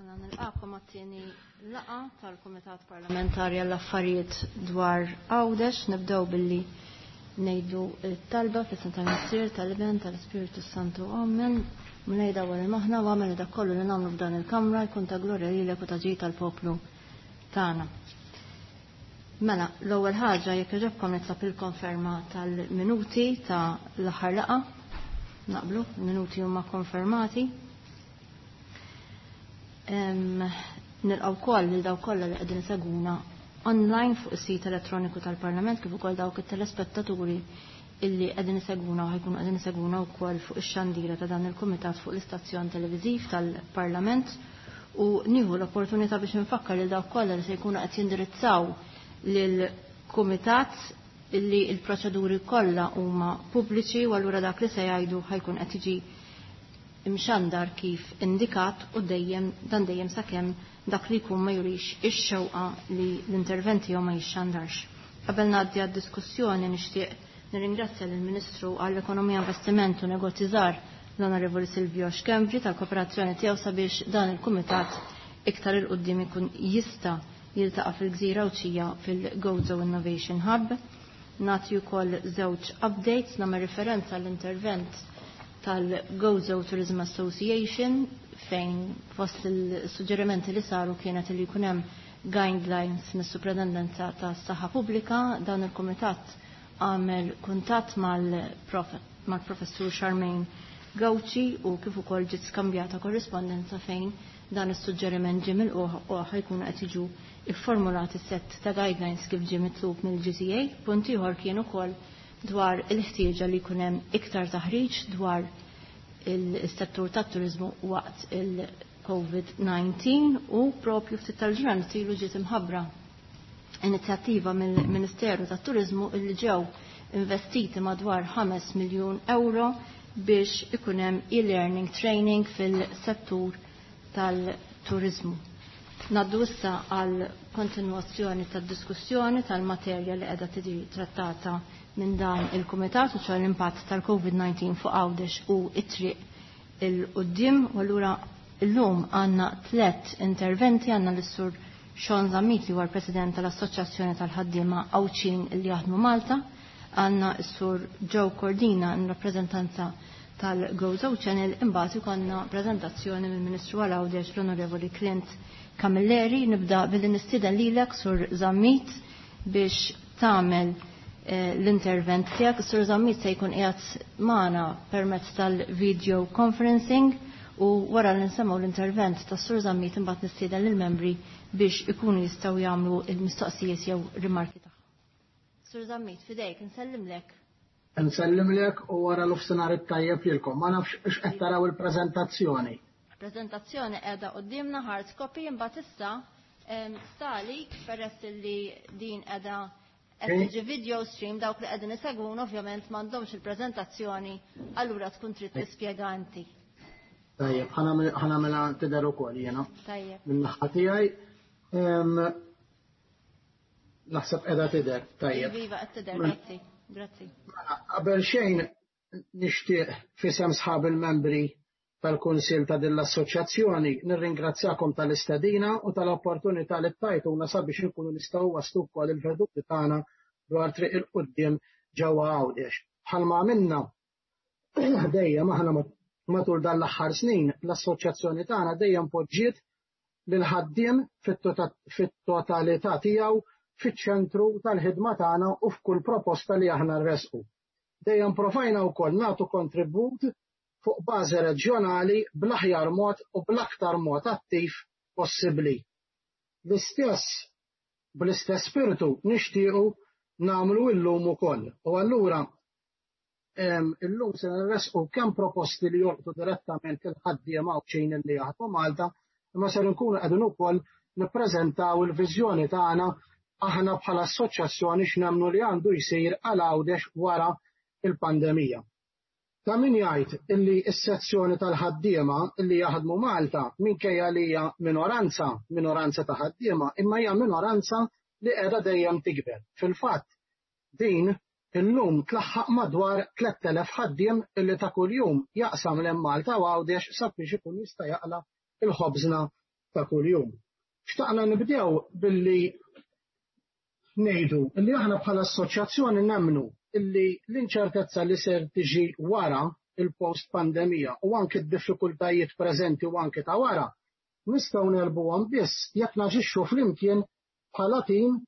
Mela nilqakom għat-tieni laqgħa tal-Kumitat Parlamentari għall-Affarijiet dwar Għawdex. Nibdew billi ngħidu t-talba fl-isem tal-Missier, tal-Iben, tal-Ispirtu Santu. Amen. Mulej dawwar il-moħħna u agħmel li dak kollu li nagħmlu f'dan il-kamra jkun ta' glorja lilek u ta' ġid tal-poplu tagħna. Mela, l-ewwel ħaġa jekk jogħġobkom nitlob il-konferma tal-minuti ta' l-aħħar laqgħa. Naqblu, il-minuti huma konfermati. Nilqgħu wkoll lil dawk kollha li qegħdin isegwuna online fuq is-sit elettroniku tal-Parlament kif ukoll dawk it-telespettaturi illi qegħdin isegwuna u ħajkunu qegħdin isegwuna wkoll fuq ix-xandira ta' dan il-kumitat fuq l-istazzjon televiżiv tal-Parlament u nieħu l-opportunità biex infakkar lil dawk kollha li se jkunu qed jindirizzaw lill-kumitat illi l-proċeduri kollha huma pubbliċi u allura dak li se jgħidu ħajkun qed jiġi imxandar kif indikat u dejjem dan dejjem sakemm dak li jkun ma jurix ix-xewqa li l-intervent tiegħu ma jixxandarx. Qabel ngħaddi għad-diskussjoni nixtieq nirringrazzja lill-Ministru għall-Ekonomija Investiment u Negozji Żgħar l-Onorevoli Silvio Schembri tal-kooperazzjoni tiegħu sabiex dan il-kumitat iktar 'il quddiem ikun jista' jiltaqa' fil-Gżira Għawdxija fil-Gozo Innovation Hub. Nagħti wkoll żewġ updates, nagħmel riferenza għall-intervent tal-Gozo Tourism Association fejn fost il-suġġerimenti li saru kienet li jkun hemm guidelines mis-Supretendenza tas-Saħħa Pubblika. Dan il-kumitat għamel kuntatt mal-Professur Charmaine Gauci u kif ukoll ġiet skambjata korrispondenza fejn dan is-suġġeriment ġie milqugħ u ħajkunu qed jiġu ifformulati sett ta' guidelines kif ġie mitlub mill-GTA. Punt ieħor kien ukoll dwar il-ħtieġa li jkun hemm iktar taħriġ dwar il-settur tat-turiżmu waqt il-COVID-19 u propju ftit tal-ġranet ilu ġiet imħabbra inizjattiva mill-Ministeru tat-Turiżmu illi ġew investiti madwar 5 miljun euro biex ikun hemm e-learning training fil-settur tal-turiżmu. Naddu issa għal kontinwazzjoni tad-diskussjoni tal-materja li qiegħda tiġi trattata minn dan il-Kumitat u ċoħ l-impatt tal-COVID-19 fuq Għawdex u it-triq il-qoddim. U allura illum għandna tlett interventi, għandna l-Sur Sean Zammit li huwa l-President tal-Assoċjazzjoni tal-Ħaddiema Għawdxin li jaħdmu Malta, għandna s-Sur Joe Cordina in rappreżentanza tal-Gozo Channel, imbagħad ikollna preżentazzjoni mill-Ministru għal Għawdex l-Onorevoli Clint Camilleri. Nibda billi nistieden lilek Sur Zammit biex tagħmel l-intervent tiegħek. Sur Zammit se jkun qiegħed magħna permezz tal-video conferencing u wara li nsemgħu l-intervent tas-Sur Zammit imbagħad nistieden lill-membri biex ikunu jistgħu jagħmlu l-mistoqsijiet jew rimarki tagħhom. Sur Zammit, fidejk, nsellimlek. Nsellimlek u wara l-ofsinhar it-tajjeb lilkom. Ma nafx x'qed taraw il-preżentazzjoni. Preżentazzjoni qiegħda quddiemna hard copy imbagħad issa stalik peress li din qiegħda qed tiġi video stream dawk li qegħdin isegwun ovvjament m'għandhomx il-preżentazzjoni allura tkun trid tispjega inti. Tajjeb, ħanamela tidher ukoll jiena. Tajjeb. Min-naħa tiegħi naħseb qiegħda tidher, tajjeb. Iva, qed tidher, grazzi. Grazzi. Qabel xejn nixtieq f'isem sħab il-membri tal-Kunsill ta' din l-assoċjazzjoni nirringrazzjakom tal-istedina u tal-opportunità li tajtuna sabiex inkunu nistgħu waslu wkoll il-veduti tagħna dwar triq il-quddiem ġewwa Għawdex. Bħalma għamilna dejjem aħna matul dan l-aħħar snin, l-assoċjazzjoni tagħna dejjem poġġiet lill-ħaddiem fit-totalità tiegħu fiċ-ċentru tal-ħidma tagħna u f'kull proposta li aħna nressqu. Dejjem provajna wkoll nagħtu kontribut fuq bażi reġjonali bl-aħjar mod u bl-aktar mod attiv possibbli. L-istess bl-istess spirtu nixtiequ nagħmlu illum ukoll. U allura illum se nressqu kemm proposti li jolqtu direttament il-ħaddiema Għawdxin li jaħdmu Malta, imma ser nkunu qegħdin ukoll nippreżentaw il-viżjoni tagħna aħna bħala assoċjazzjoni x'nemmnu li għandu jsir għal Għawdex wara il-pandemija. Ta' min jgħid illi s-sezzjoni tal-ħaddiema li jaħdmu Malta minkejja li hija minoranza, minoranza ta' ħaddiema, imma hija minoranza li qiegħda dejjem tikber. Fil-fatt, din illum tlaħħaq madwar 3000 ħaddiem illi ta' kuljum jaqsam lejn Malta u Għawdex sabiex ikun jista' jaqla' il-ħobżna ta' kuljum. Xtaqna nibdew billi ngħidu li aħna bħala assoċjazzjoni nemmnu illi l-inċertezza li ser tiġi wara il-post pandemija u anke d-diffikultajiet preżenti u anke ta' wara nistgħu negħlbuhom biss jekk naġixxu flimkien bħala tim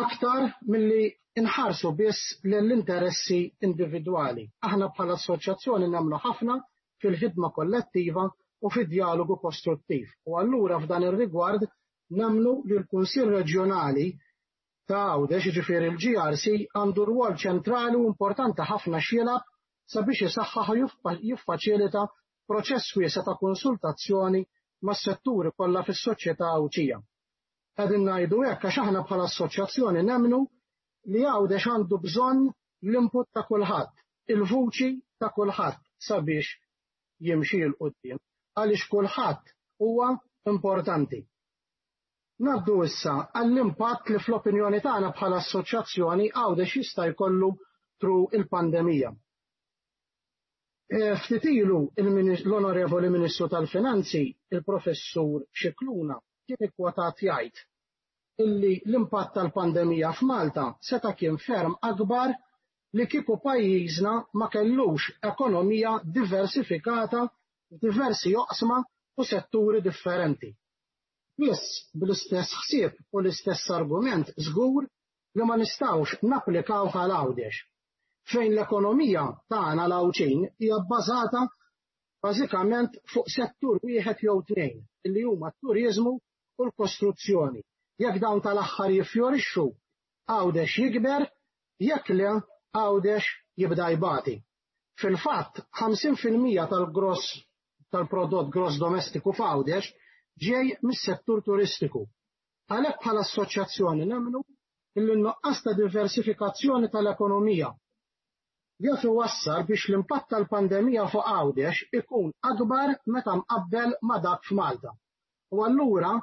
aktar milli nħarsu biss lill-interessi individwali. Aħna bħala assoċjazzjoni nemmnu ħafna fil-ħidma kollettiva u fid-dialogu kostruttiv. U allura f'dan ir-rigward nemmnu li l-Kunsill Reġjonali ta' Għawdex, jiġifieri l-GRC, għandu rwol ċentrali u importanti ħafna x'jilgħab sabiex isaħħaħ u jiffaċilita proċess wiesa' ta' konsultazzjoni mas-setturi kollha fis-soċjetà Għawdxija. Qegħdin ngħidu hekk għax aħna bħala assoċjazzjoni nemmnu li Għawdex għandu bżonn l-input ta' kulħadd, il-vuċi ta' kulħadd sabiex jimxi 'l quddiem, għaliex kulħadd huwa importanti. Ngħaddu issa għall-impatt li fl-opinjoni tagħna bħala assoċjazzjoni Għawdex jista' jkollu through il-pandemija. Ftit ilu l-Onorevoli Ministru tal-Finanzi, il-Professur Scicluna, kien ikkwotat jgħid illi l-impatt tal-pandemija f'Malta seta' kien ferm akbar li kieku pajjiżna ma kellux ekonomija diversifikata f'diversi oqsma u setturi differenti. Biss bl-istess ħsieb u l-istess argument żgur li ma nistgħux napplikawh għal Għawdex, fejn l-ekonomija tagħna l-Għawdxin hija bbażata bażikament fuq settur wieħed jew tnejn, illi huma t-turiżmu u l-kostruzzjoni. Jekk dawn tal-aħħar jiffjorixxu, Għawdex jikber, jekk le, Għawdex jibda jbati. Fil-fatt, 50% tal-gross tal-prodott gross domestiku f'Għawdex ġej mis-settur turistiku. Għalhekk bħala assoċjazzjoni nemmnu illi n-nuqqas ta' diversifikazzjoni tal-ekonomija jaf iwassal biex l-impatt tal-pandemija fuq Għawdex ikun akbar meta mqabbel ma' dak f'Malta. U allura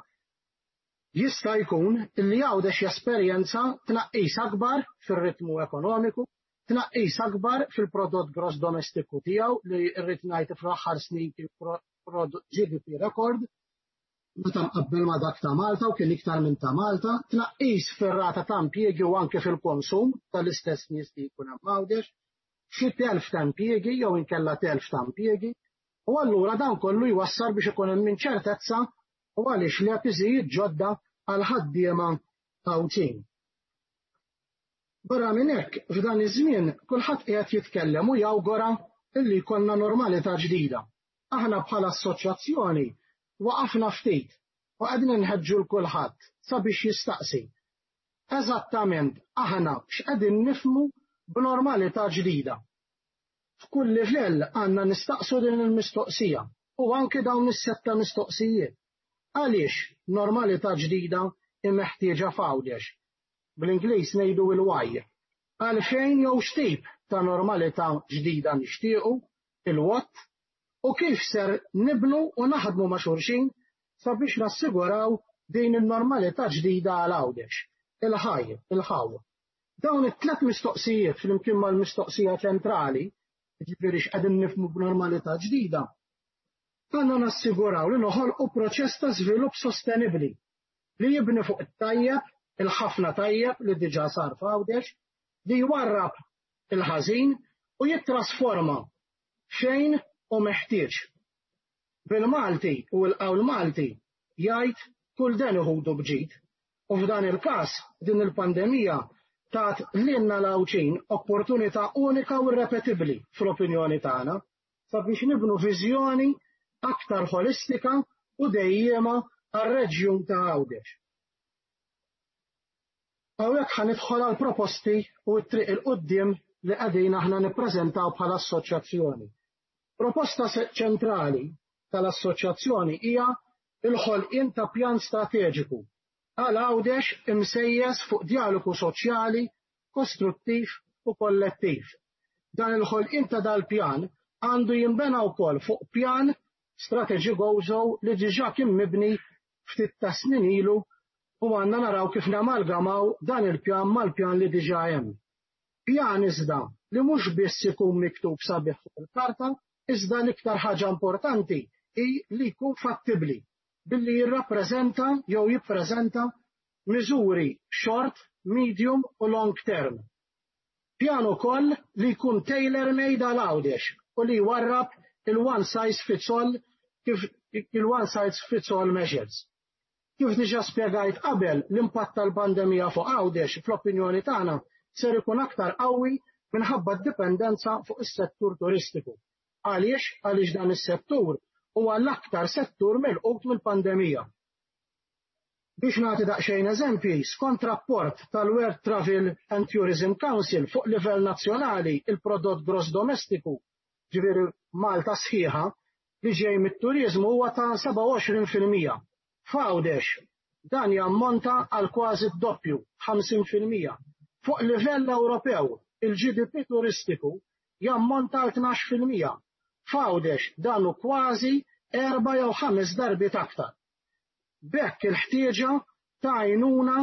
jista' jkun illi Għawdex jesperjenza tnaqqis akbar fir-ritmu ekonomiku, tnaqqis akbar fil-prodott gross domestiku tiegħu li rrid ngħid fl-aħħar snin kien GDP rekord meta mqabbel ma' dak ta' Malta u kien iktar minn ta' Malta, tnaqqis fir-rata ta' impjiegi u anke fil-konsum tal-istess nies li jkun hemm Għawdex, xi telf ta' impjiegi jew inkella telf ta' impjiegi, u allura dan kollu jwassal biex ikun hemm inċertezza u għaliex le piżijiet ġodda għal ħaddiema Għawdxin. Barra minn hekk, f'dan iż-żmien kulħadd qiegħed jitkellem u jawgura illi jkollna normalità ġdida. Aħna bħala assoċjazzjoni waqafna ftit u qegħdin inħeġġu l kulħadd sabiex jistaqsi. Eżattament aħna x'qegħdin nifhmu b'normalità ġdida. F'kull livell għandna nistaqsu din il-mistoqsija u anke dawn is-setta mistoqsijiet. Għaliex normalità ġdida hi meħtieġa f'Għawdex? Bl-Ingliż ngħidu il-why. Għalfejn jew x'tip ta' normalità ġdida nixtiequ, il-what, u kif ser nibnu u naħdmu ma' xulxin sabiex nassiguraw din in-normalità ġdida għal Għawdex. Il-how, il-how. Dawn it-tlet mistoqsijiet flimkien mal-mistoqsija ċentrali, jiġifieri x'qegħdin nifhmu b'normalità ġdida, għandna nassiguraw li noħolqu proċess ta' żvilupp sostenibbli li jibni fuq it-tajjeb, il-ħafna tajjeb li diġà sar f'Għawdex, li jwarrab il-ħażin u jittrasforma fejn u meħtieġ. Bil-Malti u l-qawl Malti jgħid kull den iħudu b'ġid. U f'dan il-każ din il-pandemija tat lilna l-Għawdxin opportunità unika u irrepetibbli fl-opinjoni tagħna sabiex nibnu viżjoni aktar ħolistika u dejjiema għar-reġjun ta' Għawdex. Hawnhekk ħa nidħol għal proposti u t-triq 'il quddiem li qegħdin aħna nippreżentaw bħala assoċjazzjoni. Proposta ċentrali tal-assoċjazzjoni hija l-ħolqien ta' pjan strateġiku għal Għawdex imsejjes fuq dialogu soċjali, kostruttiv u kollettiv. Dan il-ħolqien ta' dal-pjan għandu jinbena wkoll fuq pjan strateġiku Gozo li diġà kien mibni ftit ta' snin ilu u għandna naraw kif namalgamaw dan il-pjan mal-pjan li diġà hemm. Pjan iżda li mhux biss ikun miktub sabiħ fuq il-karta, iżda l-iktar ħaġa importanti hi li jkun fattibbli. billi jirrappreżenta jew jippreżenta miżuri short, medium u long term. Pjan ukoll li jkun tailor-made għal Għawdex u li jwarrab il-one size fits all kif il-one size fits all measures. Kif diġà spjegajt qabel, l-impatt tal-pandemija fuq Għawdex fl-opinjoni tagħna ser ikun aktar qawwi minħabba d-dipendenza fuq is-settur turistiku. Għaliex? Għaliex dan is-settur huwa l-aktar settur milqut mill-pandemija. Biex nagħti daqsxejn eżempji, skont rapport tal-World Travel and Tourism Council fuq livell nazzjonali il-prodott gross domestiku, ġifieri Malta sħiħa, li ġej mit-turiżmu huwa ta' 27%. F'Għawdex dan jammonta għal kważi d-doppju, 50%. Fuq livell Ewropew, il-GDP turistiku jammonta għal 12%. F'Għawdex dan hu kważi 4 jew 5 darbiet aktar. B'hekk il-ħtieġa ta' għajnuna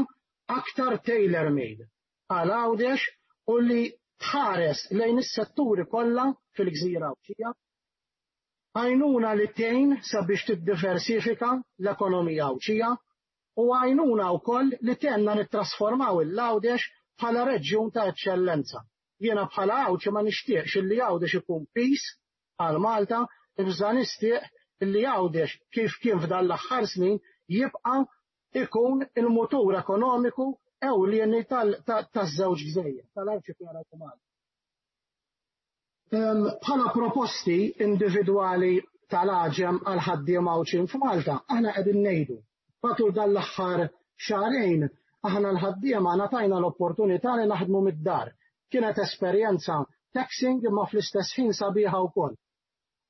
aktar tailor-made għal Għawdex u li tħares lejn is-setturi kollha fil-gżira Għawdxija, għajnuna li tgħin sabiex tiddiversifika l-ekonomija Għawdxija u għajnuna wkoll li tgħinna nittrasformaw il-Għawdex bħala reġjun ta' eċċellenza. Jiena bħala Għawdxi ma nixtieqx illi Għawdex ikun piż għal Malta, iżda nixtieq illi Għawdex kif kien f'dan l-aħħar snin jibqa' ikun il-mutur ekonomiku ewlieni taż-żewġ gżejjer, tal-arċipelagu Malti. Bħala proposti individwali tal-AĠEM għal ħaddiema Għawdxin f'Malta, aħna qegħdin ngħidu matul dan l-aħħar xahrejn aħna l-ħaddiema ngħatajna l-opportunità li naħdmu mid-dar. Kienet esperjenza taxing imma fl-istess ħin sabiħa wkoll.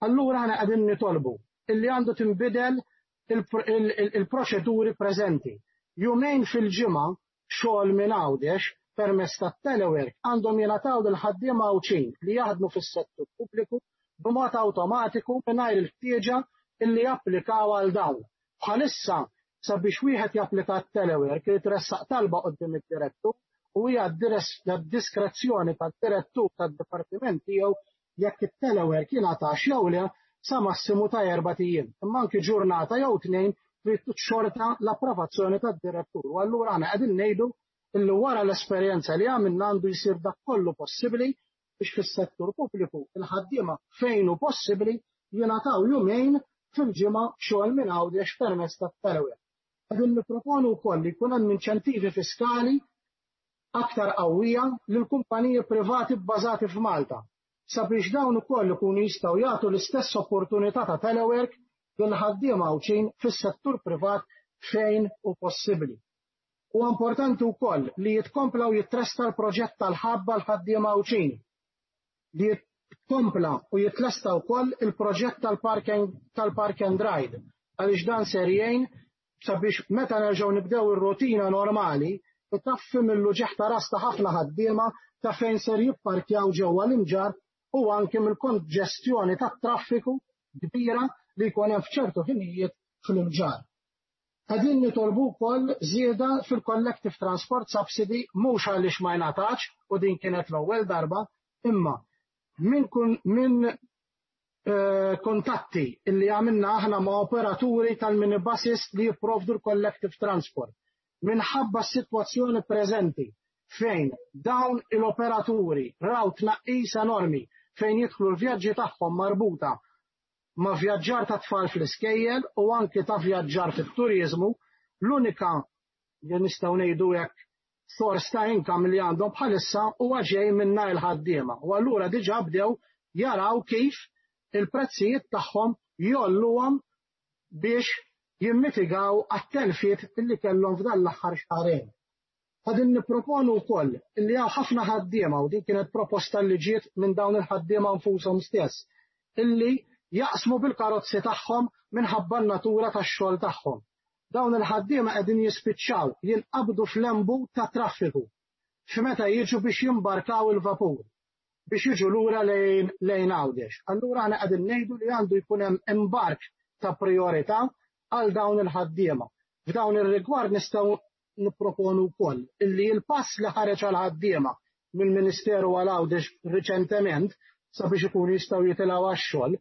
Allura aħna qegħdin nitolbu illi għandu tinbidel il-proċeduri preżenti. Jumejn fil-ġimgħa xogħol minn Għawdex permezz tat-telework għandhom jingħataw lil ħaddiema Għawdxin li jaħdmu fis-settur pubbliku b'mod awtomatiku mingħajr il-ħtieġa illi japplikaw għal dawn. Bħalissa sabiex wieħed japplika t-telework irid iressaq talba quddiem id-direttur u hija d-diskrezzjoni tad-direttur tad-dipartiment tiegħu jekk it-telework jingħatax jew le sa massimu ta' erbat ijiem. Imma anki ġurnata jew tnejn trid xorta l-approvazzjoni tad-direttur. U allura aħna qegħdin ngħidu illi wara l-esperjenza li għamilna għandu jsir dak kollu possibbli biex fis-settur pubbliku il-ħaddiema fejn hu possibbli jingħataw jumejn fil-ġimgħa xogħol minn Għawdex permezz tat-telework. Qegħdin nipproponu wkoll li jkun hemm inċentivi fiskali aktar qawwija lil kumpaniji privati bbażati f'Malta sabiex dawn ukoll ikunu jistgħu jagħtu l-istess opportunità ta' telework lil ħaddiema Għawdxin fis-settur privat fejn hu possibbli. Huwa importanti wkoll li jitkompla u jitresta l-proġett tal-hub għal ħaddiema Għawdxin, li jitkompla u jitlesta wkoll il-proġett tal-park and ride, għaliex dan ser jgħin sabiex meta nerġgħu nibdew ir-rutina normali, itaffi mill-uġigħ ta' ras ta' ħafna ħaddiema ta' fejn ser jipparkjaw ġewwa l-Imġarr u anke mill-konġestjoni tat-traffiku kbira li jkun hemm f'ċertu ħinijiet fl-Imġarr. Qegħdin nitolbu wkoll żieda fil-Collective Transport Subsidy mhux għaliex ma jingħatax u din kienet l-ewwel darba, imma minn kuntatti illi għamilna aħna ma' operaturi tal-minibuses li jipprovdu l-collective transport. Minħabba s-sitwazzjoni preżenti fejn dawn il-operaturi raw tnaqqis enormi fejn jidħlu l-vjaġġi tagħhom marbuta ma' vjaġġar ta' tfal fl-iskejjel u anki ta' vjaġġar fit-turizmu, l-unika li nistgħu ngħidu hekk sors ta' income li għandhom bħalissa huwa ġej minna il-ħaddiema. U allura diġà bdew jaraw kif il-prezzijiet tagħhom jgħolluhom biex jimmitigaw għat-telfiet li kellhom f'dan l-aħħar xahrejn. Qegħdin nipproponu wkoll li hawn ħafna ħaddiema u din kienet proposta li ġiet minn dawn il-ħaddiema nfushom stess, illi jaqsmu bil-karozzi tagħhom minħabba n-natura tax-xogħol tagħhom. Dawn il-ħaddiema qegħdin jispiċċaw jinqabdu f'lembu ta' traffiku f'meta jiġu biex jimbarkaw il-vapur biex jiġu lura lejn Għawdex. Allura aħna qegħdin ngħidu li għandu jkun hemm imbark ta' priorità għal dawn il-ħaddiema. F'dawn ir-rigward nistgħu nipproponu wkoll illi l-pass li ħareġ għal ħaddiema mill-Ministeru għal Għawdex riċentement sabiex ikunu jistgħu jitilgħu għax-xogħol.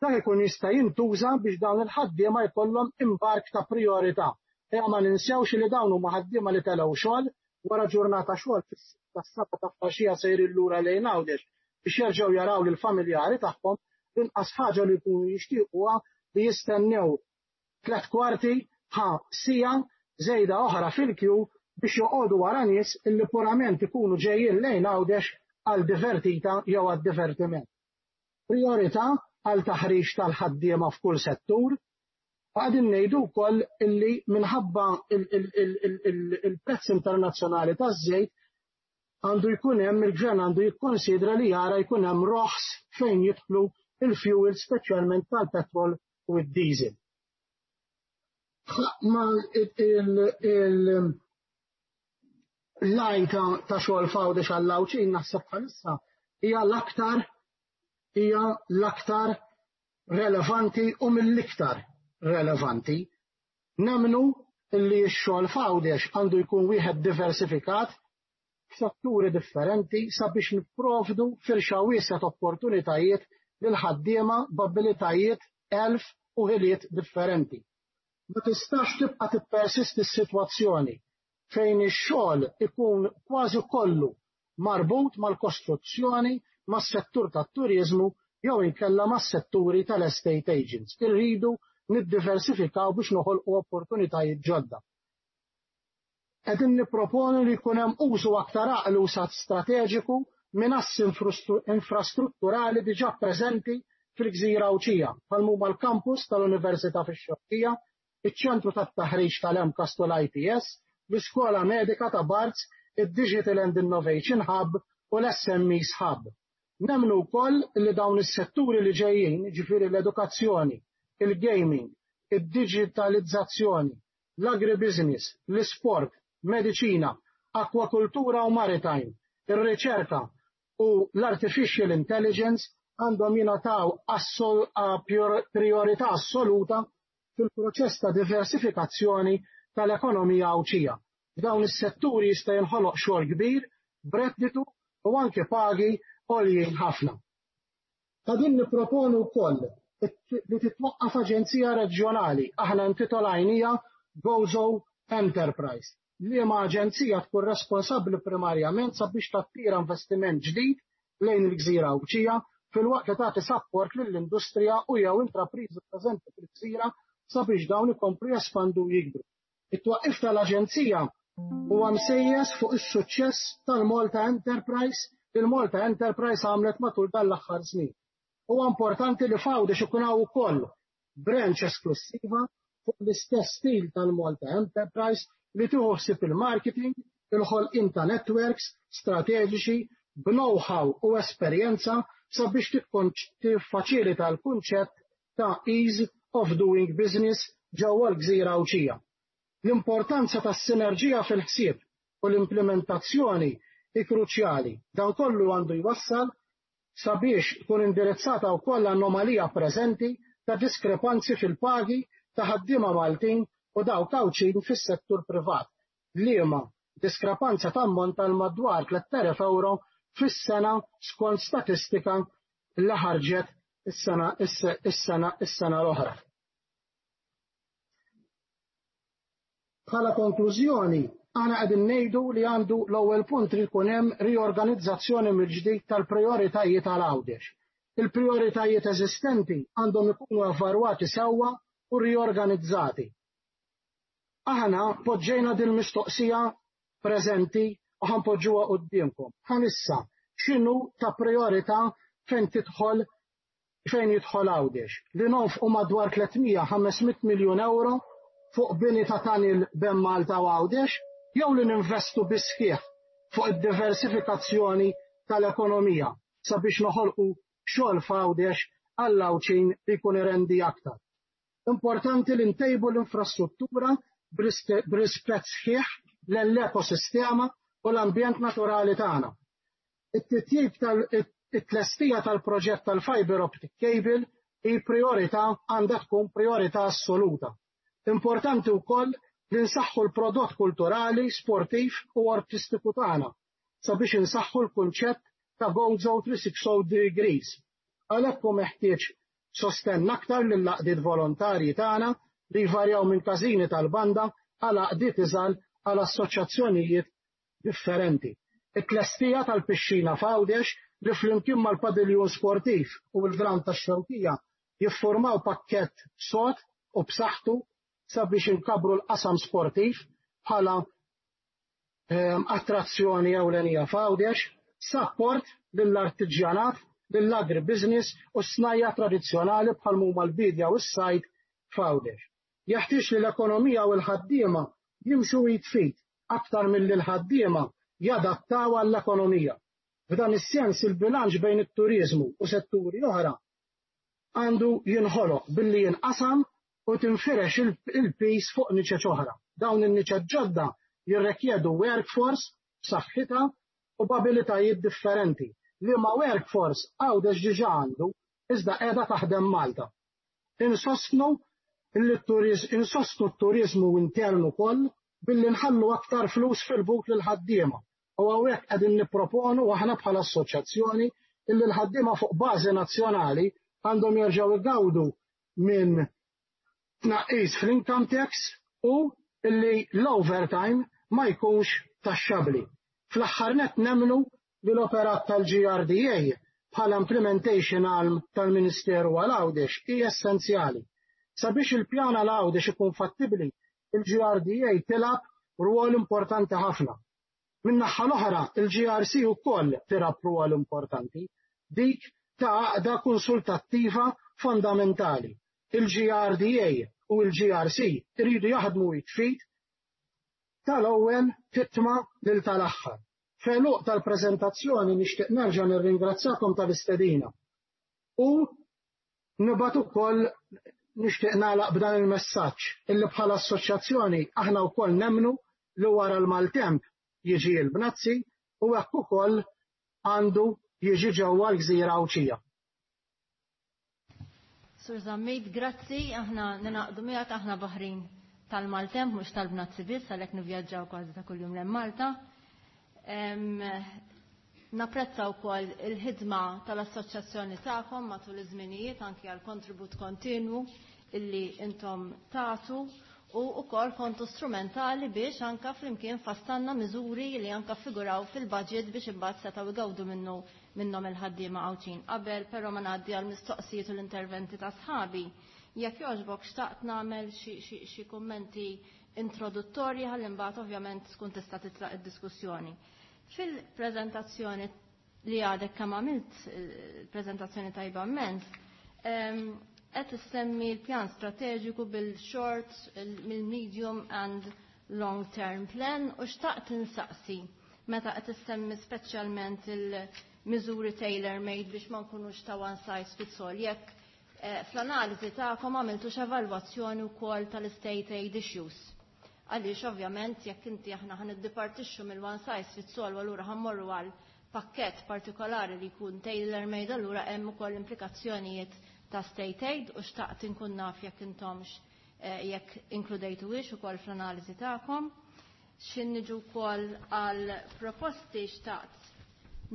Dak ikun jista' jintuża biex dawn il-ħaddiema jkollhom imbark ta' prijorità. Ejja ma ninsewx li dawn huma ħaddiema li telgħu xogħol wara ġurnata xogħol fis-sitta s-seba' ta' filgħaxija sejrin lura lejn Għawdex biex jerġgħu jaraw lill-familjari tagħhom. L-inqas ħaġa li jkunu jixtiequha li jistennew 45 ħa siegħa żejda oħra fil-kju biex joqogħdu wara nies illi purament ikunu ġejjin lejn Għawdex għal divertita jew għad divertiment. Priorità għal taħriġ tal-ħaddiema f'kull settur. Qegħdin ngħidu wkoll illi minħabba il-prezz internazzjonali taż-żejt għandu jkun hemm, il-gvern għandu jikkonsidra li jara jkun hemm roħs fejn jidħlu il-fuel, speċjalment tal-petrol u d-diesel. Ma l-għajta ta' xogħol f'Għawdex għall-Għawdxin naħseb bħalissa hija l-aktar relevanti u mill-iktar relevanti. Nemmnu li x-xogħol f'Għawdex għandu jkun wieħed diversifikat f'setturi differenti sabiex nipprovdu firxa wiesgħa ta' opportunitajiet lil ħaddiema b'abilitajiet, għerf u ħiliet differenti. Ma tistax tibqa' tippersisti s-sitwazzjoni fejn ix-xogħol ikun kważi kollu marbut mal-kostruzzjoni, mas-settur tat-turizmu jew inkella mas-setturi tal-estate agents. Irridu niddiversifikaw biex noħolqu opportunitajiet ġodda. Qegħdin nipproponu li jkun hemm użu aktar għaqli u strateġiku minn assi infrastrutturali diġà preżenti fil-Gżira Għawdxija, bħal huma l-kampus tal-Università fix-Xewkija, iċ-ċentru tat-taħriġ tal-MCAST u l-ITS, l-Iskola Medika ta' Barts, id-Digital and Innovation Hub u l-SMEs Hub. Nemmnu wkoll li dawn is-setturi li ġejjin, ġifieri l-edukazzjoni, il-gaming, id-digitalizzazzjoni, l-agribusiness, l-sport, mediċina, akwakultura u maritime, ir-riċerka u l-artificial intelligence għandhom jingħataw priorità assoluta fil-proċess ta' diversifikazzjoni tal-ekonomija Għawdxija. F'dawn is-setturi jista' jinħoloq xogħol kbir, b'redditu u anke pagi għoljin ħafna. Qegħdin nipproponu wkoll li titwaqqaf aġenzija reġjonali, aħna intitolajnieha Gozo Enterprise, liema aġenzija tkun responsabbli primarjament sabiex tattira investiment ġdid lejn il-Gżira Għawdxija filwaqt li tagħti support lill-industrija u jew intrapriżi preżenti fil-gżira sabiex dawn ikomplu jespandu u jikbru. It-twaqqif tal-aġenzija huwa msejjes fuq is-suċċess tal-Malta Enterprise li l-Malta Enterprise għamlet matul dan l-aħħar snin. Huwa importanti li f'Għawdex ikun hawn ukoll branch esklusiva fuq l-istess stil tal-Malta Enterprise li tieħu ħsieb il-marketing, il-ħolqien ta' networks strateġiċi b'know-how u esperjenza sabiex tiffaċilita l-kunċett ta' ease of doing business ġewwa l-Gżira Għawdxija. L-importanza tas-sinerġija fil-ħsieb u l-implementazzjoni hi kruċjali. Dan kollu għandu jwassal sabiex tkun indirizzata wkoll l-anomalija preżenti ta' diskrepanzi fil-pagi ta' ħaddiema Maltin u dawk Għawdxin fis-settur privat. Liema diskrepanza tammonta għal madwar 3000 euro fis-sena skont statistika li ħarġet is-sena l-oħra. Bħala konklużjoni, aħna qegħdin ngħidu li għandu l-ewwel punt li jkun hemm riorganizzazzjoni mill-ġdid tal-prijoritajiet għal Għawdex. Il-prijoritajiet eżistenti għandhom ikunu evalwati sewwa u riorganizzati. Aħna poġġejna din mistoqsija preżenti u ħa npoġġuha quddiemkom. Bħalissa x'inhu ta' priorità fejn jidħol Għawdex? Li nonfqu madwar 300-500 miljun euro fuq bini ta' tunnel bejn Malta u Għawdex jew li ninvestu bis-sħiħ fuq id-diversifikazzjoni tal-ekonomija sabiex noħolqu xogħol f'Għawdex għall-Għawdxin li jkun irendi aktar. Importanti li ntejbu l-infrastruttura b'rispett sħiħ l-ekosistema u l-ambjent naturali tagħna. It-titjib tal-tlestija tal-proġett tal-fiber optic cable hi priorità, għandha tkun priorità assoluta. Importanti wkoll li nsaħħu l-prodott kulturali, sportiv u artistiku tagħna sabiex insaħħu l-kunċett ta' Gozo 360 degrees. Għalhekk hu meħtieġ Sostenn aktar lill-għaqdiet volontarji tagħna li jvarjaw minn każini tal-banda għal għaqdiet iżgħar għal assoċjazzjonijiet differenti. It-tlestija tal-pixxina f'Għawdex li flimkien mal-padiljun sportiv u l-ground tax-Xewkija jiffurmaw pakkett sod u b'saħħtu sabiex inkabbru l-qasam sportiv bħala attrazzjoni ewlenija f'Għawdex, sapport lill-artiġjanat, lill-agribusiness u s-snajja' tradizzjonali bħal huma l-biedja u s-sajd f'Għawdex. Jeħtieġ li l-ekonomija u l-ħaddiema jimxu id f'id aktar milli l-ħaddiema jadattaw għall-ekonomija. F'dan is-sens il-bilanċ bejn it-turiżmu u setturi oħra għandu jinħoloq billi jinqasam u tinfirex il-piż fuq niċeċ oħra. Dawn in-niċeċ ġodda jirrekjedu workforce b'saħħitha u b'abilitajiet differenti, liema workforce Għawdex diġà għandu iżda qiegħda taħdem Malta. Insostnu insostnu t-turiżmu intern ukoll billi nħallu aktar flus fil-but lill-ħaddiema u hawnhekk qegħdin nipproponu aħna bħala assoċjazzjoni illi l-ħaddiema fuq bażi nazzjonali għandhom jerġgħu jgawdu minn tnaqqis fl-income tax u illi l-overtime ma jkunx taxxabbli. Fl-aħħar nett nemmnu li l-operat tal-GRDA bħala implementation arm tal-Ministeru għal Għawdex hi essenzjali. Sabiex il-pjan għal Għawdex ikun fattibbli, il-GRDA tilgħab rwol importanti ħafna. Min-naħa l-oħra, il-GRC ukoll tilgħab rwol importanti, dik ta' għaqda konsultattiva fondamentali. Il-GRDA u l-GRC iridu jaħdmu id f'id tal-ewwel titma' lil tal-aħħar. F'għeluq tal-preżentazzjoni nixtieq nerġa' nirringrazzakom tal-istedina u nibgħat ukoll nixtieq nagħlaq b'dan il-messaġġ illi bħala assoċjazzjoni aħna wkoll nemmnu li wara l-maltemp jiġi l-bnazzi u hekk ukoll għandu jiġi ġewwa l-gżira Għawdxija. Sur Zammit, grazzi, aħna ninaqdu miegħek, aħna baħrin tal-maltemp mhux tal-bnazzi biss, għalhekk nivvjaġġaw kważi ta' kuljum lejn Malta. Napprezza wkoll il-ħidma tal-assoċjazzjoni tagħkom matul iż-żminijiet anki għal kontribut kontinwu illi intom tagħtu u wkoll kontu strumentali biex anka flimkien fassanna miżuri li anka figuraw fil-budget biex imbagħad setgħu jgawdu minnu minnhom il-ħaddiema Għawdxin. Qabel però ma ngħaddi għal mistoqsijiet u l-interventi ta' sħabi, jekk jogħġbok xtaqt nagħmel xi kummenti introduttorji ħalli imbagħad ovvjament tkun tista' titlaq id-diskussjoni. Fil-preżentazzjoni li għadek kemm għamilt, preżentazzjoni tajba immens, qed issemmi l-pjan strateġiku bil-short, il-medium and long term plan u xtaqt insaqsi meta qed issemmi speċjalment il-miżuri tailor made biex ma nkunux ta' one size fits all, jekk fl-analiżi tagħkom għamiltux evalwazzjoni wkoll tal-state aid issues. Għaliex ovvjament jekk inti aħna ħa niddipartixxu mill-one size fits all u allura ħa mmorru għal pakkett partikolari li jkun tailor made, allura hemm ukoll implikazzjonijiet ta' state aid u xtaqt inkun naf jekk intomx jekk inkludejtuhiex ukoll fl-analiżi tagħkom. X'ħin niġu wkoll għal proposti, xtaqt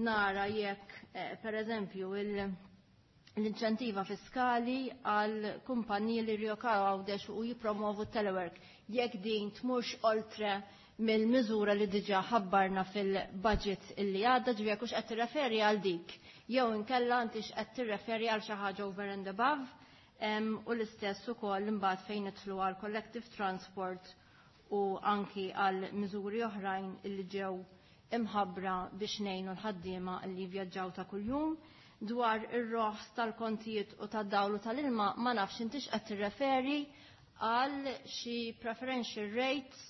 nara jekk per eżempju l-inċentiva fiskali għal kumpaniji li rjokaw Għawdex u jipromovu telework, jekk din tmurx oltre mill-miżura li diġà ħabbarna fil-budget illi għadda, ġifieri jekk hux qed tirreferi għal dik jew inkella intix qed tirreferi għal xi ħaġa over and above, u l-istess ukoll imbagħad fejn nidħlu għal collective transport u anki għal miżuri oħrajn illi ġew imħabbra biex ngħinu l-ħaddiema li vjaġġaw ta' kuljum. Dwar ir-roħs tal-kontijiet u tad-dawl u tal-ilma, ma nafx intix qed tirreferi għal xi preferential rates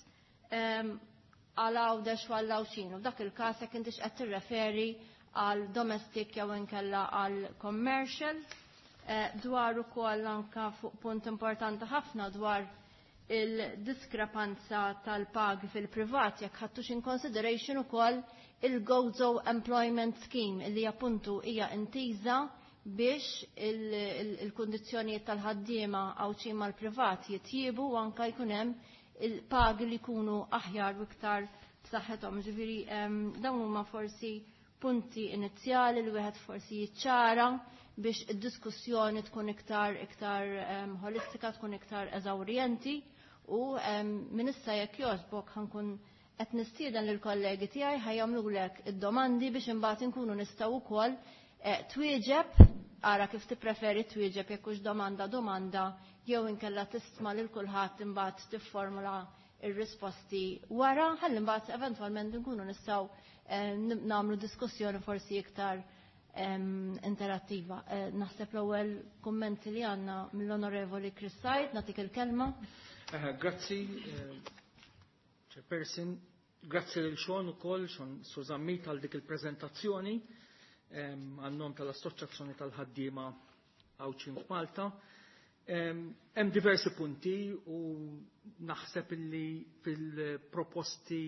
għal Għawdex u għal Għawdxin. U f'dak il-każ jekk intix qed tirreferi għal domestic jew inkella għal commercial. Dwar ukoll anka fuq punt importanti ħafna dwar il-diskrepanza tal-pagi fil-privat, jekk ħadtux in consideration ukoll il-Gozo Employment Scheme li appuntu hija intiża biex il-kundizzjonijiet tal-ħaddiema Għawdxin mal-privat jitjiebu u anka jkun hemm il-pagi li jkunu aħjar u iktar b'saħħithom. Ġifieri dawn huma forsi punti inizjali li wieħed forsi jiċċara. biex id-diskussjoni tkun iktar iktar holistika, tkun iktar eżawrjenti u minn issa jekk jogħġbok ħa nkun qed nistieden lill-kollegi tiegħi ħa jagħmlulek id-domandi biex imbagħad inkunu nistgħu wkoll twieġeb, ara kif tippreferi twieġeb, jekk hux domanda domanda jew inkella tisma' lil kulħadd, imbagħad tifformula ir-risposti wara, ħalli mbagħad eventwalment nkunu nistgħu nagħmlu diskussjoni forsi iktar interattiva. Naħseb l-ewwel kummenti li għandna mill-Onorevoli Chris Said, nagħtik il-kelma. Grazzi, Chairperson. Grazzi lil Sean ukoll, Sean Sużammit, għal dik il-preżentazzjoni għan-nom tal-Assoċjazzjoni tal-Ħaddiema Għawdxin f'Malta. Hemm diversi punti u naħseb illi fil-proposti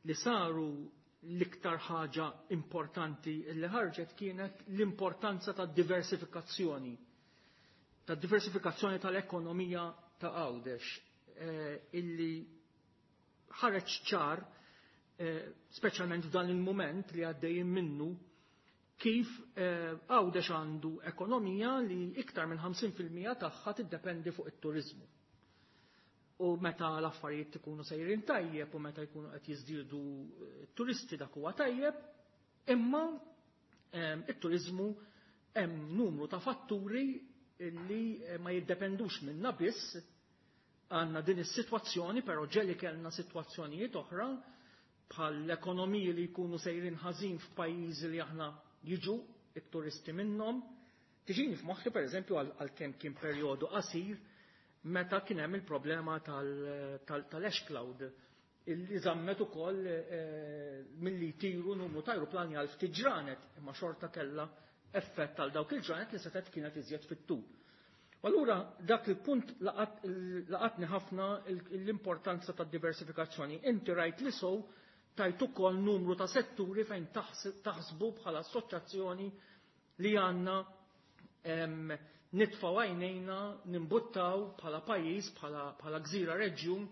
li saru l-iktar ħaġa importanti li ħarġet kienet l-importanza ta' diversifikazzjoni. Ta' diversifikazzjoni tal-ekonomija ta' Għawdex, illi ħareġ ċar, speċjalment f'dan il-moment li għaddejjin minnu, kif Għawdex għandu ekonomija li iktar minn 50% tagħha tiddependi fuq it-turizmu. U meta l-affarijiet ikunu sejrin tajjeb u meta jkunu qed jiżdiedu turisti, dak huwa tajjeb, imma it-turizmu hemm numru ta' fatturi li ma jiddependux minna biss. Għandna din is-sitwazzjoni, però ġeli kellna sitwazzjonijiet oħra bħal l-ekonomiji li jkunu sejrin ħażin f'pajjiżi li aħna jiġu it-turisti minnhom. Tiġini f'moħħi, pereżempju, għal kemm kien perjodu qasir, meta kien hemm il-problema tal-ash cloud illi żammet ukoll milli jtiru numru ta' ajruplani għal ftit ġranet, imma xorta kellha effett għal dawk il-ġranet li setgħet kienet iżjed fit-tul. U allura dak il-punt laqatni ħafna, l-importanza tad diversifikazzjoni. Inti rajt li sow tajt ukoll numru ta' setturi fejn taħsbu bħala assoċjazzjoni li għandna nitfaw għajnejna nimbuttaw bħala pajjiż, bħala gżira reġjun,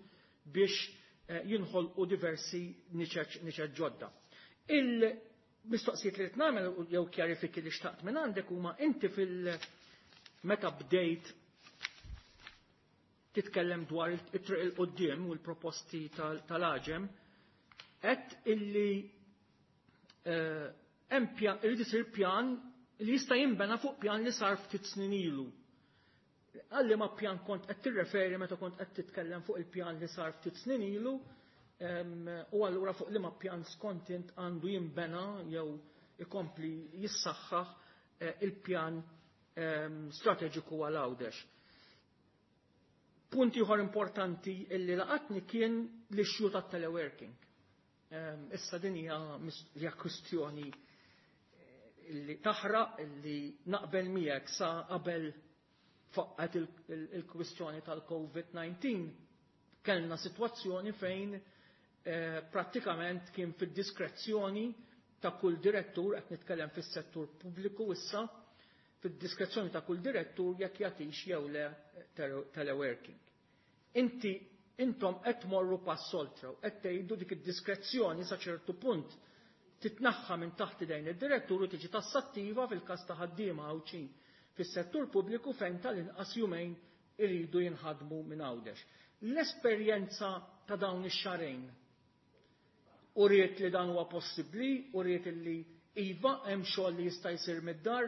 biex jinħolqu diversi niċeċ ġodda. Il-mistoqsijiet li nagħmel jew kjarifiki li xtaqt minn għandek huma: inti fil meta bdejt titkellem dwar it-triq il-qoddim u l-proposti tal-AĠEM, għedt illi hemm irid isir pjan li jista' jinbena fuq pjan li sar ftit snin ilu. Għal liema pjan kont qed tirreferi meta kont qed titkellem fuq il-pjan li sar ftit snin ilu, u allura fuq liema pjan skont int għandu jinbena jew ikompli jissaħħaħ il-pjan strateġiku għal Għawdex? Punt ieħor importanti illi laqatni kien l-issue tat-teleworking. Issa din hija kwistjoni li taħraq, li naqbel miegħek, sa qabel faqqet il-kwistjoni tal-COVID-19 kellna sitwazzjoni fejn prattikament kien fid-diskrezzjoni ta' kull direttur, qed nitkellem fis-settur pubbliku issa, fid-diskrezzjoni ta' kull direttur jekk jagħtix jew le teleworking. Inti intom qed tmorru pass oltre, qed tgħidu dik id-diskrezzjoni sa ċertu punt titnaħħa minn taħt idejn id-direttur u tiġi tassattiva fil-każ ta' ħaddiema Għawdxin fis-settur pubbliku, fejn tal-inqas jumejn iridu jinħadmu minn Għawdex. L-esperjenza ta' dawn ix-xahrejn uriet li dan huwa possibbli, uriet li iva, hemm xogħol li jista' jsir mid-dar,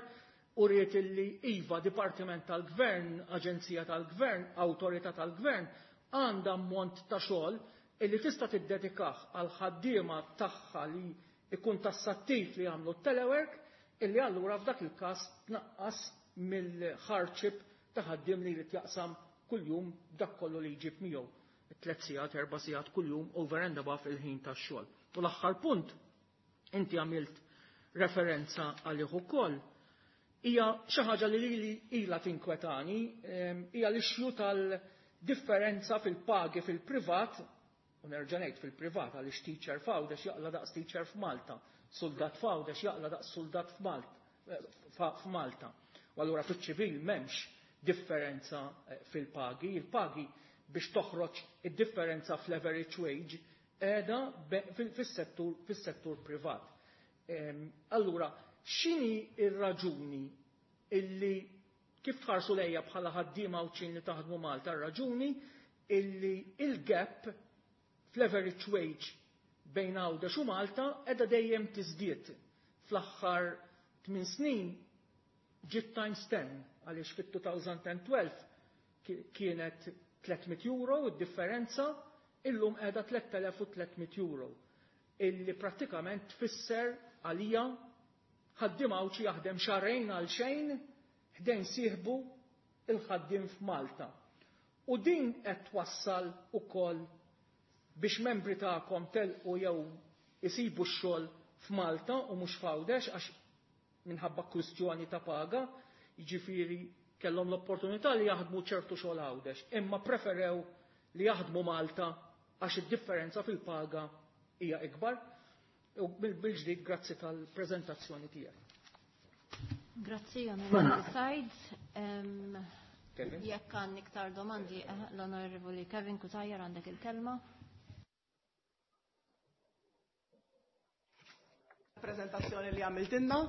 uriet li iva, dipartiment tal-gvern, aġenzija tal-gvern, awtorità tal-gvern għandha ammont ta' xogħol illi tista' tiddedikah għal ħaddiema tagħha li ikun tassattiv li jagħmlu telework, illi allura f'dak il-każ tnaqqas mill-hardship ta' ħaddiem li jrid jaqsam kuljum dak kollu li jġib miegħu 3 sigħat, 4 sigħat kuljum over and above il-ħin tax-xogħol. U l-aħħar punt, inti għamilt referenza għalih ukoll, hija xi ħaġa li lili ilha tinkwetani, hija l-issue tal-differenza fil-pagi fil-privat, u nerġa' ngħid fil-privat għaliex teacher f'Għawdex jaqla daqs teacher f'Malta, soldat f'Għawdex jaqla daqs soldat f'Malta. U allura fiċ-ċivil m'hemmx differenza fil-pagi, il-pagi biex toħroġ id-differenza fl-average wage qiegħda fis-settur privat. Allura, x'inhi ir-raġuni illi kif tħarsu lejja bħala ħaddiema Għawdxin li taħdmu Malta, raġuni illi il-gap fl-average wage bejn Għawdex u Malta qiegħda dejjem tiżdied. Fl-aħħar 8 snin ġiet times 10, għaliex fit-2012 kienet 300 euro id-differenza, illum qiegħda 3300 euro. Illi prattikament tfisser għalija ħaddiem Għawdxi jaħdem xahrejn għal xejn ħdejn sieħbu il-ħaddiem f'Malta. U din qed twassal ukoll biex membri tagħkom telqu jew isibu x-xogħol f'Malta u mhux f'Għawdex, għax minħabba kwistjoni ta' paga, jiġifieri kellhom l-opportunità li jaħdmu ċertu xogħol Għawdex, imma preferew li jaħdmu Malta għax id-differenza fil-paga hija ikbar. U bil-ġdid grazzi tal-preżentazzjoni tiegħek. Grazzi, Onorevoli Said. Jekk għandek iktar domandi, l-Onorevoli Kevin Cutajar għandek il-kelma. Prezentazzjoni li għamiltinna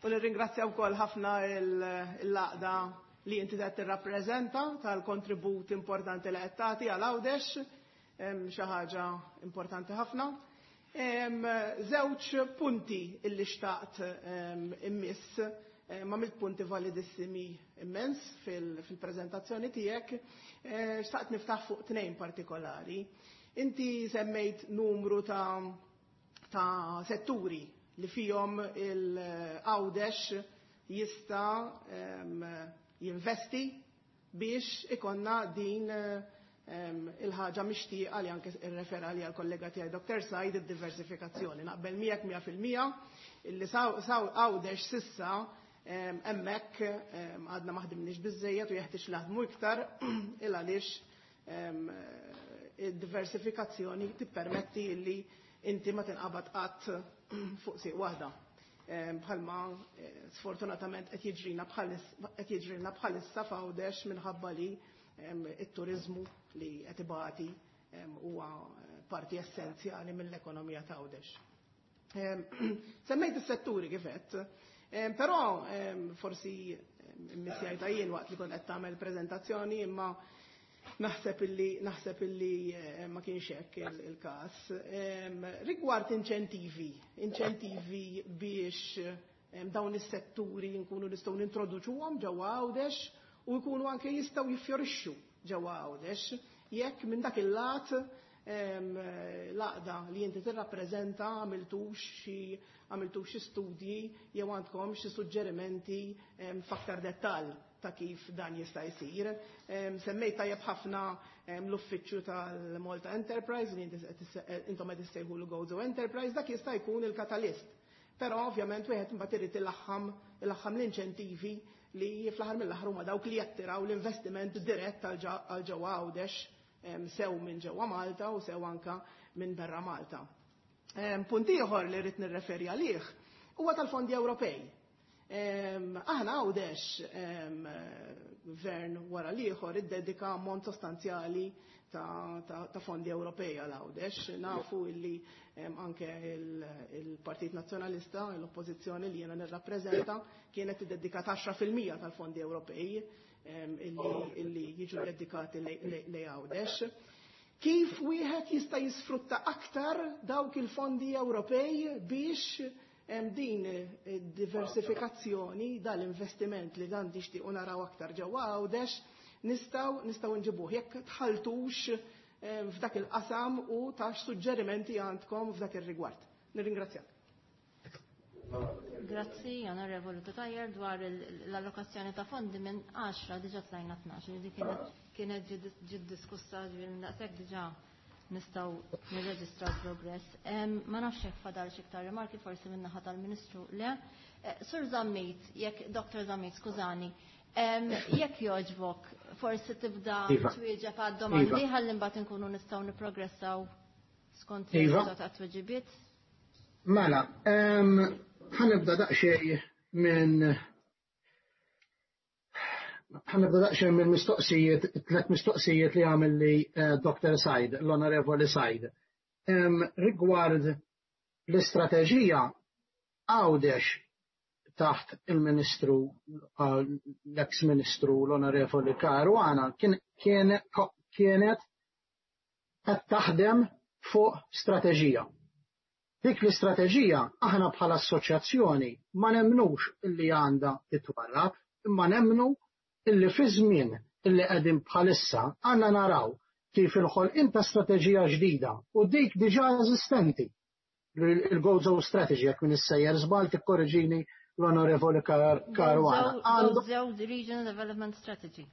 u nirringrazzja wkoll ħafna l-għaqda li inti qed tirrappreżenta tal-kontribut importanti li qed tagħti għal Għawdex, xi ħaġa importanti ħafna. Żewġ punti illi xtaqt immiss, ma mill punti validissimi immens fil-prezentazzjoni tiegħek, xtaqt niftaħ fuq tnejn partikolari. Inti semmejt numru ta' setturi li fihom il-Għawdex jista' jinvesti biex ikonna din il-ħaġa mixtieqa li anke irrefera li għal-kollega tiegħi Dr. Said, id-diversifikazzjoni. Naqbel miegħek 100% illi Għawdex sissa hemmhekk għadna ma ħdimniex biżejjed u jeħtieġ naħdmu iktar il għaliex id-diversifikazzjoni tippermetti illi inti ma tinqabad qatt fuq sieq waħda. Bħalma sfortunatament qed jiġrina bħalissa f'Għawdex minħabba li it-turizmu li qed ibati huwa parti essenzjali mill-ekonomija ta' Għawdex. Semmejt is-setturi kif għedt, però forsi missjajta jien waqt li kont qed tagħmel preżentazzjoni, imma naħseb illi ma kienx hekk il-każ. Rigward inċentivi biex dawn is-setturi nkunu nistgħu nintroduċuhom ġewwa Għawdex u jkunu anke jistgħu jiffjorixxu ġewwa Għawdex, jekk minn dak il-lat l-għaqda li inti tirrappreżenta għamiltux xi studji jew għandkom xi suġġerimenti f'aktar dettall ta' kif dan jista' jsir. Semmejt tajjeb ħafna l-uffiċċju tal-Malta Enterprise li intom qed issejħu l-Gozo Enterprise, dak jista' jkun il-katalist. Però ovvjament wieħed imbagħad irid ilaħħam l-inċentivi li fl-aħħar mill-aħħar huma dawk li jattiraw l-investiment dirett għal ġewwa Għawdex, sew minn ġewwa Malta u sew anka minn barra Malta. Punt ieħor li rrid nirreferi għalih huwa tal-fondi Ewropej. Aħna Għawdex, gvern wara l-ieħor iddedika ammont sostanzjali ta' fondi Ewropej għal Għawdex. Nafu illi anke il-Partit Nazzjonalista, l-Oppożizzjoni li jiena nirrappreżenta, kienet iddedikat 10% tal-fondi Ewropej illi jiġu dedikati lejn Għawdex. Kif wieħed jista' jisfrutta aktar dawk il-fondi Ewropej biex din diversifikazzjoni, dal-investiment li dan tixtiequ naraw aktar ġewwa Għawdex, nistgħu nġibuh jekk tħaltux f'dak il-qasam u tax suġġerimenti għandkom f'dak ir-rigward. Nirringrazzjak. Grazzi, Onorevoli Cutajar, dwar l-allokazzjoni ta' fondi minn 10 diġà tlajna 12, li kienet ġiet diskussa, ġifieri daqshekk diġà nistgħu nirreġistraw progress. Ma nafx jekk fadal xi iktar rimarki, forsi minn naħa tal-Ministru le. Sur Zammit, jekk Dr. Zammit, skużani, jekk jogħġbok, forsi tibda twieġeb għad-domandi ħalli mbagħad inkunu nistgħu nipprogressaw skont il-riżultat tat-tweġibiet. Mela, ħanibda daqsxejn minn ħanibda daqsxejn minn mistoqsijiet, tliet mistoqsijiet li għamel li Dr. Said, l-Onorevoli Said. Rigward l-istrateġija, Għawdex taħt il-Ministru, l-ex Ministru l-Onorevoli Caruana kienet qed taħdem fuq strateġija. Dik l-istrateġija aħna bħala assoċjazzjoni ma nemnux illi għandha titwarrab, imma nemnu illi fi żmien illi qegħdin bħalissa għandna naraw kif il-ħolqien ta' strateġija ġdida u dik diġà eżistenti, il-Gozo Strategy, jekk minn issejjer żball tikkorreġini l-Onorevoli Caruana. Gozo Regional Development Strategy.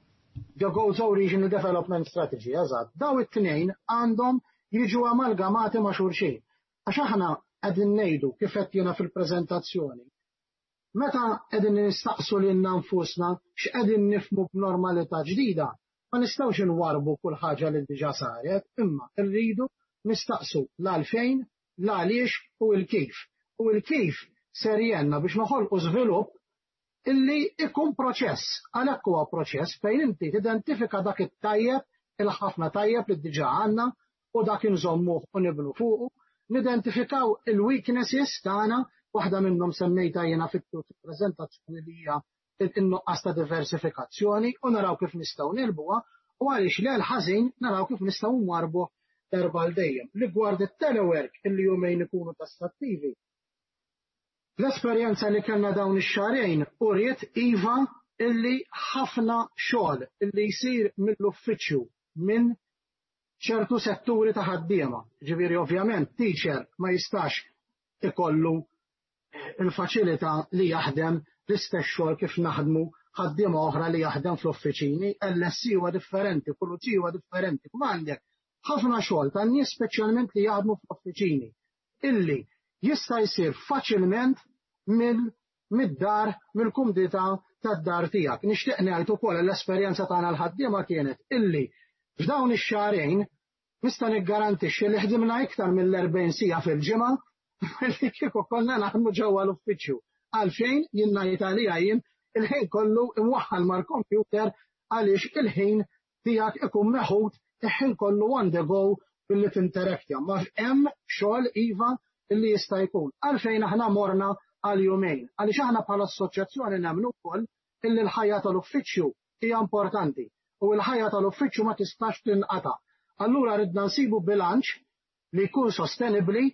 The Gozo Regional Development Strategy, eżatt. Daw it-tnejn għandhom jiġu amalgamati ma' xulxin. Għax aħna qegħdin ngħidu kif qed jiena fil-preżentazzjoni. Meta qegħdin nistaqsu lilna nfusna x'qegħdin nifhmu b'normalità ġdida, ma nistgħux inwarbu kull ħaġa li diġà saret, imma rridu nistaqsu l-għalfejn, l-għaliex u l-kif. U l-kif ser jgħinna biex noħolqu żvilupp illi ikun proċess, għalhekk huwa proċess fejn inti tidentifika dak it-tajjeb, il-ħafna tajjeb li diġà għandna u dak inżommuh u nibnu fuqu, nidentifikaw il-weaknesses tagħna, waħda minnhom semmejta jiena fit-preżentazzjoni li hija in-nuqqas ta' diversifikazzjoni, u naraw kif nistgħu negħlbuha, u għaliex le l-ħażin naraw kif nistgħu nwarbu darba għal dejjem. Rigward it-telework illi jumejn ikunu tassattivi. L-esperjenza li kellna dawn ix-xahrejn uriet iva illi ħafna xogħol illi jsir mill-uffiċċju minn ċertu setturi ta' ħaddiema. Ġifieri ovvjament teacher ma jistax ikollu il-faċilità li jaħdem l-istess xogħol kif naħdmu ħaddiema oħra li jaħdem fl-uffiċini, LSE huwa differenti, pulizija huwa differenti. Kuma għandek ħafna xogħol tan nies speċjalment li jaħdmu fl-uffiċini illi jista' jsir faċilment mid-dar, mill-kumdità tad-dar tiegħek. Nixtieq ngħid ukoll l-esperjenza tagħna l-ħaddiema kienet illi f'dawn ix-xahrejn nista' niggarantixxi li ħdimna iktar mill-40 siegħa fil-ġimgħa li kieku konna naħdmu ġewwa l-uffiċċju. Għalfejn jien ngħid għalija jien il-ħin kollu imwaħħal mal-computer għaliex il-ħin tiegħek ikun meħud il-ħin kollu on the go billi tinteraktja. Ma hemm xogħol iva illi jista' jkun. Għalfejn aħna morna għal jumejn. Għaliex aħna bħala assoċjazzjoni nemmnu wkoll illi l-ħajja tal-uffiċċju hija importanti u l-ħajja tal-uffiċċju ma tistax tinqata'. Allura ridna nsibu bilanċ li jkun sostenibbli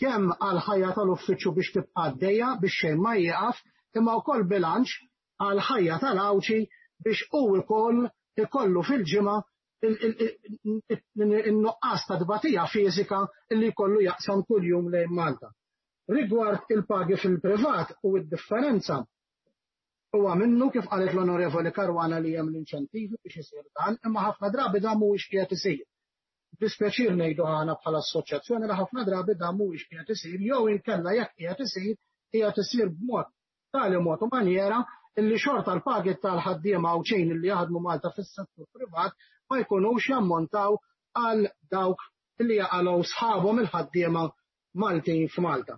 kemm għal ħajja tal-uffiċċju biex tibqa' għaddejja biex xejn ma jieqaf, imma wkoll bilanċ għal ħajja tal-Għawdxi biex hu wkoll ikollu fil-ġimgħa in-nuqqas ta' tbatija fiżika li jkollu jaqsam kuljum lejn Malta. Rigward il-pagi fil-privat u d-differenza, huwa minnu kif qalet l-Onorevoli Caruana li hemm l-inċentivi biex isir dan, imma ħafna drabi dan mhuwiex qiegħed isir. Dispjaċir ngħidu aħna bħala assoċjazzjoni li ħafna drabi dan mhuwiex qiegħed isir, jew inkella jekk qiegħed isir, qiegħed isir b'mod tali mod u manjera illi xorta l-pagi tal-ħaddiema Għawdxin illi jaħdmu Malta fis-settur privat ma jkunux jammontaw għal dawk illi jaqalgħu sħabhom il-ħaddiema Maltin f'Malta.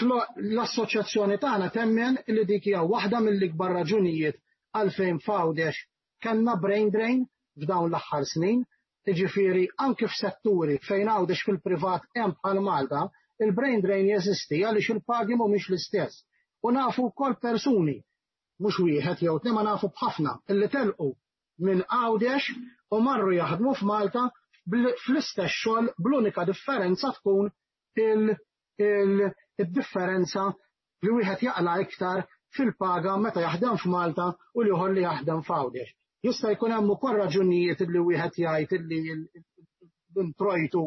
L-assoċjazzjoni tagħna temmen li dik hija waħda mill-ikbar raġunijiet għalfejn f'Għawdex kellna brain drain f'dawn l-aħħar snin, jiġifieri anke f'setturi fejn Għawdex fil-privat hemm bħal Malta, il-brain drain jeżisti għaliex il-pagi mhumiex l-istess. U nafu wkoll persuni, mhux wieħed jew tnejn, ma nafu b'ħafna illi telqu minn Għawdex u marru jaħdmu f'Malta fl-istess xogħol bl-unika differenza tkun il-differenza li wieħed jaqla iktar fil-paga meta jaħdem f'Malta u l-ieħor li jaħdem f'Għawdex. Jista' jkun hemm ukoll raġunijiet li wieħed jgħid li l-introjtu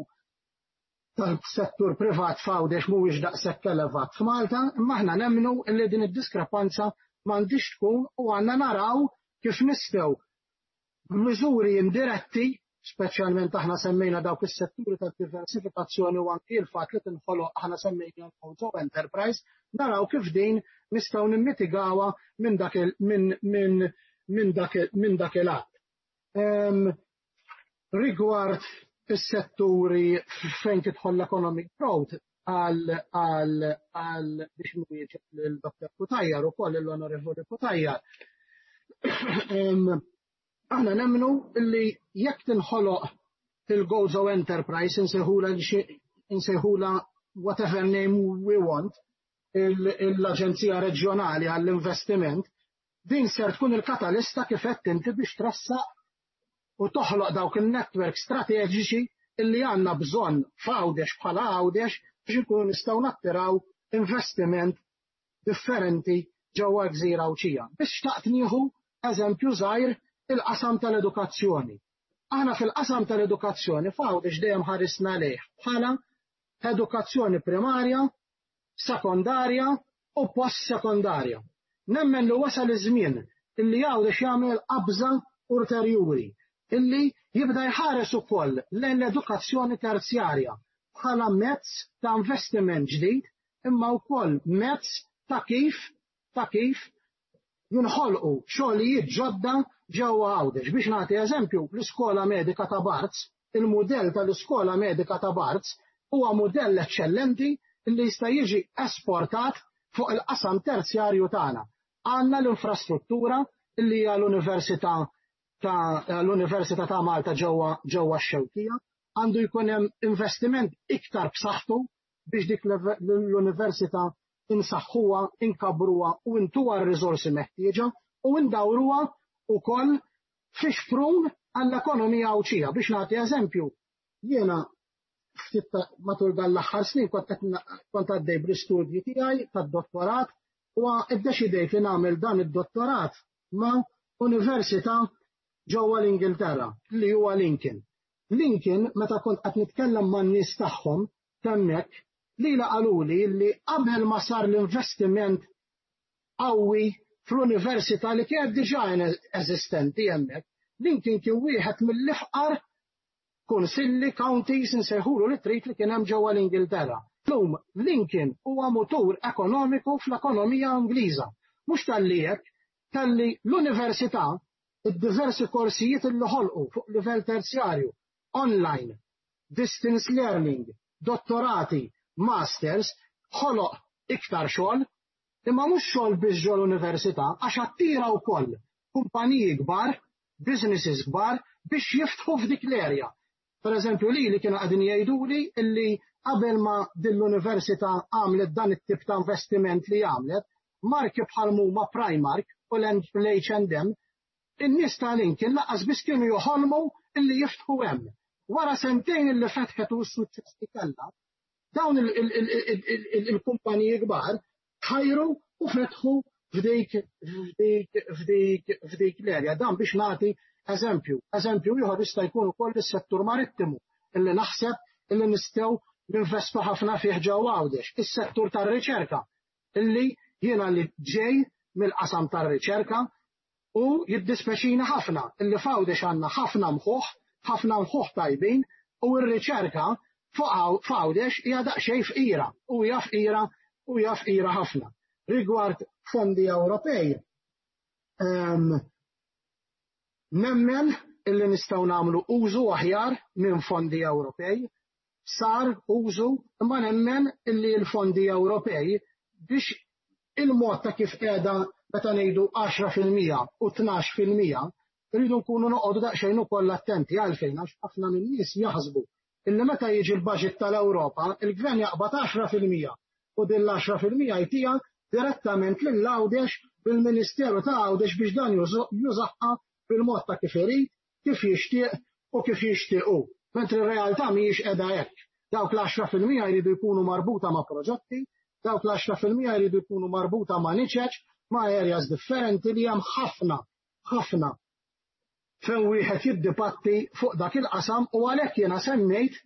tal-settur privat f'Għawdex mhuwiex daqshekk elevat f'Malta, imma aħna nemmnu li din id-diskrepanza m'għandix tkun u għandna naraw kif nistgħu miżuri indiretti, speċjalment aħna semmejna dawk is-setturi ta' diversifikazzjoni u anki l-fatt li tinħoloq aħna semmejna l-Gozo Enterprise, naraw kif din nistgħu nimmitigawha minn dak minn dak il-att. Rigward is-setturi fejn tidħol l-economic growth għal biex nwieġeb lil Dr. Cutajar ukoll l-Onorevoli Cutajar. Aħna nemmnu illi jekk tinħoloq il-Gozo Enterprise, insejħula whatever name we want, l-Aġenzija Reġjonali għall-Investiment, din ser tkun il-katalista kif qed inti biex tressaq u toħloq dawk il-network strateġiċi illi għandna bżonn f'Għawdex bħala Għawdex biex inkunu nistgħu nattiraw investiment differenti ġewwa l-gżira Għawdxija. Biex xtaqt nieħu eżempju żgħir il-qasam tal-edukazzjoni. Aħna fil-qasam tal-edukazzjoni f'Għawdex dejjem ħarisna lejh bħala edukazzjoni primarja, sekondarja u post-sekondarja. Nemmen li wasal iż-żmien illi Għawdex jagħmel qabża ulterjuri illi jibda jħares ukoll lejn l-edukazzjoni terzjarja bħala mezz ta' investiment ġdid imma wkoll mezz ta' kif jinħolqu xogħlijiet ġodda ġewwa Għawdex. Biex nagħti eżempju, l-iskola medika ta' Barts, il-mudell tal-iskola medika ta' Barts huwa mudell eċċellenti li jista' jiġi esportat fuq il-qasam terzjarju tagħna. Għandna l-infrastruttura li hija l-Università ta' Malta ġewwa x-Xewkija, għandu jkun hemm investiment iktar b'saħħtu biex dik l-università insaħħuha, inkabruha u intuha r-riżorsi meħtieġa u ndawruha ukoll fi xprun għall-ekonomija Għawdxija. Biex nagħti eżempju, jiena ftit matul dan l-aħħar snin kont għaddej bl-istudji tiegħi tad-dottorat u iddeċidejt li nagħmel dan id-dottorat ma' università ġewwa l-Ingilterra li huwa Lincoln. Lincoln, meta kont qed nitkellem man-nies tagħhom hemmhekk, li qaluli li qabel ma sar l-investiment qawwi fl-università li kienet diġà eżistenti hemmhekk, Lincoln kien wieħed mill-ifqar kunsilli, counties, insejħulu li trid, li kien hemm ġewwa l-Ingilterra. Lum Lincoln huwa mutur ekonomiku fl-ekonomija Ingliża. Mhux talli hekk, talli l-università, id-diversi korsijiet li ħolqu fuq livell terzjarju, online, distance learning, dottorati, masters, ħoloq iktar xogħol, imma mhux xogħol biss ġol università, għax attira wkoll kumpaniji kbar, businesses kbar biex jiftħu f'dik l-area. Per eżempju, li kienu qegħdin jgħiduli illi qabel ma din l-università għamlet dan it-tip ta' investiment li għamlet, marki bħal huma Primark u l-H&M, in-nies ta' Lincoln lanqas biss kienu joħolmu illi jiftħu hemm. Wara sentejn illi fetħet u s-suċċess li kellha, dawn il-kumpaniji kbar ħajru u fetħu f'dik l-erja. Dan biex nagħti eżempju. Eżempju ieħor jista' jkun ukoll is-settur marittimu illi naħseb illi nistgħu ninvestu ħafna fih ġewwa Għawdex. Is-settur tar-riċerka illi jiena li ġej mill-qasam tar-riċerka u jiddispeċina ħafna illi f'Għawdex għandna ħafna mħuħ, ħafna mħuħ tajbin, u r-riċerka f'Għawdex hija daqsxejn fqira u hija fqira u hija fqira ħafna. Rigward fondi Ewropej, nemmen illi nistgħu nagħmlu użu aħjar minn fondi Ewropej, sar użu, imma nemmen illi l-fondi Ewropej biex il-mod ta' kif qiegħda meta ngħidu 10% u 12% rridu nkunu noqogħdu daqsxejn ukoll attenti. Għalfejn? Għax ħafna minn nies jaħsbu illi meta jiġi l-budget tal-Ewropa, il-gvern jaqbad 10% u din l-10% jtiha direttament lil Għawdex bil-Ministeru ta' Għawdex biex dan jużaha bil-mod ta' kif irid, kif jixtieq u kif jixtiequ. Mentri r-realtà mhijiex qiegħda hekk. Dawk l-10% jridu jkunu marbuta ma' proġetti, dawk l-10% jridu jkunu marbuta ma' niċeċ, ma' areas differenti li hemm ħafna, ħafna fejn wieħed jiddibatti fuq dak il-qasam. U għalhekk jiena semmejt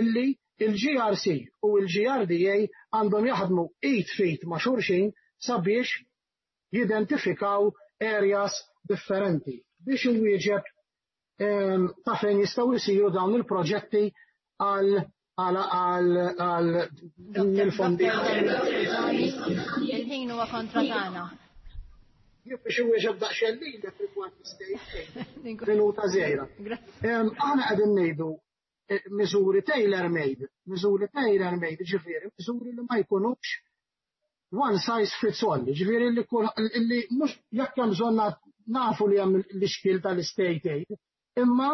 illi il-GRC u il-GRDA għandhom jaħdmu id f'id ma' xulxin sabiex jidentifikaw areas differenti biex inwieġeb ta' fejn jistgħu jsiru dawn il-proġetti għal il-fondi. Il-ħin huwa kontra tagħna. Biex inwieġeb daqsxejn li rigward l-state minuta żgħira. Aħna qegħdin ngħidu miżuri tailor-made, miżuri tailor-made, ġifieri, miżuri li ma jkunux one size fits all, ġifieri li mhux jekk hemm bżonn, nafu li hemm l-ixkil tal-state aid, imma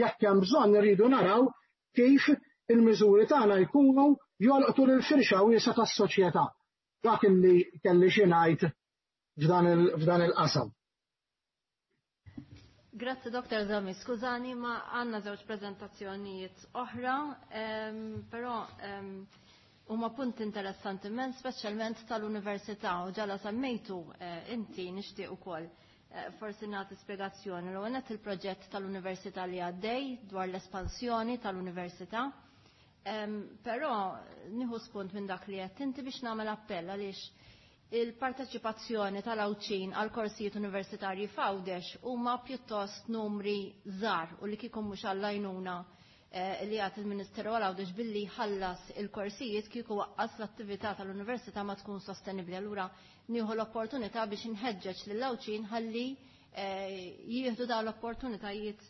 jekk hemm bżonn irridu naraw kif il-miżuri tagħna jkunu jolqtu lil firxa wiesgħa tas-soċjetà. Dak illi kelli xi ngħid f'dan il-qasam. Grazzi Dr. Zami, skużani ma għanna żewġ prezentazzjonijiet oħra, però huma punt interessanti immens, speċjalment tal-università u ġala semmejtu inti nixtieq ukoll forsi nagħti spjegazzjoni. L-ewwel nett il-proġett tal-università li għaddej dwar l-espansjoni tal-università. Però nieħu spunt minn dak li qed inti biex nagħmel appell għaliex il-parteċipazzjoni tal-Għawdxin għal korsijiet universitarji f'Għawdex huma pjuttost numri żgħar u li kieku mhux għall-għajnuna li għat il-Ministeru għal Għawdex billi ħallas il-korsijiet kieku waqqas l-attività tal-università ma tkun sostenibbli. Allura nieħu l-opportunità biex inħeġġeġ lill-Għawdxin ħalli jieħdu dawn l-opportunitajiet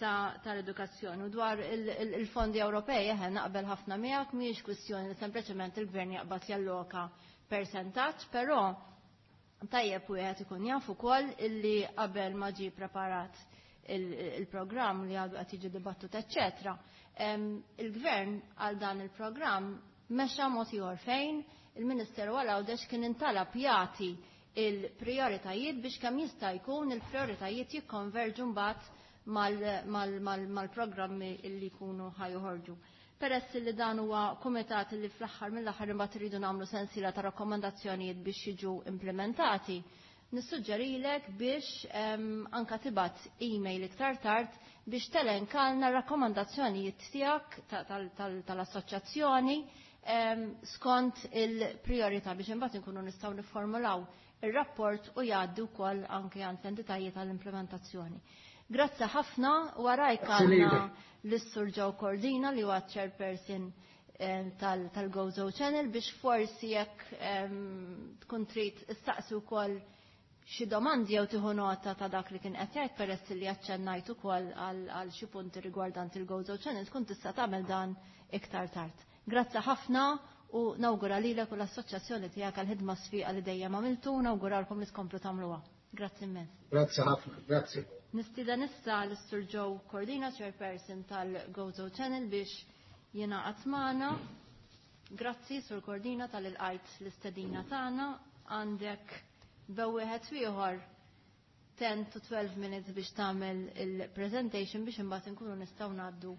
tal-edukazzjoni. U dwar il-fondi Ewropej, eħe, naqbel ħafna miegħek, mhijiex kwistjoni li sempliċement il-gvern jaqbad jalloka percentaġġ, però tajjeb wieħed ikun jaf ukoll illi qabel ma ġie preparat il-programm li għadu qed jiġi dibattut, eċċetera. Il-gvern għal dan il-programm mexa mod ieħor fejn il-Ministeru għal Għawdex kien intalab jagħti il-prioritajiet biex kemm jista' jkun il-prioritajiet jikkonverġu mbagħad mal-programmi illi jkunu ħajoħorġu. Peress li dan huwa kumitat li fl-aħħar mill-aħħar imbagħad iridu nagħmlu sensiela ta' rakkomandazzjonijiet biex jiġu implementati, nissuġġerilek biex anka tibgħat email iktar tard biex telenkalna rakkomandazzjonijiet tiegħek tal-assoċjazzjoni skont il-priorità biex imbagħad inkunu nistgħu nifformulaw ir-rapport u jgħaddi wkoll anke għand l-entitajiet tal-implementazzjoni. Grazzi ħafna, warajk għandna l-Sur Joe Cordina li huwa chairperson tal-Gozo Channel biex forsi jekk tkun trid issaqsi wkoll xi domandi jew tieħu nota ta' dak li kien qed jgħid peress li aċċennajt ukoll għal xi punti rigwardanti il-Gozo Channel tkun tista' tagħmel dan iktar tard. Grazzi ħafna u nawgura lilek u l-assoċjazzjoni tiegħek għall-ħidma sfiqa li dejjem għamiltu u nawguralkom li tkomplu tagħmluha. Grazzi immens. Grazzi ħafna, grazzi. Nistieden issa l-Sur Joe Cordina, chairperson tal-Gozo Channel, biex jingħaqad magħna. Grazzi, Sur Cordina, tal-ilqajt l-istedina tagħna. Għandek bewieħed ieħor 10 to 12 minutes biex tagħmel il-presentation biex imbagħad inkunu nistgħu ngħaddu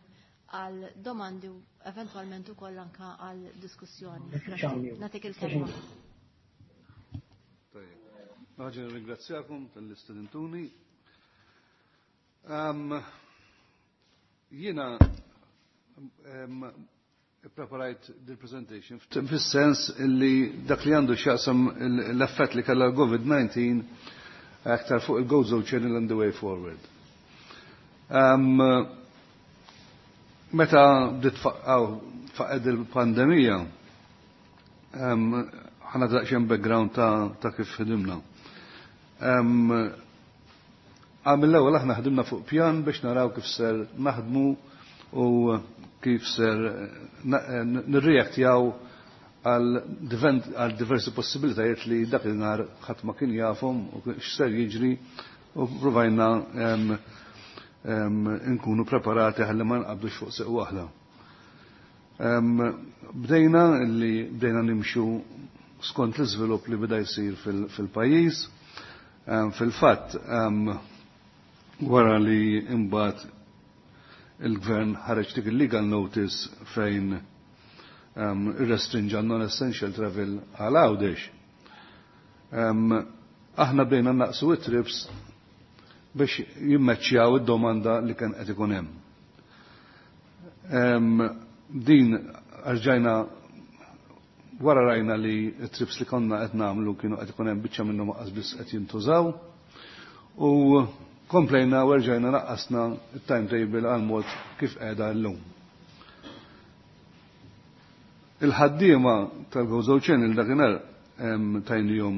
għal domandi u eventwalment ukoll anke għal diskussjoni. Nagħtik il-kelma. Ħaġa nirringrazzjakom tal-istudentuni. Jiena preparajt dil-presentation fis-sens illi dak li għandu x'jaqsam l-effett li kellha l-COVID-19 aktar fuq il-Gozo Channel and the way forward. Meta bdiet faqed il-pandemija, ħana daqsxejn background ta' kif ħidimna. Għal-ewwel aħna ħdimna fuq pjan biex naraw kif ser naħdmu u kif ser nirreaktjaw għal diversi possibilitajiet li dak il-nhar ħadd ma kien jafhom u x'ser jiġri u provajna nkunu preparati ħalli ma nqabdux fuq seq waħda. Bdejna li bdejna nimxu skont l-iżvilupp li beda jsir fil-pajjiż. Fil-fatt, wara li imbagħad il-gvern ħareġ dik il-legal notice fejn irrestrinġa non-essential travel għal Għawdex. Aħna bdejna naqsu it-trips biex jimmeċċjaw id-domanda li kien qed ikun hemm. Din rġajna wara rajna li t-trips li konna qed nagħmlu kienu qed ikun hemm biċċa minnhom aqas biss qed jintużaw u komplejna u rġajna naqqasna il-timetable għal mod kif qiegħda llum. Il-ħaddiema tal-Gozo Channel dakinhar tajnihom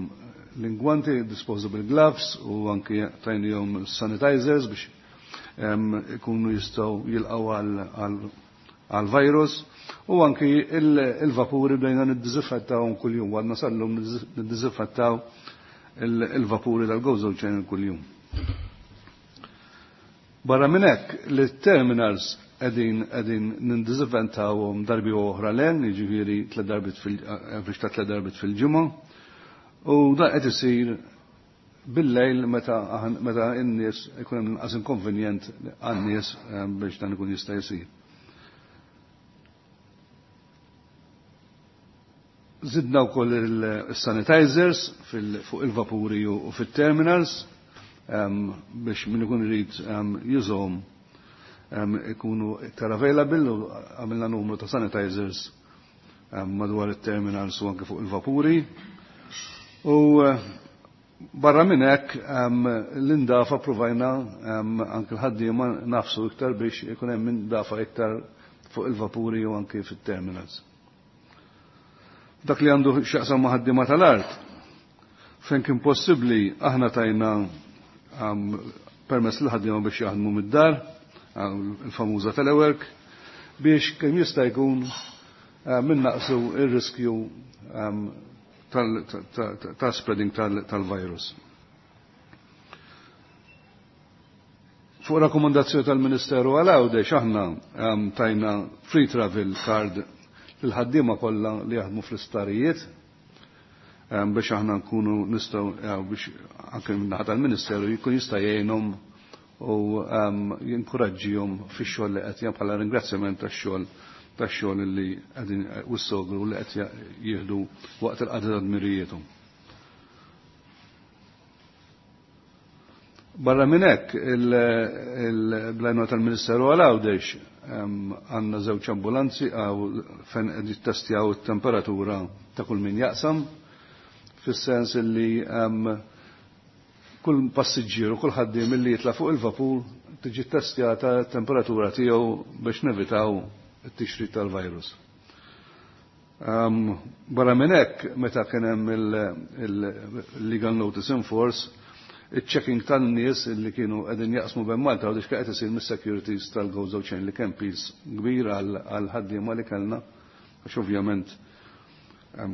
l-ingwanti, disposable gloves u anki tajnihom sanitizers biex ikunu jistgħu jilqgħu għal-virus u anki il-vapuri bdejna niddiżinfettawhom kuljum, għadna sal-lum niddiżinfettaw il-vapuri tal-Gozo Channel kuljum. Barra minn hekk li terminals qegħdin nindiżinfettawhom darbi oħra len, jiġifieri tliet darbiet fil average ta' tliet darbiet fil-ġimgħa. U dan qed isir bil-lejl meta n-nies ikun hemm inqas inkonvenjent għan-nies biex dan ikun jista' jsir. Zidna wkoll il-sanitizers fuq il-vapuri u fit-terminals biex min ikun irid jużhom ikunu iktar available u għamilna numru ta' sanitizers madwar it-terminals u anke fuq il-vapuri. U barra minn hekk l-indafa provajna anke l-ħaddiema nafsu iktar biex ikun hemm indafa iktar fuq il-vapuri u anke fit-terminals. Dak li għandu x'jaqsam ma' ħaddiema tal-art, fejn kien possibbli aħna tajna permess l-ħaddiema biex jaħdmu mid-dar, il-famuża telework, biex kemm jista' jkun minnaqsu ir-riskju tal-spreading tal-virus. Fuq rakkomandazzjoni tal-Ministeru għal Għawdex aħna tajna free travel card l-ħaddiema kollha li jaħdmu fl-isptarijiet biex aħna nkunu nistgħu biex anke min-naħa tal-Ministeru jkun jista' jgħinhom u jinkoraġġihom fix-xogħol li qed bħala ringrazzjament tax-xogħol li qegħdin u s-sogru li qed jieħdu waqt il-qagħda ta' dmirijiethom. Barra minn hekk il-blajnuna tal-Ministeru għal Għawdex għandna żewġ ambulanzi għaw fejn qed jittestjaw it-temperatura ta' kull min jaqsam, fis-sens li kull passiġġier u kull ħaddiem li jitla' fuq il-vapur tiġi ttestjata t-temperatura tiegħu biex nevitaw it-tixrid tal-virus. Barra minn hekk, meta kien hemm il-legal notice in force, il-checking tan-nies li kienu qegħdin jaqsmu bejn Malta u qed isir mis-securities tal-Gozo Chain li kien piż kbir għal ħaddiema li kellna, għax ovvjament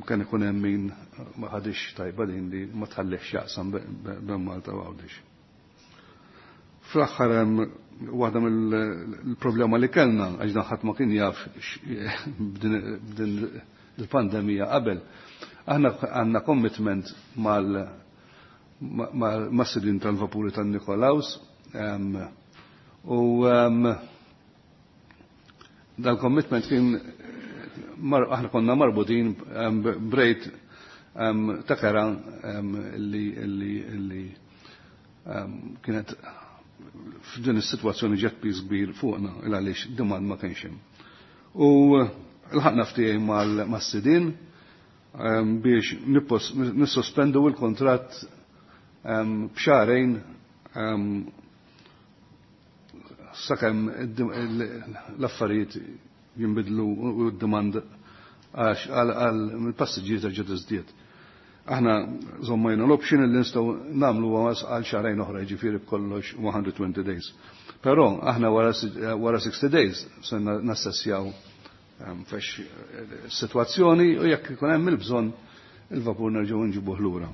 kien ikun hemm min ma ħadix tajba din li ma tħallix jaqsam bejn Malta u Għawdex. Fl-aħħar hemm waħda mill-problema li kellna, għax dan ħadd ma kien jaf b'din il-pandemija qabel. Aħna għandna commitment mas-sidin tal-vapuri tan-Nikolaus u dal-commitment kien aħna konna marbutin b'rejt ta' kera li kienet f'din is-sitwazzjoni ġet piż kbir fuqna il għaliex demand ma kienx hemm. U lħaqna ftehim mas-sidin biex nissospendu l-kontratt b'xahrejn sakemm l-affarijiet jinbidlu u d-demand għax għal mill-passiġġieri terġa' tiżdied. Aħna żommajna l-option li nistgħu nagħmlu għal xahrejn oħra, jiġifieri b'kollox 120 days. Però aħna wara 60 days se nassessjaw fex sitwazzjoni u jekk ikun hemm il-bżonn il-vapur nerġgħu nġibuh lura.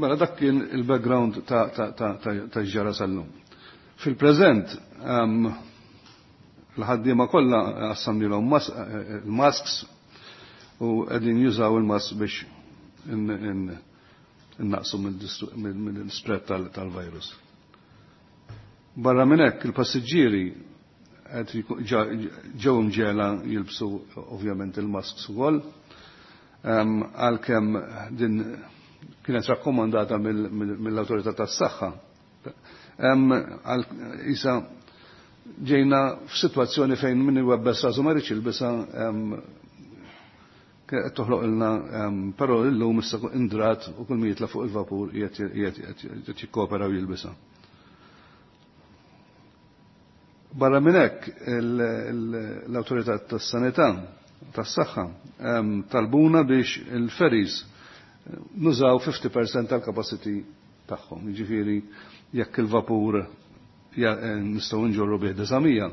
Mela dak kien il-background ta' ġara sal-lum. Fil-preżent l-ħaddiema kollha assamnilhom il-masks u qegħdin jużaw il-mask biex innaqsu mill-spread tal-virus. Barra minn hekk il-passiġġieri ġew imġiegħla jilbsu ovvjament il-masks ukoll, għalkemm din kienet rakkomandata mill-awtorità tas-saħħa. Isa ġejna f'sitwazzjoni fejn min iwebbes rasu ma rridx jilbisha qed toħloq ilna, però illum issa indrat u kull min jitla' fuq il-vapur qiegħed jikkopera u jilbisha. Barra minn hekk l-awtorità tas-sanità tas-saħħa talbuna biex il-ferries nużaw 50% tal-capacity tagħhom. Jiġifieri jekk il-vapur nistgħu nġorru bih 900,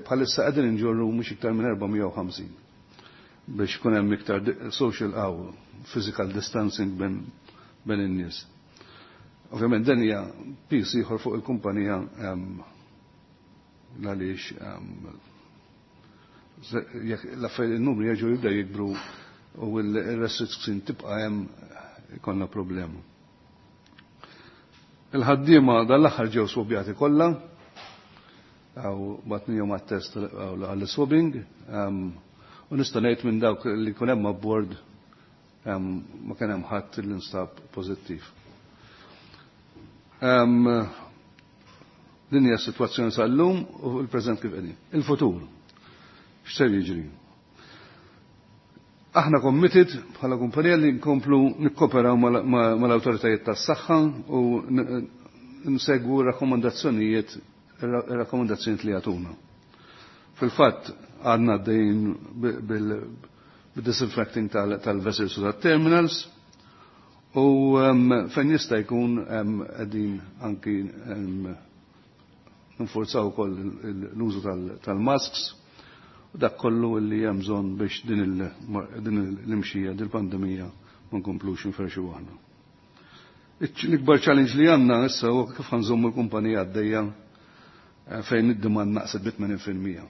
bħalissa qegħdin nġorru mhux iktar minn 450 biex ikun hemm iktar social aw physical distancing bejn in-nies. Ovvjament dan hija piż ieħor fuq il-kumpanija għaliex jekk l-affarijiet il-numri jerġgħu jibdew jikbru u l-restriction tibqa' hemm ikollna problema. Il-ħaddiema dal-aħħar ġew swabjati kollha, għaw batnijom għat-test għall-swabbing, u nista' ngħid minn dawk li kun hemm abbord ma kien hemm ħadd li nstab pożittiv. Din hija s-sitwazzjoni sal-lum u l-preżent kif qegħdin. Il-futur. X'ser jiġri? Aħna committed bħala kumpanija li nkomplu nikkoperaw mal-awtoritajiet tas-saħħa u nsegwu rakkomandazzjonijiet li jagħtuna. Fil-fatt għadna għaddejjin bil-disinfecting tal-vessels u tat-terminals u fejn jista' jkun qegħdin anki nforzaw ukoll l-użu tal-masks u dak kollu li hemm bżonn biex din l-imxija, din il-pandemija ma nkomplux nferxu aħna. L-ikbar challenge li għandna issa huwa kif ħanżommu l-kumpanija għaddejja fejn id-demand naqset bi 80%.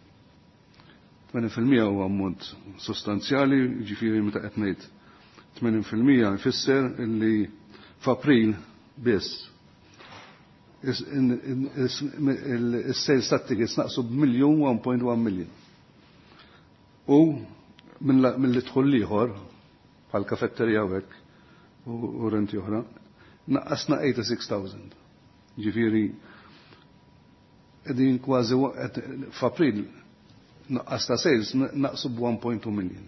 80% huwa ammont sostanzjali, jiġifieri meta qed ngħid 80% jfisser illi f'April biss is-sales tat-tickets naqsu b'miljun 1.1 million. U mill dħul ieħor bħal kafetterija u hekk u renti oħra, naqqasna 86,000. Ġifieri qegħdin kważi f'April naqqas ta' sales naqsu b'1.2 million.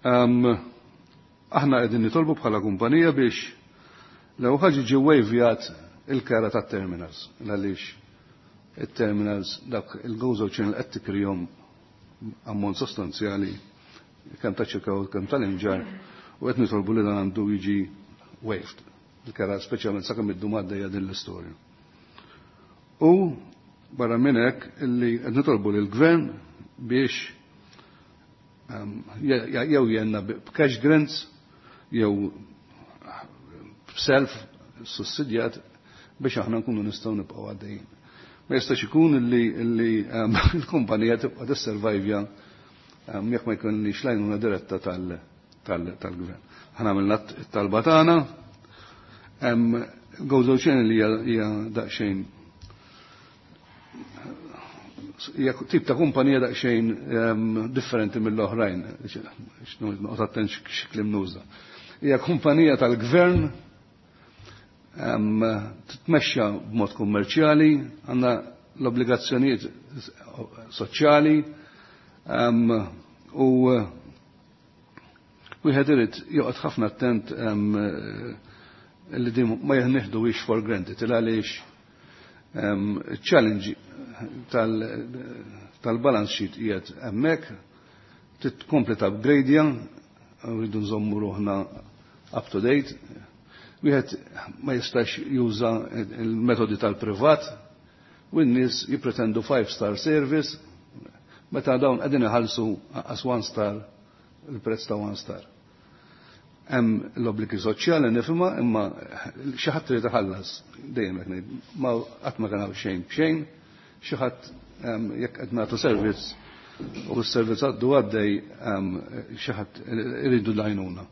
Aħna qegħdin nitolbu bħala kumpanija biex l ħaġa ġi wavjat il-kera tat-terminals, għaliex it-terminals dak il-Gozo Channel qed tikrihom ammont sostanzjali kemm ta' Ċirkewwa kemm tal-Imġarr u qed nitolbu li dan għandu jiġi waived. Il-kera speċjalment sakemm iddum għaddejja din l-istorja. U barra minn hekk illi qed nitolbu lill-gvern biex jew jenna b'cash grants jew b'self sussidjat biex aħna nkunu nistgħu nibqgħu għaddejjin. Ma jistax ikun illi l-kumpanija tibqa' tisservajvja jekk ma jkunniex l-għajnuna diretta tal-gvern. Aħna għamilna t-talba tagħna, Gozo Channel hija daqsxejn hija tip ta' kumpanija daqsxejn differenti mill-oħrajn, noqgħod attent x'kliem nuża. Hija kumpanija tal-gvern titmexxa b'mod kummerċjali, għandna l-obbligazzjonijiet soċjali u wieħed irid joqgħod ħafna attent li din ma jeħnieħduhiex for granted, il għaliex challenge tal-balance sheet qiegħed hemmhekk, titkompli upgradeja, rridu nżommu ruħna up to date. Wieħed ma jistax juża il-metodi tal-privat u n-nies jippretendu 5-star service meta dawn qegħdin iħallsu as 1 star il-prezz ta' 1 star. Hemm l-obbligi soċjali nifhimha imma xi ħadd irid iħallas dejjem qed ngħid ma qatt ma kien hawn xejn b'xejn, xi ħadd jekk qed nagħtu servizz u s-servizz għaddu għaddej xi ħadd iridu l-għajnuna.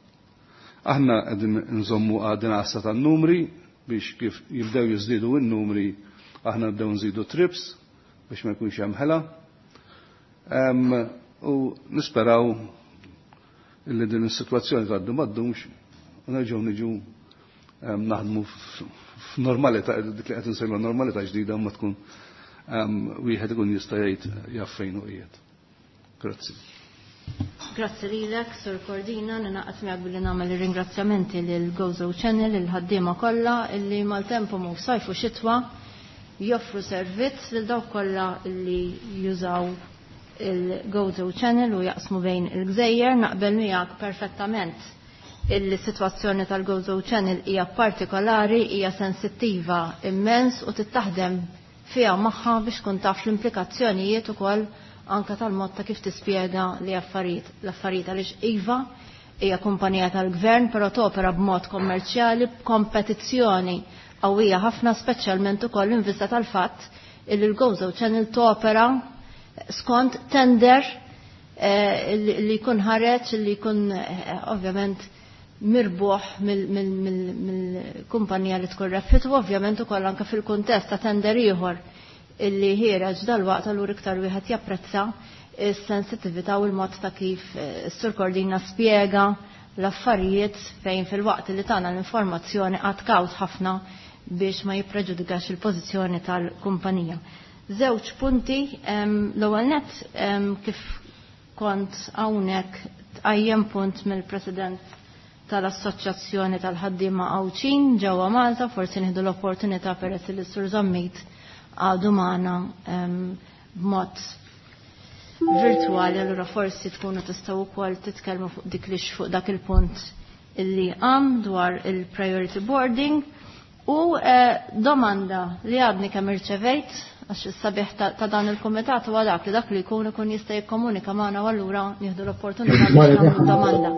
Aħna qegħdin nżommu għadin għassa tan-numri biex kif jibdew jiżdiedu n-numri aħna nibdew nżidu trips biex ma jkunx hemm ħela. U nisperaw illi din is-sitwazzjoni tgħaddu ma ddumx u nerġgħu niġu naħdmu f'normalità, dik li qed insejlu normalità ġdida ma tkun wieħed ikun jista' jgħid jaf fejn hu qiegħed. Grazzi. Grazzi lilek, Sur Cordina, ninaqat miegħek billi nagħmel ir-ringrazzjamenti lil Gozo Channel, il-ħaddiema kollha illi maltempu mhu sajf u xitwa joffru servizz lil dawk kollha illi jużaw il-Gozo Channel u jaqsmu bejn il-gżejjer. Naqbel miegħek perfettament il-sitwazzjoni tal-Gozo Channel hija partikolari, hija sensittiva immens u tittaħdem fiha magħha biex tkun taf l-implikazzjonijiet ukoll anka tal-mod ta' kif tispjega li affarijiet l-affarijiet għaliex iva hija kumpanija tal-gvern, però topera b'mod kommerċjali b'kompetizzjoni qawwija ħafna, speċjalment ukoll in vista tal-fatt illi l-Gozo Channel topera skont tender li jkun ħareġ, li jkun ovvjament mirbuħ mill-kumpanija li tkun rebħet, u ovvjament ukoll anke fil-kuntest ta' tender ieħor illi ħiereġ dal-waqt, allura iktar wieħed japprezza is-sensitività u l-mod ta' kif s-Sur Cordina spjega l-affarijiet fejn fil-waqt li tagħna l-informazzjoni għad kawt ħafna biex ma jippreġudikax il-pożizzjoni tal-kumpanija. Żewġ punti, l-ewwel nett, kif kont hawnhekk tqajjem punt mill-President tal-Assoċjazzjoni tal-Ħaddiema Għawdxin ġewwa Malta, forsi nieħdu l-opportunità peress li s-Sur Zammit għadu magħna b'mod virtuali, allura forsi tkunu tistgħu wkoll titkellmu fuq dik li fuq dak il-punt illi għam dwar il-priority boarding. U domanda li għadni kemm irċevejt, għax is-sabiħ ta' dan il-kumitat huwa dak li dak li jkun ikun jista' jikkomunika magħna u allura nieħdu l-opportunità biex nagħmlu domanda.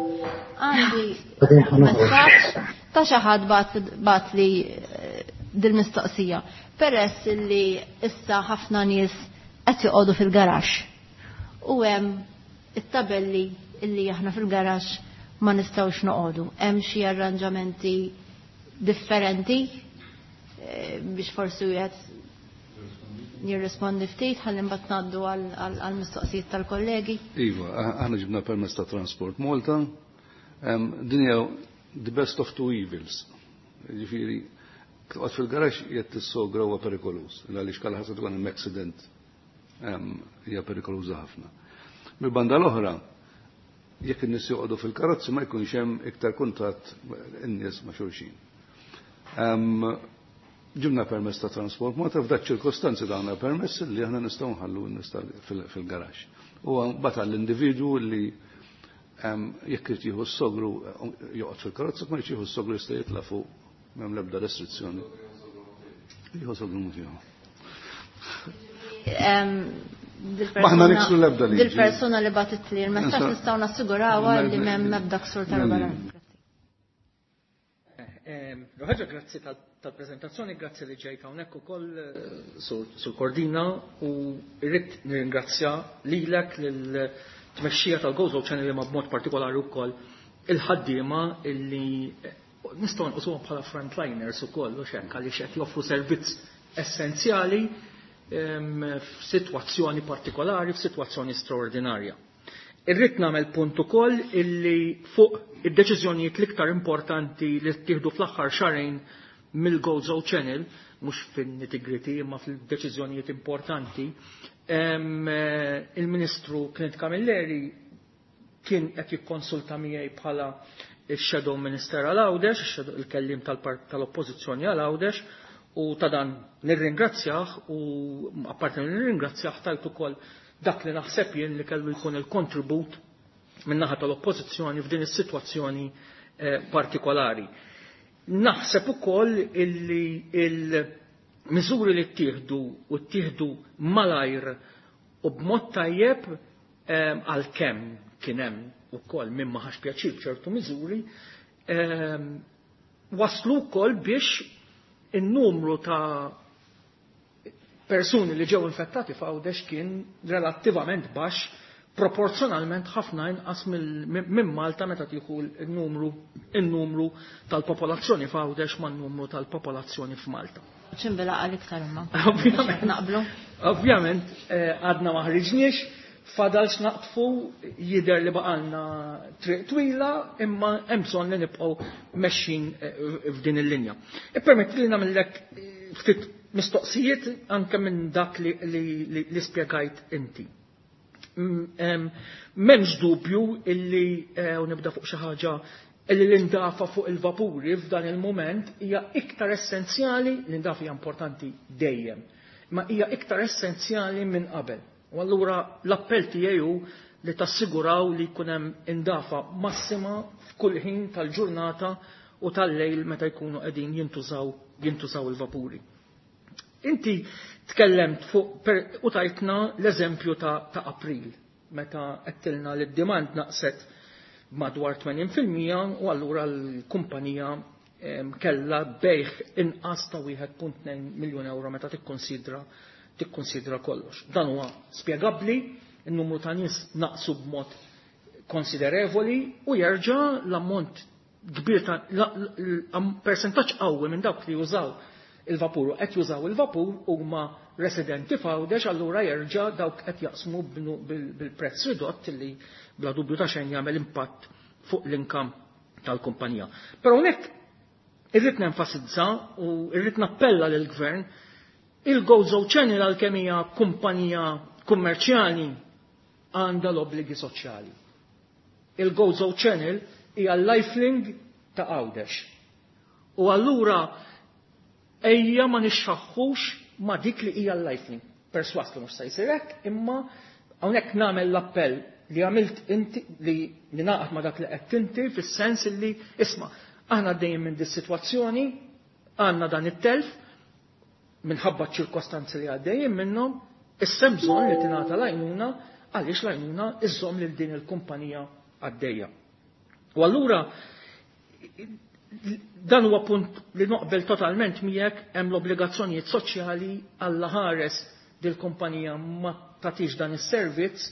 Għandi messaġġ ta' xi ħadd bat li dil-mistoqsija. Peress li issa ħafna nies qed joqogħdu fil-garaxx u hemm it-tabelli illi aħna fil-garaxx ma nistgħux noqogħdu. Hemm xi arranġamenti differenti biex forsi wieħed jirrispondi ftit ħalli mbagħad ngħaddu għall-mistoqsijiet tal-kollegi. Iva, aħna ġibna permess ta' Transport Malta. Din hija the best of two evils. Ġifieri, toqgħod fil-garaxx jekk tissogra huwa perikoluż, għaliex kalla ħasad tkun hemm accident, hija perikoluża ħafna. Mill-banda l-oħra, jekk in-nies joqogħdu fil-karozzi ma jkunx hemm iktar kuntatt in-nies ma' xulxin. Ġibna permess ta' Transport Malta, f'dak ċirkostanzi dawna permess li aħna nistgħu nħallu n-nies fil-garaxx. U mbagħad għall-individwu li jekk irid jieħu s-sogru joqgħod fil-karozza, ma jieħu s-sogru jista' jitla' fuq, m'hemm l-ebda restrizzjoni. Jieħu sogru mhux jieħu. Maħna niksru l-ebda liġi. Dil-persuna li batit li l-messaġġ nistgħu nassigurawha li m'hemm ebda ksur tal-regolament. Ħaġa, grazzi tal-prezentazzjoni, grazzi li ġejt hawnhekk ukoll Sur Cordina, u rrid nirringrazzja lilek, lill-tmexxija tal-Gozo Channel, ma b'mod partikolari wkoll il-ħaddiema illi nistgħu nqisuhom bħala frontliners ukoll, u x'hekk, għaliex qed joffru servizz essenzjali f'sitwazzjoni partikolari, f'sitwazzjoni straordinarja. Irrid nagħmel punt ukoll illi fuq id-deċiżjonijiet l-iktar importanti li ttieħdu fl-aħħar xahrejn mill-Gozo Channel, mhux fin-nitty-gritty imma fil-deċiżjonijiet importanti, il-Ministru Clint Camilleri kien qed jikkonsulta miegħi bħala il-Shadow Minister għal Għawdex, il-kellim tal-Oppożizzjoni għal Għawdex, u ta' dan nirringrazzjah, u apparti nirringrazzjah tajt ukoll dak li naħseb jien li kellu jkun il-kontribut min-naħa tal-Oppożizzjoni f'din is-sitwazzjoni partikolari. Naħseb ukoll illi il-miżuri li ttieħdu u ttieħdu malajr u b'mod tajjeb, għalkemm kien hemm ukoll min ma ħax pjaċir b'ċertu miżuri, waslu wkoll biex in-numru ta' persuni li ġew infettati f'Għawdex kien relattivament baxx, proporzjonalment ħafna inqas minn Malta meta tieħu n-numru tal-popolazzjoni f'Għawdex man-numru tal-popolazzjoni f'Malta. ċimbila għal iktar imma. Ovvjament. Naqblu. Ovvjament, għadna ma ħriġniex, fadal x'naqtfu, jidher li baqalna triq twila, imma hemm bżonn li nibqgħu mexxin f'din il-linja. Ippermetti li nagħmellek ftit mistoqsijiet anke minn dak li spjegajt inti. M'hemmx dubju illi, u nibda fuq xi ħaġa, illi l-indafa fuq il-vapuri f'dan il-moment hija iktar essenzjali, l-indafa hija importanti dejjem, ma hija iktar essenzjali minn qabel. U allura l-appell tiegħi hu li tassiguraw li jkun hemm indafa massima f'kull ħin tal-ġurnata u tal-lejl meta jkunu qegħdin jintużaw il-vapuri. Inti tkellemt fuq u tajtna l-eżempju ta' April, meta għedtilna li d-demand naqset madwar 80% u allura l-kumpanija kellha bejħ inqas ta' 1.2 miljun euro meta tikkonsidra kollox. Dan huwa spjegabbli, in-numru ta' nies naqsu b'mod konsiderevoli u jerġa' l-ammont kbir ta' persentaġġ qawwi minn dawk li jużaw il-vapur u qed jużaw il-vapur huma residenti f'Għawdex, allura jerġa' dawk qed jaqsmu bil-prezz ridott li bla dubju ta' xejn jagħmel impatt fuq l-inkam tal-kumpanija. Però hawnhekk irrid nenfasizza u irrid nappella lill-Gvern, il-Gozo Channel għalkemm hija kumpanija kummerċjali għandha l-obbligi soċjali. Il-Gozo Channel hija l-lifelink ta' Għawdex. U allura ejja ma nixxaħħux ma dik li hija l-lifelink. Perswas li mhux se jsir hekk, imma hawnhekk nagħmel l-appell li għamilt inti, li ninaqat ma dak li qed inti fis-sens li isma' aħna għaddejjin minn dis-sitwazzjoni, għandna dan it-telf minħabba ċ-ċirkostanzi li għaddejjin minnhom, issa hemm bżonn li tingħata l-għajnuna għaliex l-għajnuna iżżomm lil din il-kumpanija għaddejja. U allura dan huwa punt li noqbel totalment miegħek, hemm l-obbligazzjonijiet soċjali għall ħares dil-kumpanija ma tagħtix dan is-servizz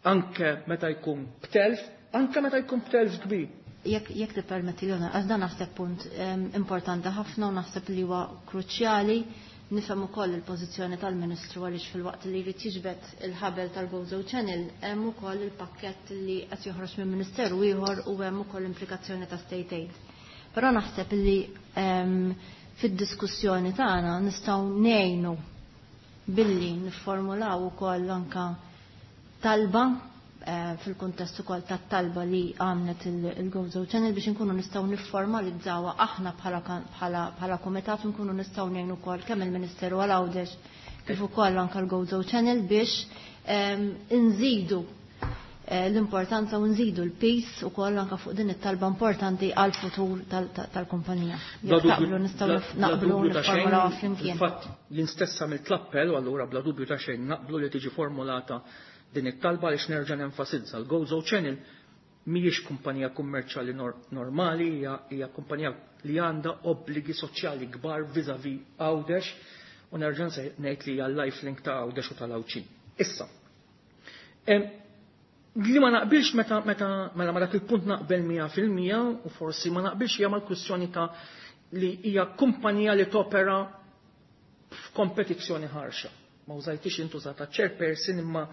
anke meta jkun b'telf, anke meta jkun b'telf kbir. Jekk tippermetti li għax dan naħseb punt importanti ħafna u naħseb li huwa kruċjali. Nifhem ukoll il-pożizzjoni tal-Ministru għaliex fil-waqt li jrid jiġbed il-ħabel tal-Gozo Channel hemm ukoll il-pakkett li qed joħroġ minn Ministeru ieħor u hemm ukoll implikazzjoni ta' state aid. Però naħseb li fid-diskussjoni tagħna nistgħu ngħinu billi nifformulaw ukoll anka talba fil-kuntest ukoll tat-talba li għamlet il-Gozo Channel biex inkunu nistgħu nifformalizzawha aħna bħala kumitat u nkunu nistgħu ngħinu wkoll kemm il-Ministeru għal Għawdex kif ukoll anke l-Gozo Channel biex nżidu l-importanza u nżidu l-peace u koll anka fuq din it-talba importanti għal futur tal-kumpanija. Jekk taqblu nistgħu naqblu nifformulawha flimkien. Fil-fatt jien stess għamilt l-appell u allura bla dubju ta' xejn naqblu li tiġi formulata din it-talba għaliex nerġa' nenfasizza l-Gozo Channel mhijiex kumpanija kummerċjali normali, hija kumpanija li għandha obbligi soċjali kbar vis-à-vis Għawdex u nerġa' ngħid li hija l-lifelink ta' Għawdex u tal-Għawdxin. Issa, li ma naqbilx meta, meta, mela ma dak il-punt naqbel 100% u forsi ma naqbilx hija mal-kwistjoni ta' li hija kumpanija li topera f'kompetizzjoni ħarxa. Ma użajtix intużata chairperson imma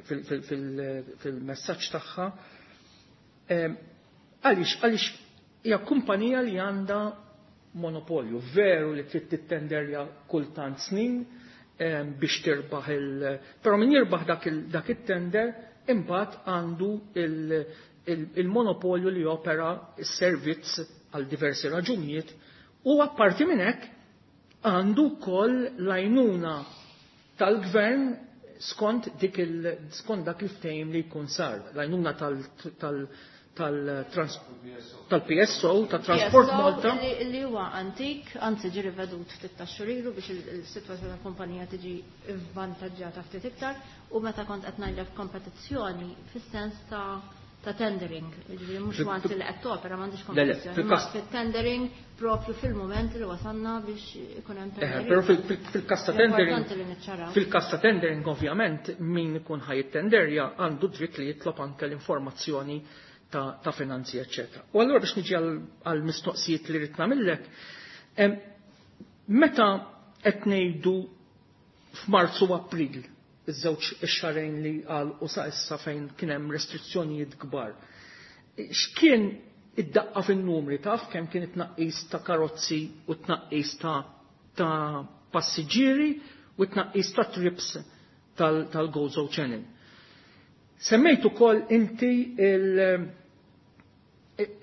fil-messaġġ tagħha. Għaliex hija kumpanija li għandha monopolju, veru li trid tittenderja kultant snin biex tirbaħ il-, però min jirbaħ dak it-tender imbagħad għandu il-monopolju li jopera s-servizz għal diversi raġunijiet u apparti minn hekk għandu wkoll l-għajnuna tal-gvern skont dik il, skont dak il-ftehim li jkun sar, l-għajnuna tal-PSO, ta' Transport PSO Malta. Li huwa antik, anzi ġi rivedut ftit ta' xurilu biex il-sitwazzjoni tal-kumpanija tiġi vvantaġġjata ftit iktar, u meta kont qed ngħidlek kompetizzjoni fis-sens ta' tendering, jiġifieri mhux once li qed topera m'għandix kompetizzjoni, imma fit-tendering propju fil-mument li wasalna biex ikun hemm tendering. Però fil-każ ta' tendering, Importanti li niċċaraw. fil-każ ta' tendering ovvjament min ikun ħajittenderja għandu dritt li jitlob anke l-informazzjoni ta' finanzi, eccetera. U allura biex niġi għal mistoqsijiet li rrid nagħmillek, meta qed ngħidu f'Marzu u April, iż-żewġ ix-xarejn li għal u sa issa fejn kien hemm restrizzjonijiet kbar. X'kien id-daqqa fin-numri taf kemm kien it-tnaqqis ta' karozzi u tnaqqis ta' passiġġieri u tnaqqis ta' trips tal-Gozo Channel. Semmejt ukoll inti il-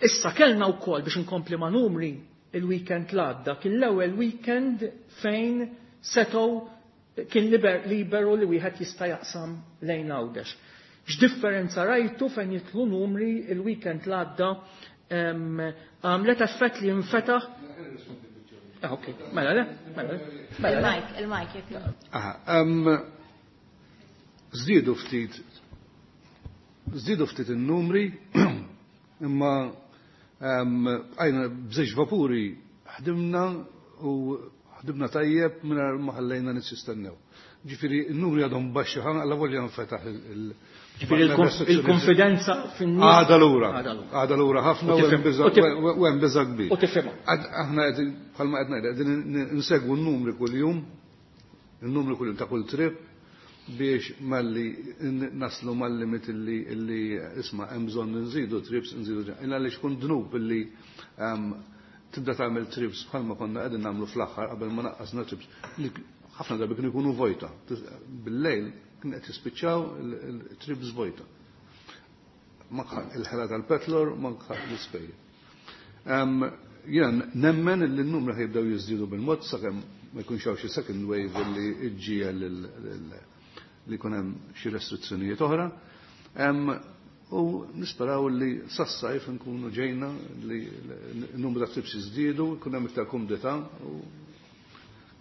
issa kellna wkoll biex inkompli ma' numri il-weekend l-għadda, kien l-ewwel weekend fejn setgħu kien liberu li wieħed jista' jaqsam lejn Għawdex. X'differenza rajtu fejn jitlu numri il-weekend l-għadda, għamlet effett li jinfetaħ? Ok, mela le, mela le, mela le. Il-mic, il-mic, jekk jogħġbok. Żdiedu ftit, żdiedu ftit in-numri, Imma bqajna b'żewġ vapuri ħdimna u ħdimna tajjeb mingħajr ma ħallejna nies jistennew. Ġifieri n-numri għadhom baxxi ħafna alla volja nfetaħ il- Ġifieri il-konfidenza fin-nies. Għadha lura. Għadha lura ħafna u hemm biża' kbir. U tifhimha. Aħna qegħdin bħalma qed ngħid qegħdin insegwu n-numri kuljum, il-numri kuljum ta' kull trip biex malli naslu mal-limit illi isma' hemm bżonn nżidu trips, nżidu trips. Illa għaliex kun dnub illi tibda tagħmel trips bħalma konna qegħdin nagħmlu fl-aħħar qabel ma naqqasna trips li ħafna drabi kienu jkunu vojta. Bil-lejl kien qed jispiċċaw il-trips vojta. Il-ħela tal-petrol, manka l-ispejjeż. Jiena nemmen li n-numri ħajbdew jiżdiedu bil-mod sakemm ma jkunx hawn xi second wave li ġġiegħel li jkun hemm xi restrizzjonijiet oħra. U nisperaw li sas-sajf nkunu ġejna li n-numru ta' trips jiżdiedu, jkun hemm iktar kumdità u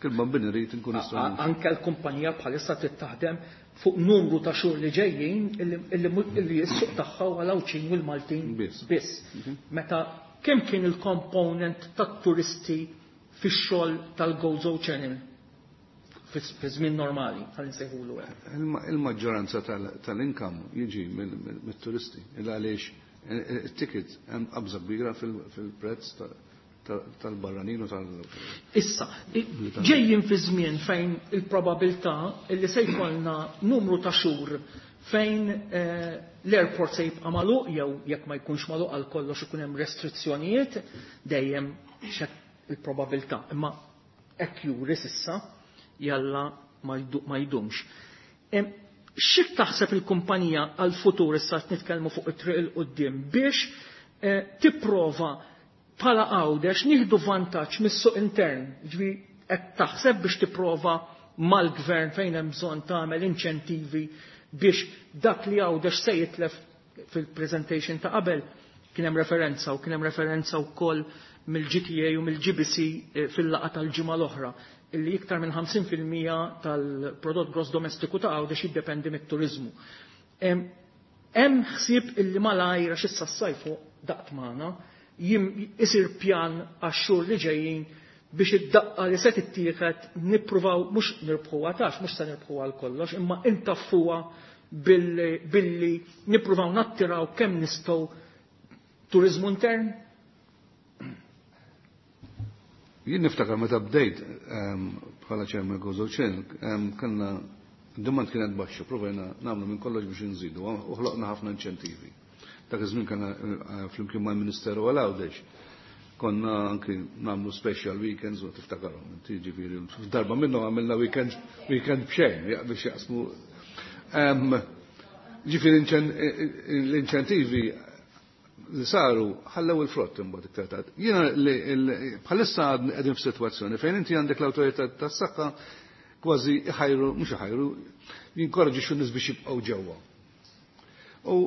kull ma bin irid nkun nistgħu. Anke l-kumpanija bħalissa trid taħdem fuq numru ta' xhur li ġejjin illi s-suq tagħha huwa l-Għawdxin u l-Maltin biss. Meta kemm kien il-component tat-turisti fix-xogħol tal-Gozo Channel fi żmien normali, ħalli nsejħulu hekk. Il-maġġoranza tal-income jiġi mit-turisti, il għaliex it-ticket hemm qabża kbira fil-prezz tal-barranin u tal- Issa, ġejjin fi żmien fejn il-probabilità li se jkollna numru ta' xhur fejn l-airport se jibqa' magħluq jew jekk ma jkunx magħluq għal kollox ikun hemm restrizzjonijiet dejjem il-probabilità. Imma hekk juri s'issa jalla ma jdumx. Xi taħseb il-kumpanija għal-futur issa qed nitkellmu fuq it-triq il quddiem biex tipprova bħala Għawdex nieħdu vantaġġ mis-suq intern, ġifieri qed taħseb biex tipprova mal-gvern fejn hemm bżonn tagħmel inċentivi biex dak li Għawdex se jitlef fil-presentation ta' qabel kien hemm referenza u kien hemm referenza wkoll mill-GTA u mill-GBC fil-laqgħa tal-ġimgħa l-oħra illi iktar minn 50% tal-prodott gross domestiku ta' Għawdex jiddependi mit-turizmu. Hemm ħsieb illi malajr għax issa s-sajfu daqt magħna isir pjan għax-xhur li ġejjin biex id-daqqa li se tittieħed nippruvaw mhux nirbħuha tax, mhux se nirbħuha għal kollox, imma intaffuha billi nippruvaw nattiraw kemm nistgħu turizmu intern. Jien niftakar meta bdejt bħala chairman Gozo Channel, kellna demand kienet baxxa, provajna nagħmlu minn kollox biex nżidu, u ħloqna ħafna inċentivi. Dak iż-żmien kellna flimkien mal-Ministeru għal Għawdex. Konna anki nagħmlu special weekends u tiftakarhom, inti ġifieri f'darba minnhom għamilna weekend b'xejn biex jaqsmu. Ġifieri l-inċentivi li saru ħallew il-frott imbagħad iktar tard. Jiena bħalissa qegħdin f'sitwazzjoni fejn inti għandek l-awtorità tas-saħħa kważi iħajru, mhux iħajru, jinkoraġixxu n-nies biex jibqgħu ġewwa. U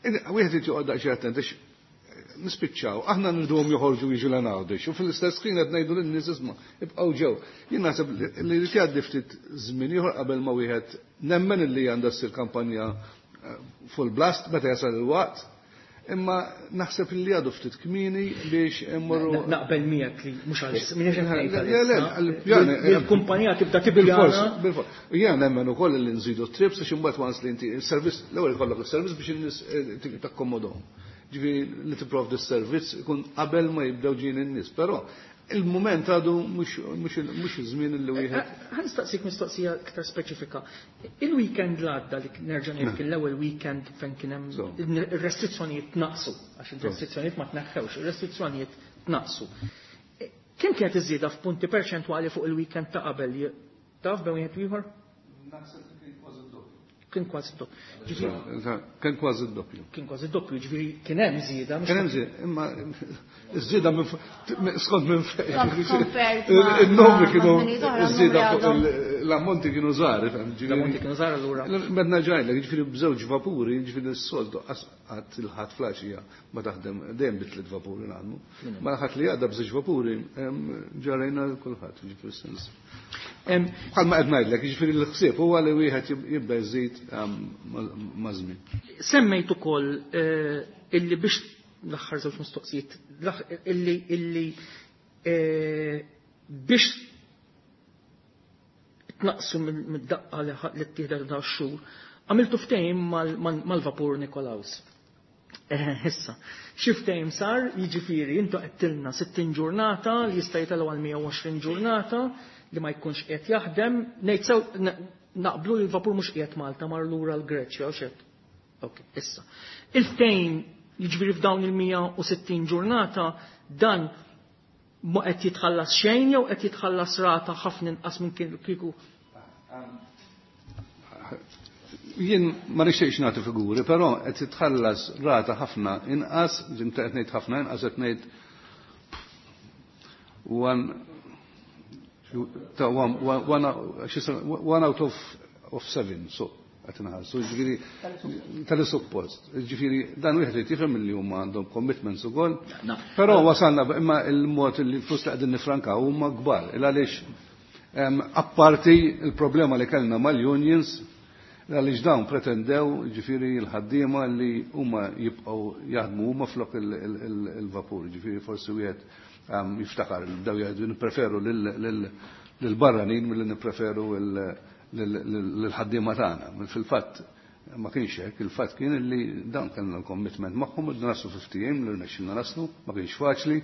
wieħed irid joqgħod daqsxejn attent għax nispiċċaw, aħna nriduhom joħorġu jiġu l Għawdex u fl-istess ħin qed ngħidu lin-nies isma' ibqgħu ġew. Jien naħseb li jrid jgħaddi ftit żmien ieħor qabel ma wieħed nemmen illi għandha ssir kampanja full blast meta jasal il-waqt. Imma naħseb li għadu ftit kmieni biex immorru. Naqbel miegħek li mhux għal minix qed ngħid Le, le, għalissa. għal-pjan, Il-kumpanija tibda tippjana. Bil-fors, bil-fors. Jien nemmen ukoll li nżidu t-trips għax imbagħad once li inti il-servizz, l-ewwel ikollok is-servizz biex in-nies takkomodhom. Ġifieri li tipprovdi s-servizz ikun qabel ma jibdew ġejjin in-nies, però il-mument għadu mhux iż-żmien li wieħed. Ħa nistaqsik mistoqsija iktar speċifika. Il-weekend l-għadda li nerġa' ngħid kien l-ewwel weekend fejn kien hemm ir-restrizzjonijiet tnaqsu, għax ir-restrizzjonijiet ma tneħħewx, ir-restrizzjonijiet tnaqsu. Kemm kienet iż-żieda f'punti perċentwali fuq il-weekend ta' qabel? Taf bejn wieħed u ieħor? Naħseb li kien kważi d-doppju. Kien kważi d-doppju. Ġifieri Kien kważi d-doppju. Kien kważi d-doppju, ġifieri kien hemm żieda, mhux Kien hemm żieda, imma iż-żieda minn skont minn fejn. Compared Il-numri ma' kienu żminijiet oħra, iż-żieda n-numri fuq għadhom. l-ammonti kienu żgħar, ifhem, ġifieri. L-ammonti kienu żgħar allura. Meta ġajlek, ġifieri b'żewġ vapuri, ġifieri s-soltu qatt il-ħadd flaxija ma taħdem dejjem bi tliet vapuri nagħmlu. Ma l-ħadd li għadda b'żewġ vapuri, ġarejna kulħadd, ġifieri sens. Bħalma qed ngħidlek, jiġifieri l-ħsieb huwa li wieħed jibda jżid ma' żmien. Semmejt ukoll illi biex L-aħħar żewġ mistoqsijiet illi biex tnaqsu mid-daqqa li ttieħdet ta' xhur, għamiltu ftehim mal-vapur Nikolaus. Issa, xi ftehim sar, jiġifieri intu qed 60 ġurnata li jista' jitelgħu għal 120 ġurnata li ma jkunx qed jaħdem, ngħid sew naqblu li l-vapur mhux qiegħed Malta mar lura l-Greċja u xed. Ok, issa. Il-ftehim jiġifieri f'dawn il-160 ġurnata dan ma qed jitħallas xejn jew qed jitħallas rata ħafna inqas minn kieku. Jien ma nixtieqx nagħti figuri, però qed jitħallas rata ħafna inqas, ġimta qed ngħid ħafna inqas qed ngħid one out of seven, so qed inħallsu, ġifieri tal-suppost. Ġifieri dan wieħed irid jifhem li huma għandhom commitments ukoll. Però wasalna imma il-mod li l-flus li qegħdin nifrankaw huma kbar. Il għaliex apparti il-problema li kellna mal-unions, għaliex dawn pretendew ġifieri l-ħaddiema li huma jibqgħu jaħdmu huma flok il-vapur, ġifieri forsi wieħed jiftakar li bdew jgħidu nippreferu lill-barranin milli nippreferu l-ħaddiema tagħna. Fil-fatt ma kienx hekk, il-fatt kien li dawn kellna l-commitment magħhom u naslu fi ftehim li rnexxilna naslu, ma kienx faċli.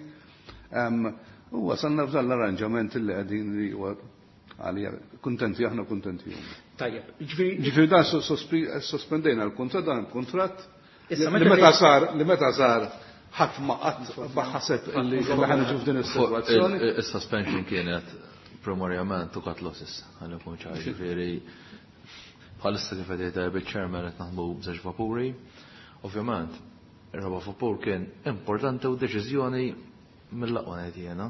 U wasalna f'dan l-arranġament li qegħdin li huwa għalija kuntenti aħna, kuntenti huma. Tajjeb, ġifieri Ġifieri dan sospendejna l-kuntratt, dan il-kuntratt Issa, li meta sar ħadd ma qatt ma ħaseb li ħa niġu f'din is-sitwazzjoni. Il-suspension kienet primarjament to cut losses, għalli kun ċar, ġifieri bħalissa kif qed jgħid bil-chairman qed naħdmu b'żewġ vapuri. Ovvjament, ir-raba' vapur kien importanti u deċiżjoni mill-aqwa ngħid jiena.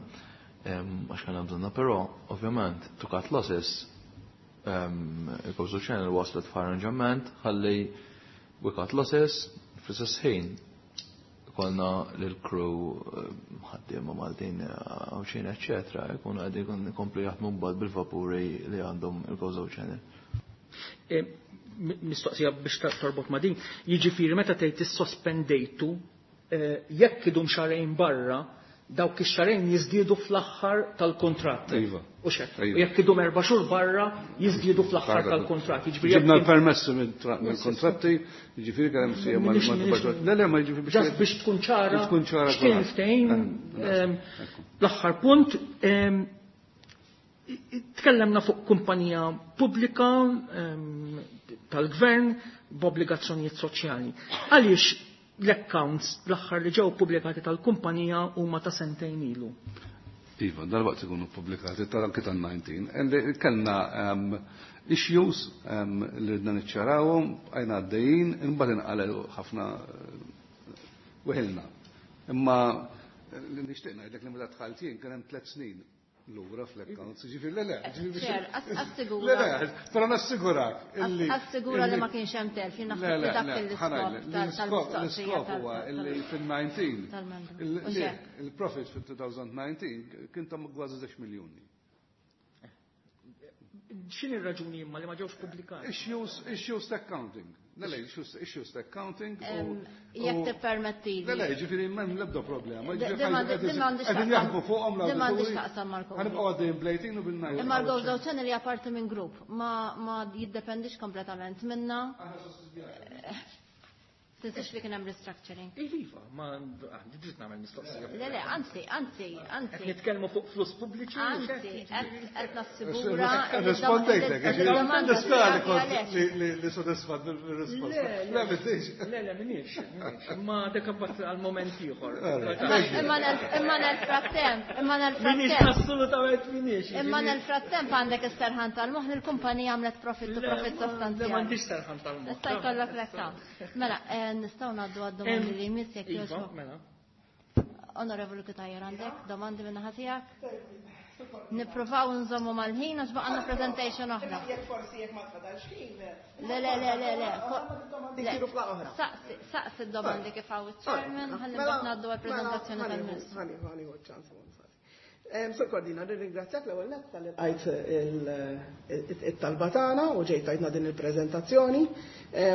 Għax kellna bżonna, però ovvjament to cut losses il-Gozo Channel waslet f'arranġament ħalli we cut losses fl-istess ħin konna l-crew ħaddiema Maltin Għawdxin, eccetera, jkunu qegħdin ikomplu jaħdmu mbagħad bil-vapuri li għandhom il-Gozo Channel. Mistoqsija biex torbot ma' din, jiġifieri meta tgħid issospendejtu, jekk idum xahrejn barra, dawk ix-xahrejn jiżdiedu fl-aħħar tal-kontratt. Iva. U xek. Iva. U jekk idum 4 xhur barra, jiżdiedu fl-aħħar tal-kontratt. Jiġifieri Ġibna jekk l-permessi mill-kontratti, ġifieri kellem sija Le, le, ma ġifieri biex Just biex tkun ċara. Biex tkun ċara X'kien kulħadd. ftehim, l-aħħar punt, tkellemna fuq kumpanija pubblika tal-gvern b'obbligazzjonijiet soċjali. Għaliex l-accounts l-aħħar li ġew pubblikati tal-kumpanija huma ta' sentejn ilu? Iva, dal-waqt ikunu pubblikati tal-anki tal-19. Kellna issues li ridna niċċarawhom, għajna għaddejjin, imbagħad inqalgħu ħafna weħilna. Imma li nixtieq ngħidlek li meta dħalt jien kien hemm 3 snin lura fl-accounts, ġifieri le, le, ġifieri biex Chair, assigura. Le, le, però nassigurak illi Assigura li illi ma kienx hemm telf, jien Le, naħseb le, li dak le, il-iskop ħa ngħidlek, tal-mistoqsija l-iskop huwa illi fil-19 tal-membru. U xek. il-profit fil-2019 kien ta' kważi 10 miljuni. X'inhi r-raġuni imma li ma ġewx pubblikati? Issues ta' accounting. Le, le, issues ta' accounting Jekk tippermettili. Le, le, ġifieri m'hemm l-ebda problema. Ġifieri Di m'għandix qegħdin taqsam- jaħdmu fuqhom di m'għandix l-awdituri. taqsam mal-Covid. Ħa nibqgħu għaddejjin bl-18 u bil-19. Imma l-Gozo Channel hija parti minn grupp, ma jiddependix kompletament minna. Tinsiex li kien hemm restructuring. Iva, ma għandi dritt nagħmel mistoqsija. Le, le, anzi, anzi, anzi. Qed nitkellmu fuq flus pubbliċi. Anzi, qed nassigura Rispondejtek, li d-domanda nispera li tiegħek kont għalhekk. li sodisfat bil-risposta. Le, le. Le, m'intix. Le, le, minix, minix. Ma dak imbagħad għal moment ieħor. Imma nel-frattemp, imma Minix, nel-frattemp. assolutament minix. Imma nel-frattemp għandek is-serħan tal-moħħ li l-kumpanija għamlet profit u profit Le, sostanzjali. m'għandix serħan tal-moħħ. Issa jkollok l-account. Mela, nistgħu ngħaddu għad-domandi li jmiss jekk Iva, jogħġbok. mela. Onorevoli Cutajar, għandek domandi minn naħa tiegħek? Nippruvaw nżommu mal-ħin għax baqgħna presentation oħra. Jekk forsi jekk ma tfadalx ħin. Le, le, le, le, le. Domandi jsiru f'laqgħa oħra. Saqsi d-domandi kif hawn iċ-chairman, ħalli mbagħad ngħaddu għall-preżentazzjoni tal-Ministru. Ħa nieħu ċans. Sur Cordina, nirringrazzjak l-ewwel nett talli lqajt it-talba tagħna u ġejt tajtna din il-preżentazzjoni.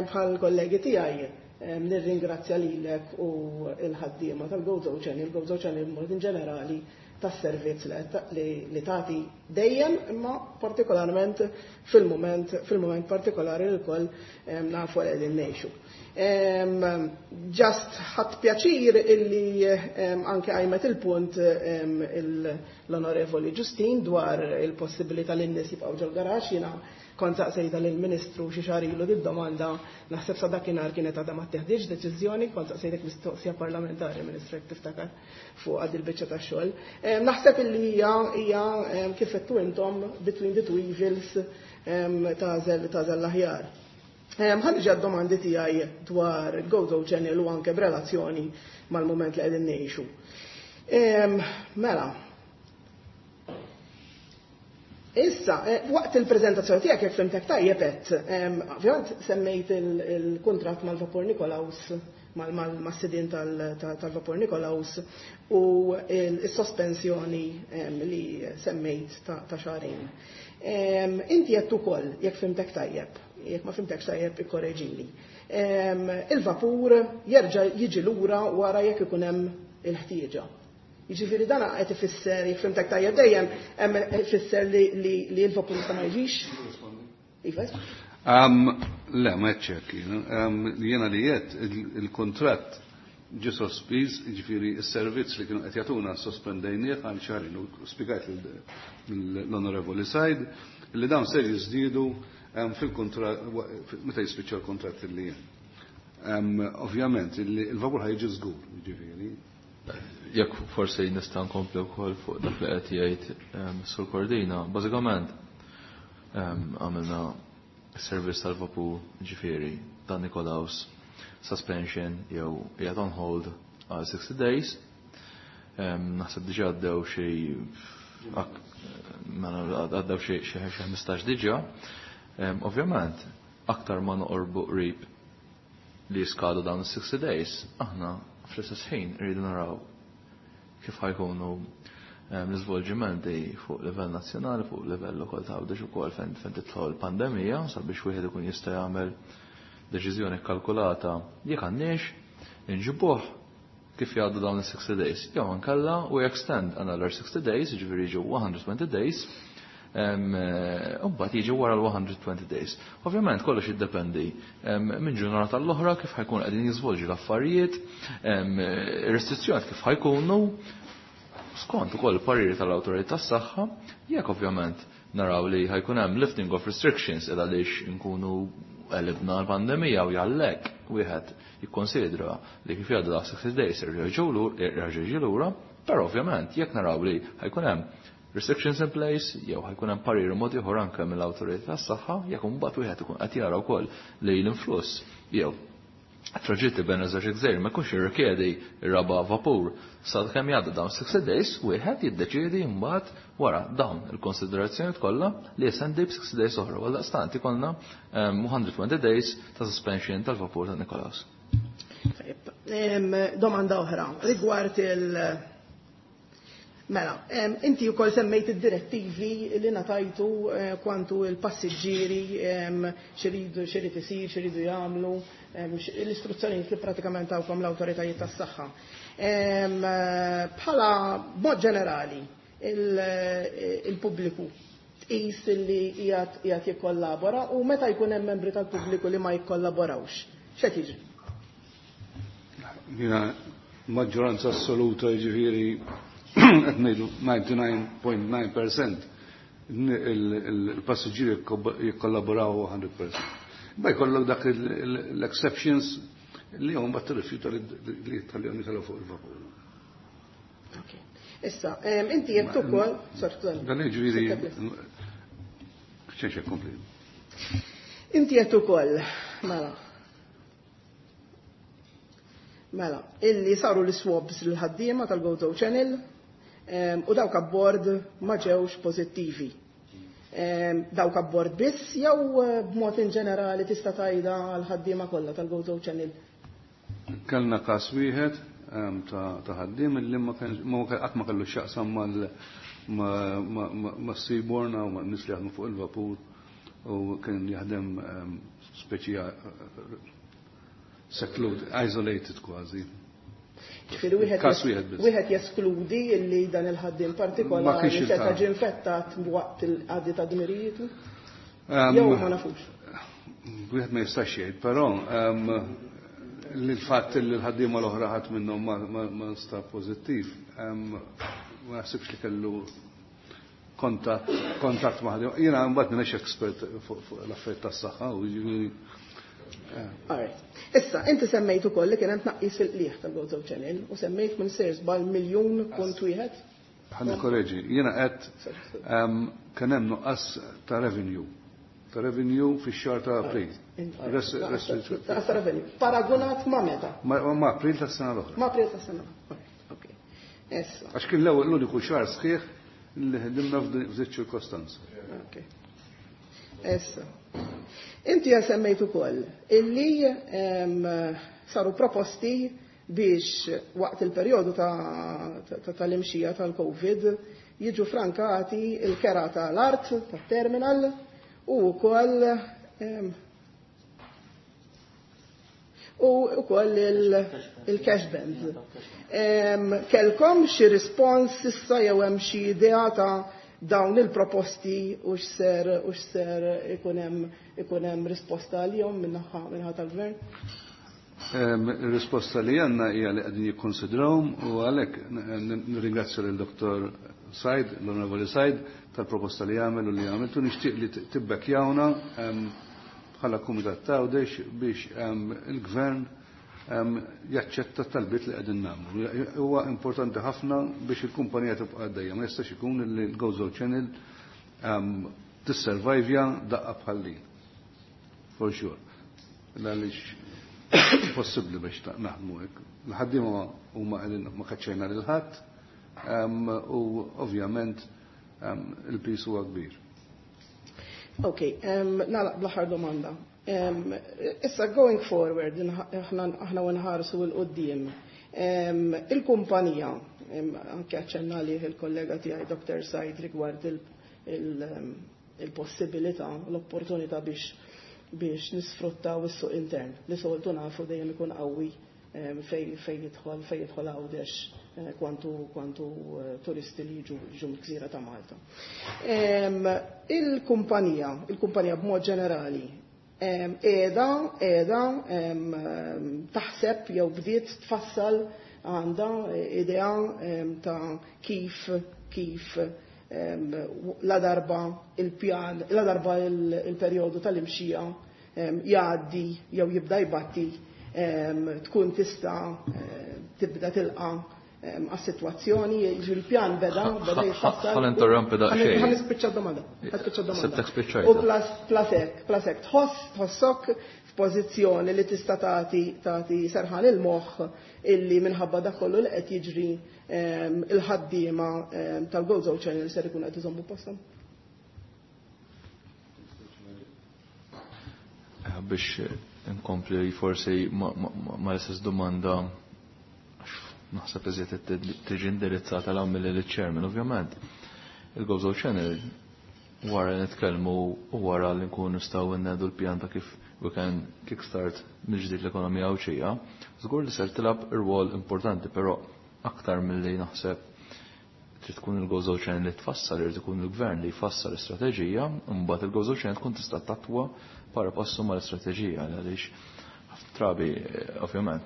Bħal kollegi tiegħi Nirringrazzja lilek u l-ħaddiema tal-Gozo Channel, Gozo Channel b'mod in ġenerali, tas-servizz li tagħti dejjem, imma partikolarment fil-mument partikolari li lkoll nafu li qegħdin ngħixu. Just ħadt pjaċir illi anke qajmet il-punt l-Onorevoli Ġustin dwar il-possibilità li n-nies jibqgħu ġol-garaxx. Jiena kont saqsejta lill-Ministru xi xahar ilu did-domanda, naħseb sa dakinhar kienet għadha ma ttieħditx deċiżjoni, kont saqsejtek mistoqsija parlamentari, Ministru, jekk tiftakar, fuq għad il-biċċa tax-xogħol. Naħseb illi hija kif għedtu intom, between the two evils tagħżel l-aħjar. Ħa niġi għad-domandi tiegħi dwar Gozo Channel u anke b'relazzjoni mal-mument li qegħdin ngħixu. Mela, issa, waqt il-prezentazzjoni tiegħek, jekk fhimtek tajjeb għedt, ovvjament semmejt il-kuntratt mal-Vapur Nikolaus, mas-sidien tal-Vapur Nikolaus u il-sospensjoni li semmejt ta' xahrejn. Inti għedt ukoll, jekk fhimtek tajjeb, jekk ma fhimtekx tajjeb ikkoreġini, il-vapur jerġa' jiġi lura wara jekk ikun hemm il-ħtieġa. Jiġifieri dan qed ifisser, jekk fhimtek tajjeb dejjem, hemm ifisser li l-vapur jista' ma jiġix? Iva. Le, ma hekk. Jiena li għedt il-kontratt ġie sospiż, jiġifieri s-servizz li kienu qed jagħtuna sospendejnieh għal xahrejn u spjegajt l-Onorevoli Said li dawn ser jiżdiedu fil-kontratt meta jispiċċa l-kontratt li hemm. Ovvjament il-vapur ħa jiġi żgur, jiġifieri. Jekk forsi nista' nkompli wkoll fuq dak li qed jgħid Sur Cordina, bażikament għamilna servizz tal-vapur, ġifieri ta' Nikolaus, suspension jew qiegħed on hold għal 60 days. Naħseb diġà għaddew xi, mela għaddew xi 15 diġà. Ovvjament, aktar ma noqorbu qrib li jiskadu dawn is-60 days, aħna fl-istess ħin rridu naraw kif ħa jkunu l-iżvolġimenti fuq livell nazzjonali, fuq livell ukoll ta' Għawdex ukoll fejn tidħol pandemija, sabiex wieħed ikun jista' jagħmel deċiżjoni kkalkulata jekk għandniex inġibuh kif jgħaddu dawn is-60 days. Jew inkella we extend another 60 days, jiġifieri jiġu 120 days, u mbagħad jiġi wara l-120 days. Ovvjament kollox jiddependi minn ġurnata l-oħra kif ħa jkun qegħdin jiżvolġi l-affarijiet, ir-restrizzjoni kif ħa jkunu, skont ukoll il-pariri tal-awtorità tas-saħħa. Jekk ovvjament naraw li ħa jkun hemm lifting of restrictions id għaliex inkunu għelibna l-pandemija u jgħallek wieħed jikkonsidra li kif jgħaddu da 60 days jerġa' lura, però ovvjament jekk naraw li ħa jkun hemm restrictions in place jew ħa jkun hemm parir mod ieħor anke mill-awtorità tas-saħħa, jekk imbagħad wieħed ikun qed jara wkoll li l-influss jew traġitti bejn iż-żewġ gżejjer ma jkunx jirrikjedi r-raba' vapur sa kemm jgħaddu dawn 60 days, wieħed jiddeċiedi mbagħad wara dawn il-konsiderazzjoni kollha li jestendi b'60 days oħra. Għal daqstant ikollna 120 days ta' suspension tal-vapur ta' Nikolaus. Domanda oħra rigward il- Mela, inti wkoll semmejt id-direttivi li ngħatajtu kwantu il-passiġġieri, x'iridu, x'irid isir, x'iridu jagħmlu, l-istruzzjonijiet li pratikament tawkom l-awtoritajiet tas-saħħa. Bħala mod ġenerali, il-pubbliku tqis li qiegħed jikkollabora, u meta jkun hemm membri tal-pubbliku li ma jikkollaborawx, x'qed jiġri? Jiena maġġoranza assoluta, jiġifieri qed ngħidu 99.9% il-passiġġieri jikkollaboraw 100%. Ba jkollok dak l-exceptions li hum bat tirrifjuta li tħallihom jitilgħu fuq il-vapur. Issa, inti jekk ukoll, sorry. Dan jiġifieri xejn kompli. Inti qed ukoll, mela, illi saru l-swabs l-ħaddiema tal-Gozo Channel u dawk abbord ma ġewx pożittivi. Dawk abbord biss jew b'mod in ġenerali tista' tgħidha għall-ħaddiema kollha tal-Gozo Channel? Kellna każ wieħed ta' ħaddiem illi ma qatt ma kellu x'jaqsam ma' Seaborn u ma' nies li jaħdmu fuq il-vapur, u kien jaħdem speċi secluded, isolated kważi. Ġifieri wieħed Każ wieħed biss. wieħed jeskludi li dan il-ħaddiem Ma partikolari kienx seta' il-każ. ġie infettat waqt il-qadi ta' dmirijietu. Jew ma nafux. Wieħed ma jistax jgħid, però li l-fatt li l-ħaddiema l-oħra ħadd minnhom ma nstab pożittiv, ma naħsibx li kellu kontatt ma' ħaddiema. Jiena mbagħad m'iniex expert fuq l-affarijiet tas-saħħa u jiġifieri. Alright. Issa, inti semmejt ukoll li kien hemm tnaqqis fil-qligħ tal-Gozo Channel u semmejt minn sejr żball miljun punt wieħed. Ħa nikkoreġi, jiena qed kien hemm nuqqas ta' revenue. Ta' revenue fix-xahar ta' April. Nuqqas ta' revenue. Paragunat ma' meta? Ma' April tas-sena l-oħra. Ma' April tas-sena l-oħra. Ok. Issa. Għax kien l-ewwel l-uniku xahar sħiħ li ħdimna f'dik ċirkostanza. Ok. Issa. Inti semmejt ukoll illi saru proposti biex waqt il-perjodu tal-imxija tal-Covid jiġu frankati il-kera tal-art, tat-terminal u wkoll il-cash bands. Kelkom xi rispons issa jew hemm xi idea ta' dawn il-proposti u x'ser ikun hemm risposta għalihom min-naħa tal-gvern? Il-risposta li għandna hija li qegħdin jikkonsidrawhom u għalhekk nirringrazzja lil Dr. Said, l-Onorevoli Said, tal-proposta li għamel u li għamiltu. Nixtieq li tibbekkjawna bħala Kumitat Tgħawdex biex il-Gvern jaċċetta t-talbiet li qegħdin nagħmlu. Huwa importanti ħafna biex il-kumpanija tibqa' għaddejja. Ma jistax ikun li l-Gozo Channel tisservajvja daqqa bħal din. For sure. Għaliex possibbli biex naħdmu hekk. L-ħaddiema huma qegħdin ma kaċċejna lil ħadd u ovvjament il-pis huwa kbir. Ok, nagħlaq bl-aħħar domanda. Issa going forward, aħna nħarsu 'l quddiem. Il-kumpanija, anke aċċenna li il-kollega tiegħi Dr. Said rigward il-possibilità, l-opportunità biex nisfruttaw is-suq intern li soltu nafu dejjem ikun qawwi fej jidħol Għawdex kwantu turisti li jiġu mill-gżira ta' Malta. Il-kumpanija b'mod ġenerali qiegħda taħseb jew bdiet tfassal għandha idea ta' kif la darba il-pjan, la darba il-perjodu tal-imxija jgħaddi jew jibda jbatti tkun tista' tibda tilqa' għas-sitwazzjoni, jiġifieri il-pjan beda jitfassal. Ħa ninterrompi daqsxejn. Ħa nispiċċa d-domanda. Ħa nispiċċa d-domanda. Sibtek spiċċajta. U plus hekk, tħossok f'pożizzjoni li tista' tagħti serħan il-moħħ illi minħabba dak kollu li qed jiġri il-ħaddiema tal-Gozo Channel ser ikun qed iżommu posthom. Biex inkompli forsi ma l-istess domanda naħseb iżjed tiġi indirizzata l mill chairman ovvjament. Il-Gozo Channel wara li nitkellmu u wara li nkunu nistgħu nnedu l-pjan ta' kif we can kickstart mill-ġdid l-ekonomija Għawdxija, żgur li ser tilgħab irwol importanti, però aktar milli naħseb trid tkun il-Gozo Channel li tfassal, irid ikun il-gvern li jfassal l-istrateġija, u mbagħad il-Gozo Channel tkun tista' tatwa para passu mal-istrateġija għaliex ħafna drabi ovvjament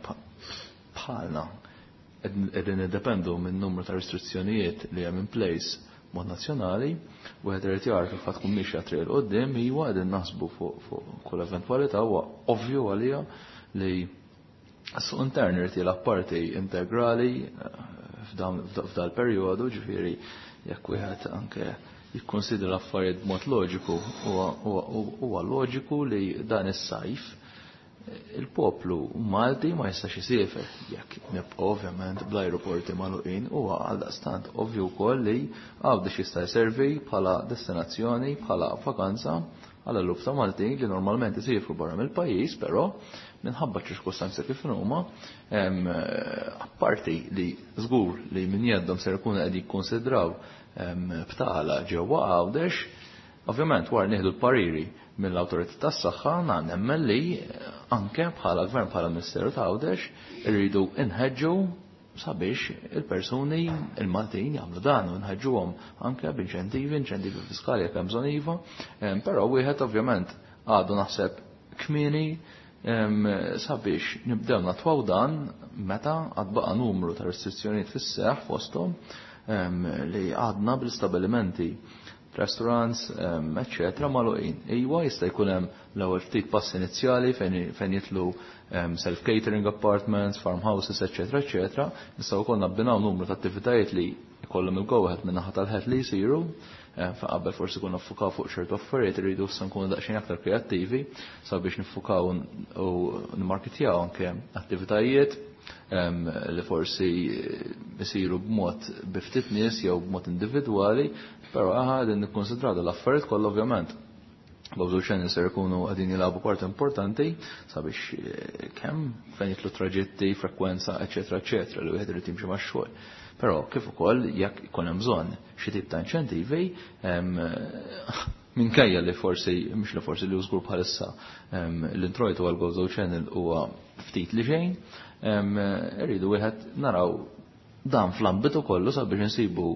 bħalna qegħdin niddependu minn numru ta' restrizzjonijiet li hemm in place mod nazzjonali, wieħed irid jara kif ħadd tkun mixja triq 'il quddiem, iwa qegħdin naħsbu fuq kull eventwalità, huwa ovvju għalija li s-suq intern irid jilgħab parti integrali f'dal perjodu, ġifieri jekk wieħed anke jikkonsidra l-affarijiet b'mod loġiku, huwa loġiku li dan is-sajf il-poplu Malti ma jistax isiefer jekk nibqa' ovvjament bl-ajruporti magħluqin, huwa għaldaqstant ovvju wkoll li Għawdex jista' jservi bħala destinazzjoni, bħala vakanza għal eluf ta' Maltin li normalment isifru barra mill-pajjiż, però minħabba ċirkustanzi kif huma, apparti li żgur li min jeddhom ser ikunu qed jikkonsidraw btala ġewwa Għawdex, ovvjament wara nieħdu l-pariri mill-awtorità tas-saħħa nemmen li anke bħala gvern, bħala Ministeru ta' Għawdex, irridu nħeġġu sabiex il-persuni, il-Maltin jagħmlu dan u nħeġġuhom anke b'inċentivi, inċentivi fiskali jekk hemm bżonn iva, però wieħed ovvjament għadu naħseb kmieni sabiex nibdew natwaw dan meta għad baqa' numru ta' restrizzjonijiet fis-seħħ fosthom li għadna bil-stabilimenti, restaurants, eccetera, magħluqin. Iwa jista' jkun hemm l-ewwel ftit pass inizjali fejn jitlu self-catering apartments, farmhouses, eccetera, eccetera. Nistgħu wkoll nabbinaw numru ta' attivitajiet li jkollhom il-go ahead minn naħa tal-ħed li jsiru, fa' qabel forsi konna nfukaw fuq ċertu affarijiet, irridu issa nkunu daqsxejn aktar kreattivi sabiex nifukaw u nimmarketjaw anke attivitajiet li forsi jsiru b'mod bi ftit nies jew b'mod individwali, però aħna qegħdin nikkonsidraw l-affarijiet kollha ovvjament. Gozo Channel ser ikunu qegħdin jilagħbu parti importanti sabiex kemm fejn jitlu traġitti, frekwenza, eċetera, eċetera, li wieħed irid jimxi max-xogħol. Però kif ukoll jekk ikun hemm bżonn xi tip ta' inċentivi, minkejja li forsi, mhux li forsi li żgur bħalissa l-introjtu għal Gozo Channel huwa ftit li xejn, irridu wieħed naraw dan fl-ambitu kollu sabiex insibu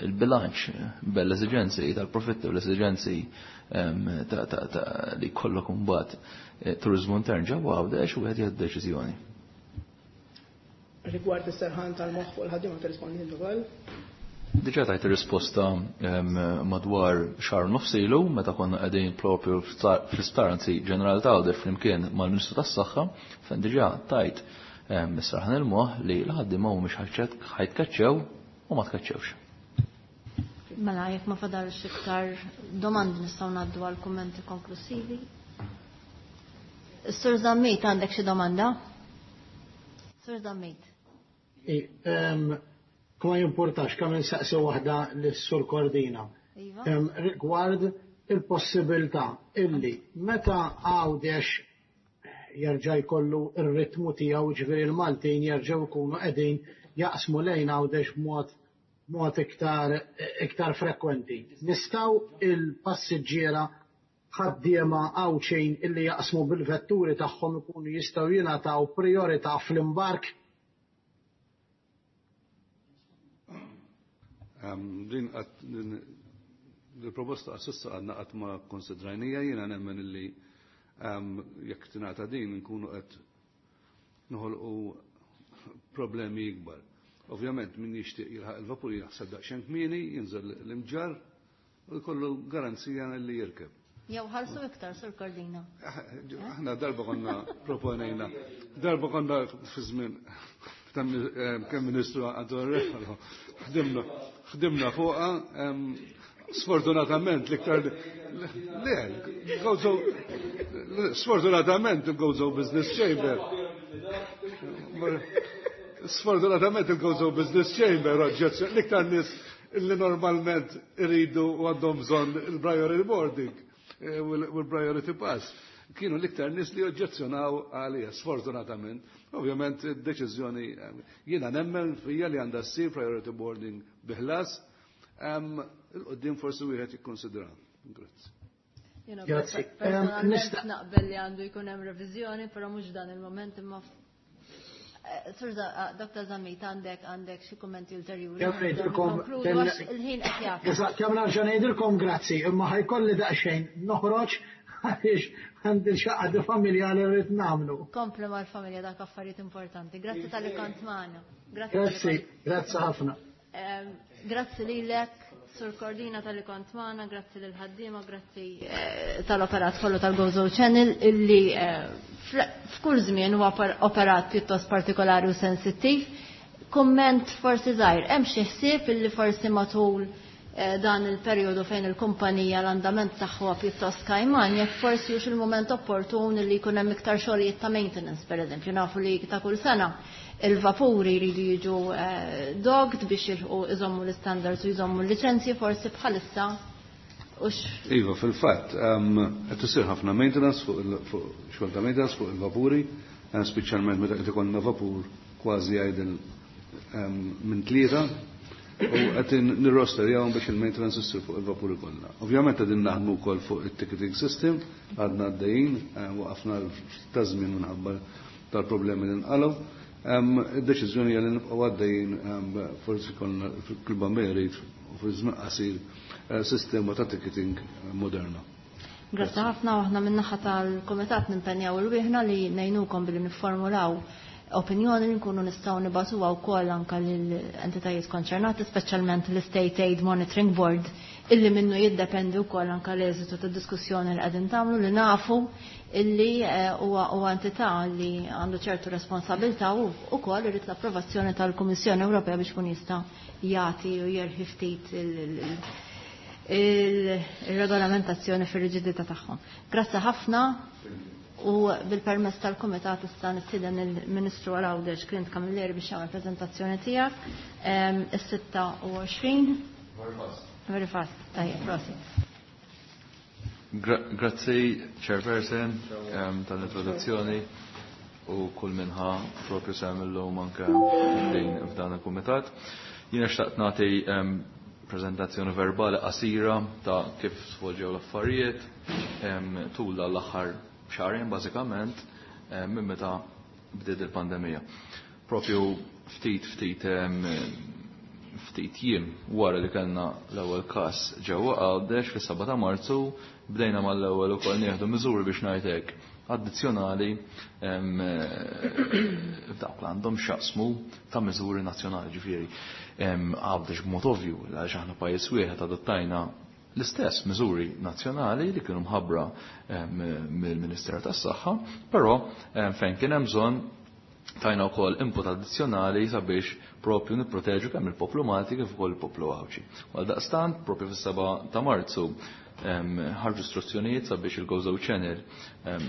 il-bilanċ bel l-esiġenzi tal-profitti u l-esiġenzi ta' li kollok imbagħad turizmu intern ġewwa Għawdex u wieħed jieħu deċiżjoni. Rigward is-serħan tal-moħħ fuq il-ħaddiema tirrispondi ukoll? Diġà tajt ir-risposta madwar xahar nofs ilu meta konna qegħdin propju fl-isptar anzi ġenerali ta' Għawdex flimkien mal-Ministru tas-Saħħa, fejn diġà tajt is-serħan il-moħħ li l-ħaddiema mhumiex ħajtkaċċew u ma tkaċċewx. Mela, jekk ma fadalx iktar domandi nistgħu ngħaddu għal kummenti konklusivi. Sur Zammit, għandek xi domanda? Sur Zammit. Kuma jimportax, kemm insaqsi waħda lis-Sur Cordina. Iva. Rigward il-possibilità illi meta Għawdex jerġa' jkollu r-ritmu tiegħu, ġifieri l-Maltin jerġgħu jkunu qegħdin jaqsmu lejn Għawdex b'mod iktar frekwenti. Nistgħu il-passiġġiera ħaddiema Għawdxin illi jaqsmu bil-vetturi tagħhom ikunu jistgħu jingħataw priorità fl-imbark? Din il-proposta s'issa għadna qatt ma konsidrajnija, jiena nemmen illi jekk tingħata din nkunu qed noħolqu problemi ikbar. Ovvjament min jixtieq jilħaq il-vapur jaħseb daqsxejn kmieni, jinżel l-imġarr u jkollu garanzija li jirkeb. Jew ħalsu iktar, Sur Cordina. Aħna darba konna proponejna, darba konna fi żmien kemm Ministru Anton Refalo, ħdimna fuqha, sfortunatament l-iktar le, Gozo, sfortunatament il-Gozo Business Chamber. Sfortunatament il-Gozo Business Chamber oġġezzjoni l-iktar nies illi normalment iridu u għandhom bżonn il-priority boarding u l-priority pass. Kienu l-iktar nies li oġġezzjonaw għalija, sfortunatament. Ovvjament, id-deċiżjoni jiena nemmen fija li għandha ssir priority boarding biħlas, il-qoddim forsi wieħed jikkonsidra. Grazzi. Jiena Grazzi. personalment Nista' naqbel li għandu jkun hemm reviżjoni, però mhux dan il-moment imma Sur Dr. Zammit, għandek xi kummenti ulterjuri? Kemm ngħidilkom, Konkludu kemm għax il-ħin qed jagħfas. Eżatt, kemm nerġa' ngħidilkom grazzi, imma ħajkolli daqsxejn noħroġ għaliex għandi xaqqa di familja li rrid nagħmlu. Komplu mal-familja dak affarijiet importanti. Grazzi tal-li kont magħna. Grazzi tal-li Grazzi, kont grazzi ħafna. Grazzi lilek, Sur Cordina tal-li kont magħna, grazzi lil ħaddiema, grazzi tal-operat kollu tal-Gozo Channel illi f'kull żmien huwa operat pjuttost partikolari u sensittiv. Kumment forsi żgħir, hemm xi ħsieb illi forsi matul dan il-perjodu fejn il-kumpanija l-andament tagħha pjuttost kajman, jekk forsi hux il-mument opportun li jkun hemm iktar xogħlijiet ta' maintenance, pereżempju, nafu li ta' kull sena il-vapuri jridu jiġu dogged biex jilħqu iżommu l-standards u jżommu l-liċenzji, forsi bħalissa ux. Iva, fil-fatt, qed isir ħafna maintenance fuq xogħol ta' maintenance fuq il-vapuri, speċjalment meta qed ikollna vapur kważi idle minn tlieta. U qed nirrosterjawhom biex il-maintenance issir fuq il-vapuri kollha. Ovvjament qegħdin naħdmu wkoll fuq it-ticketing system, għadna għaddejjin, waqafna ta' żmien minħabba tal-problemi li nqalgħu. Id-deċiżjoni hija li nibqgħu għaddejjin, forsi konna fil-Bambej jrid u fi żmien qasir sistema ta' ticketing moderna. Grazzi ħafna, u aħna min-naħa tal-Kumitat nimpenjaw irwieħna li ngħinukom billi nifformulaw opinjoni li nkunu nistgħu nibagħtuha wkoll anke lill-entitajiet konċernati, speċjalment l-State Aid Monitoring Board, illi minnu jiddependi wkoll anke l-eżitu tad-diskussjoni li qegħdin tagħmlu, li nafu illi huwa entità li għandu ċertu responsabilità u wkoll irid l-approvazzjoni tal-Kummissjoni Ewropea biex kun jista' jagħti u jerħi ftit il-regolamentazzjoni fir-riġidità tagħhom. Grazzi ħafna, u bil-permess tal-Kumitat issa nistieden il-Ministru għal Għawdex Clint Camilleri biex jagħmel preżentazzjoni tiegħek. Is-26. Very fast. Very fast. Tajjeb, prosit. Grazzi, Chairperson, tal-introduzzjoni u kull minħa propju sem illum anke din f'dan il-Kumitat. Jiena xtaqt nagħti prezentazzjoni verbali qasira ta' kif svolġew l-affarijiet tul l-aħħar xahrejn bażikament minn meta bdiet il-pandemija. Propju ftit jiem wara li kellna l-ewwel każ ġewwa Għawdex fis-7 ta' Marzu, bdejna mal-ewwel ukoll nieħdu miżuri biex ngħid hekk addizzjonali f'dawk li għandhom x'jaqsmu ta' miżuri nazzjonali, ġifieri. Għawdex b'mod ovvju, għaliex aħna pajjiż wieħed, adottajna l-istess miżuri nazzjonali li kienu mħabbra mill-Ministeru tas-Saħħa, però fejn kien hemm bżonn tajna wkoll input addizzjonali sabiex propju nipproteġu kemm il-poplu Malti kif ukoll il-poplu Għawdxi. Għal daqstant, propju fis-7 ta' Marzu ħarġu istruzzjonijiet sabiex il-Gozo Channel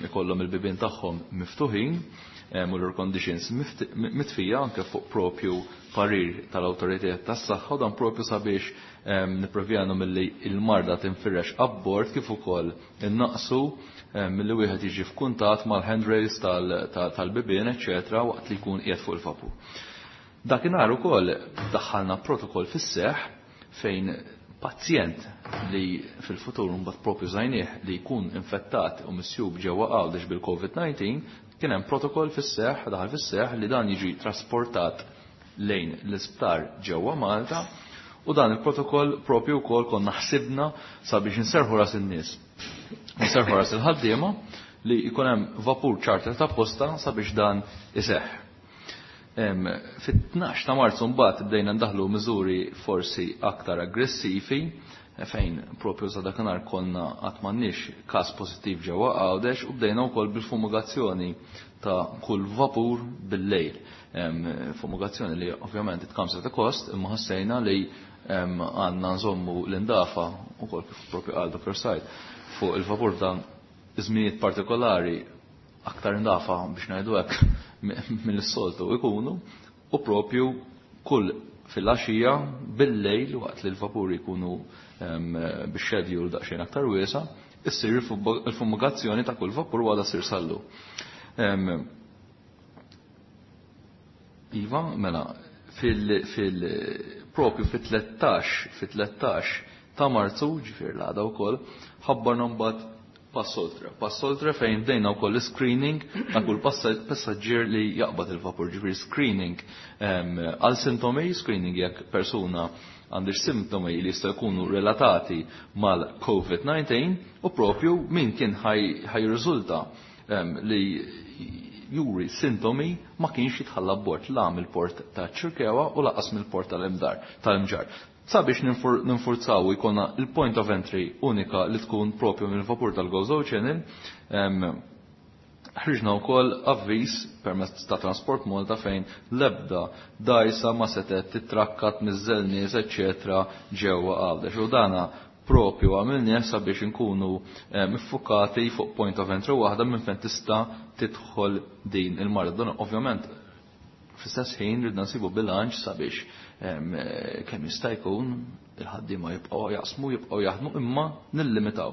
ikollhom il-bibien tagħhom miftuħin u l-air conditions mitfija anke fuq propju parir tal-awtoritajiet tas-saħħa, u dan propju sabiex nipprevjanu milli il-marda tinfirex abbord kif ukoll innaqsu milli wieħed jiġi f'kuntatt mal-handrails tal-bibien, eċċetera, waqt li jkun qiegħed fuq il-vapur. Dakinhar ukoll daħħalna protokoll fis-seħħ fejn pazjent li fil-futur mbagħad propju żajnieh li jkun infettat u misjub ġewwa Għawdex bil-COVID-19, kien hemm protokoll fis-seħħ, daħal fis-seħħ li dan jiġi trasportat lejn l-isptar ġewwa Malta, u dan il-protokoll propju wkoll konna ħsibna sabiex inserħu ras in-nies. Inserħu ras il-ħaddiema li jkun hemm vapur charter ta' posta sabiex dan iseħħ. Fit-12 ta' Marzu mbagħad bdejna ndaħlu miżuri forsi aktar aggressivi, fejn propju sa dakinhar konna qatt m'għandniex każ pożittiv ġewwa Għawdex, u bdejna wkoll bil-fumigazzjoni ta' kull vapur bil-lejl. Fumigazzjoni li ovvjament it comes at a cost, imma ħassejna li għandna nżommu l-indafa ukoll kif propju qal Dr. Said fuq il-vapur ta' żminijiet partikolari aktar indafa biex ngħidu hekk mill-soltu ikunu, u propju kull fil-għaxija bil-lejl waqt li l-vapuri jkunu bix-schedule daqsxejn aktar wiesa, issir il-fumigazzjoni ta' kull vapur għadha ssir sallu. Iva, mela, propju fit-13 ta' Marzu, ġifier l-għada wkoll, ħabbarna mbagħad pass oltre. Pass oltre fejn bdejna wkoll screening ta' kull passaġġier li jaqbad il-vapur, ġifier screening għal sintomi, screening jekk persuna għandix sintomi li jistgħu jkunu relatati mal-COVID-19, u propju min kien ħaj li juri sintomi ma kienx jitħalla bord la mill-port ta' Ċirkewa u laqas mill-port tal-Imġar. Sabiex ninfurzaw u jkollna il-point of entry unika li tkun propju mill-vapur tal-Gozo Channel, ħriġna wkoll avviż permezz ta' Transport Malta fejn l-ebda dajsa ma setet titrakkat miżżel nies eċċetera ġewwa Għawdex. U dana propju għamilnieh sabiex inkunu iffukati fuq point of entry waħda minn fejn tista' tidħol din il-marda. Dan ovvjament fl-istess ħin ridna nsibu bilanċ sabiex kemm jista' jkun il-ħaddiema jibqgħu jaqsmu, jibqgħu jaħdmu, imma nillimitaw.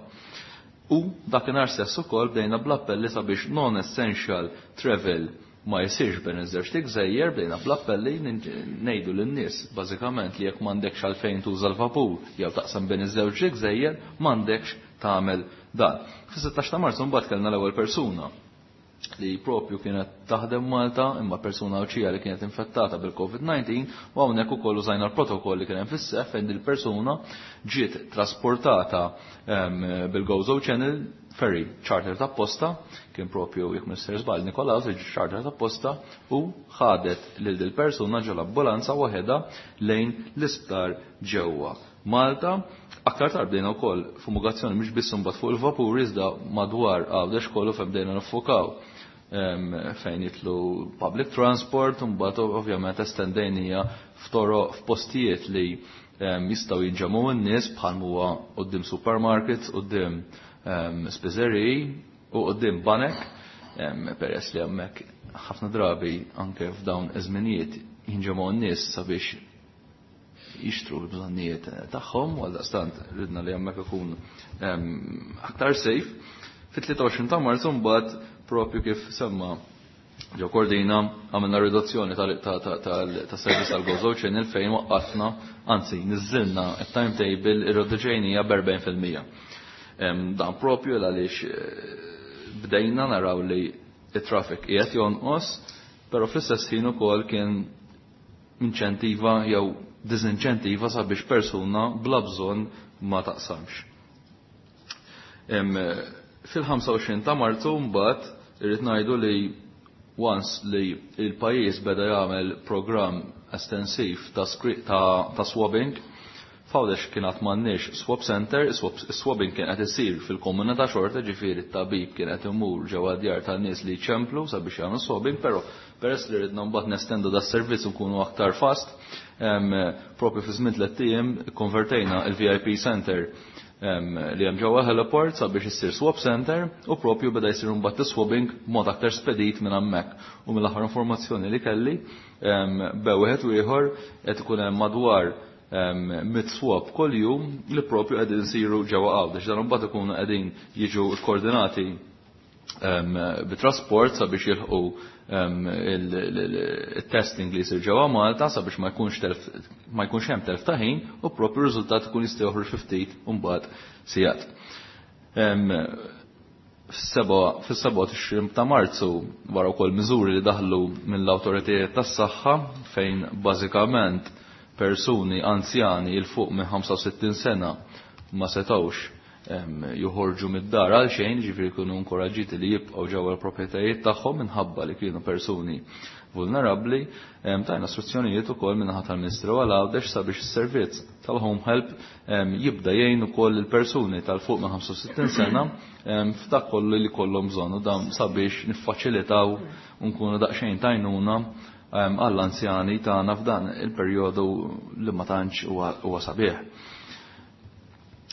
U dakinhar stess ukoll bdejna bl-appelli sabiex non-essential travel ma jsirx bejn iż-żewġt igżejjer, bdejna bl-appelli ngħidu lin-nies bażikament li jekk m'għandekx għalfejn tuża l-vapur jew taqsam bejn iż-żewġ igżejjer, m'għandekx tagħmel dan. Fis-16 ta' Marzu mbagħad kellna l-ewwel persuna li propju kienet taħdem Malta imma persuna Għawdxija li kienet infettata bil-COVID-19 u hawnhekk ukoll użajna l-protokoll li kien hemm fis-seħħ fejn il-persuna ġiet trasportata bil-Gozo Channel ferry charter ta' posta, kien propju jekk Mr. Żball Nikolaus charter ta' posta u ħadet lil dil persuna ġol ambulanza waħedha lejn l-isptar ġewwa Malta. Aktar tard bdejna wkoll fumigazzjoni mhux biss imbagħad fuq il-vapuri iżda madwar Għawdex kollu fejn bdejna niffukaw fejn jitlu public transport, u mbagħad ovvjament estendejnija f'toroq f'postijiet li jistgħu jinġemgħu n-nies bħal huwa quddiem supermarkets, quddiem spiżeriji u quddiem banek, peress li hemmhekk ħafna drabi anke f'dawn iż-żminijiet jinġemgħu n-nies sabiex jixtru l-bżonnijiet tagħhom, u għaldaqstant ridna li hemmhekk ikun aktar safe. Fit-23 ta' Marzu mbagħad propju kif semma Ġo Cordina għamilna riduzzjoni tas-servizz tal-Gozo Channel fejn waqqafna, anzi niżżilna it-timetable irriduċejnija b'40%. Dan propju għaliex bdejna naraw li it-traffic qiegħed jonqos, però fl-istess ħin ukoll kien inċentiva jew diżinċentiva sabiex persuna bla bżonn ma taqsamx. Fil-25 ta' Marzu mbagħad irrid ngħidu li once li il-pajjiż beda jagħmel programm estensiv ta', ta, swabbing, F'Għawdex kien għad m'għandniex swab center, swabbing kien qed isir fil-komunità xorta, ġifieri t-tabib kien qed imur ġewwa djar tan-nies li jċemplu sabiex jagħmlu swabbing, però peress li ridna mbagħad nestendu da servizz nkunu aktar fast, propju fi żmien tliet ijiem konvertejna il-VIP center li hemm ġewwa heliport sabiex issir swab center u propju beda jsir mbagħad is-swabbing b'mod aktar spedit minn hemmhekk. U mill-aħħar informazzjoni li kelli bew wieħed u ieħor qed ikun hemm madwar mit swab kuljum li propju qegħdin isiru ġewwa Għawdex. Dan imbagħad ikunu qegħdin jiġu koordinati bit-trasport sabiex jilħqu il-testing li jsir ġewwa Malta sabiex ma jkunx telf ma jkunx hemm telf ta' ħin u propju r-riżultat ikun jista' joħroġ fi ftit u mbagħad sigħat. Fis-27 ta' Marzu wara wkoll miżuri li daħlu mill-awtoritajiet tas-saħħa fejn bażikament persuni anzjani il fuq minn 65 sena ma setgħux joħorġu mid-dar għal xejn, ġifieri kienu inkoraġġiti li jibqgħu ġewwa l-proprjetajiet tagħhom minħabba li kienu persuni vulnerabbli, tajna istruzzjonijiet ukoll min-naħa tal-Ministru għal Għawdex sabiex is-servizz tal-Home Help jibda jgħin ukoll il-persuni tal-fuq minn 65 sena f'dak kollu li kollhom bżonn u dan sabiex niffaċilitaw u nkunu daqsxejn tajnuna għall-anzjani tagħna f'dan il-perjodu li ma tantx huwa sabiħ.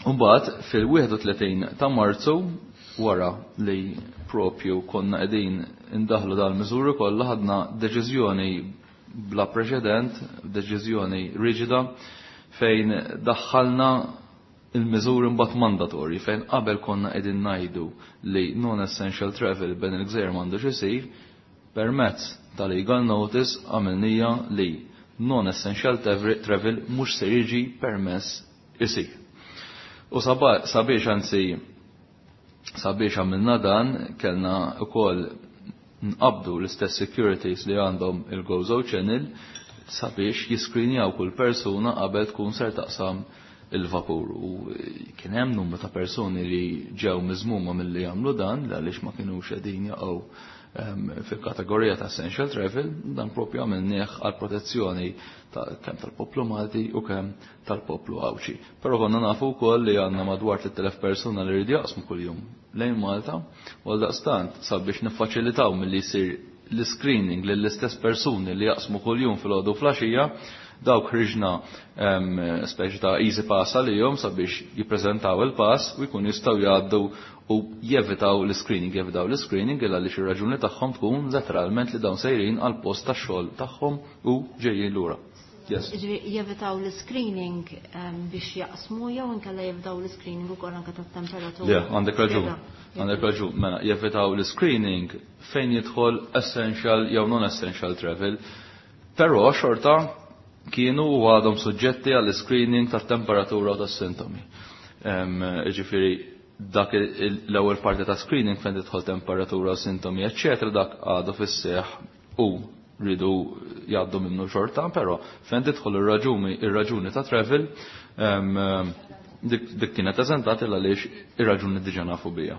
Mbagħad fil-31 ta' Marzu wara li propju konna qegħdin indaħlu dal-miżuri kollha ħadna deċiżjoni bla preċedent, deċiżjoni riġida fejn daħħalna il-miżuri mbagħad mandatorji fejn qabel konna qegħdin ngħidu li non-essential travel bejn il-gżejjer m'għandux isir, permezz tal-legal notice għamilnija li non-essential travel mhux se jiġi permess isir. U sabiex anzi sabiex għamilna dan kellna ukoll nqabdu l-istess securities li għandhom il-Gozo Channel sabiex jiskrinjaw kull persuna qabel tkun ser taqsam il-vapur. U kien hemm numru ta' persuni li ġew miżmuma milli jagħmlu dan għaliex ma kinux qegħdin jaqgħu fil-kategorija ta' essential travel, dan propju għamilnieh għal protezzjoni ta' kemm tal-poplu Malti u kemm tal-poplu Għawdxi. Però konna nafu wkoll li għandna madwar 3000 persuna li jridu jaqsmu kuljum lejn Malta, u għal daqstant sabiex niffaċilitaw milli jsir l-screening lill-istess persuni li jaqsmu kuljum fil-għodu flaxija, dawk ħriġna speċi ta' easy pass għalihom sabiex jippreżentaw il-pass u jkun jistgħu jgħaddu u jevitaw l-screening, jevitaw l-screening illa li xi raġuni tagħhom tkun letteralment li dawn sejrin għal post tax-xogħol tagħhom u ġejjin lura. Yes. Jevitaw l-screening biex jaqsmu jew inkella jevitaw l-screening ukoll anke tat-temperatura. Le, għandek raġun. Għandek raġun. Mela, jevitaw l-screening fejn jidħol essential jew non-essential travel. Però xorta kienu u għadhom suġġetti għall-screening tat-temperatura u tas-sintomi. Ġifieri dak l-ewwel parti ta' screening fejn tidħol temperatura, sintomi, eċċetera, dak għadu fis-seħħ u rridu jgħaddu minnu xorta, però fejn tidħol ir-raġuni ta' travel, dik kienet eżentata għaliex ir-raġuni diġà nafu bija.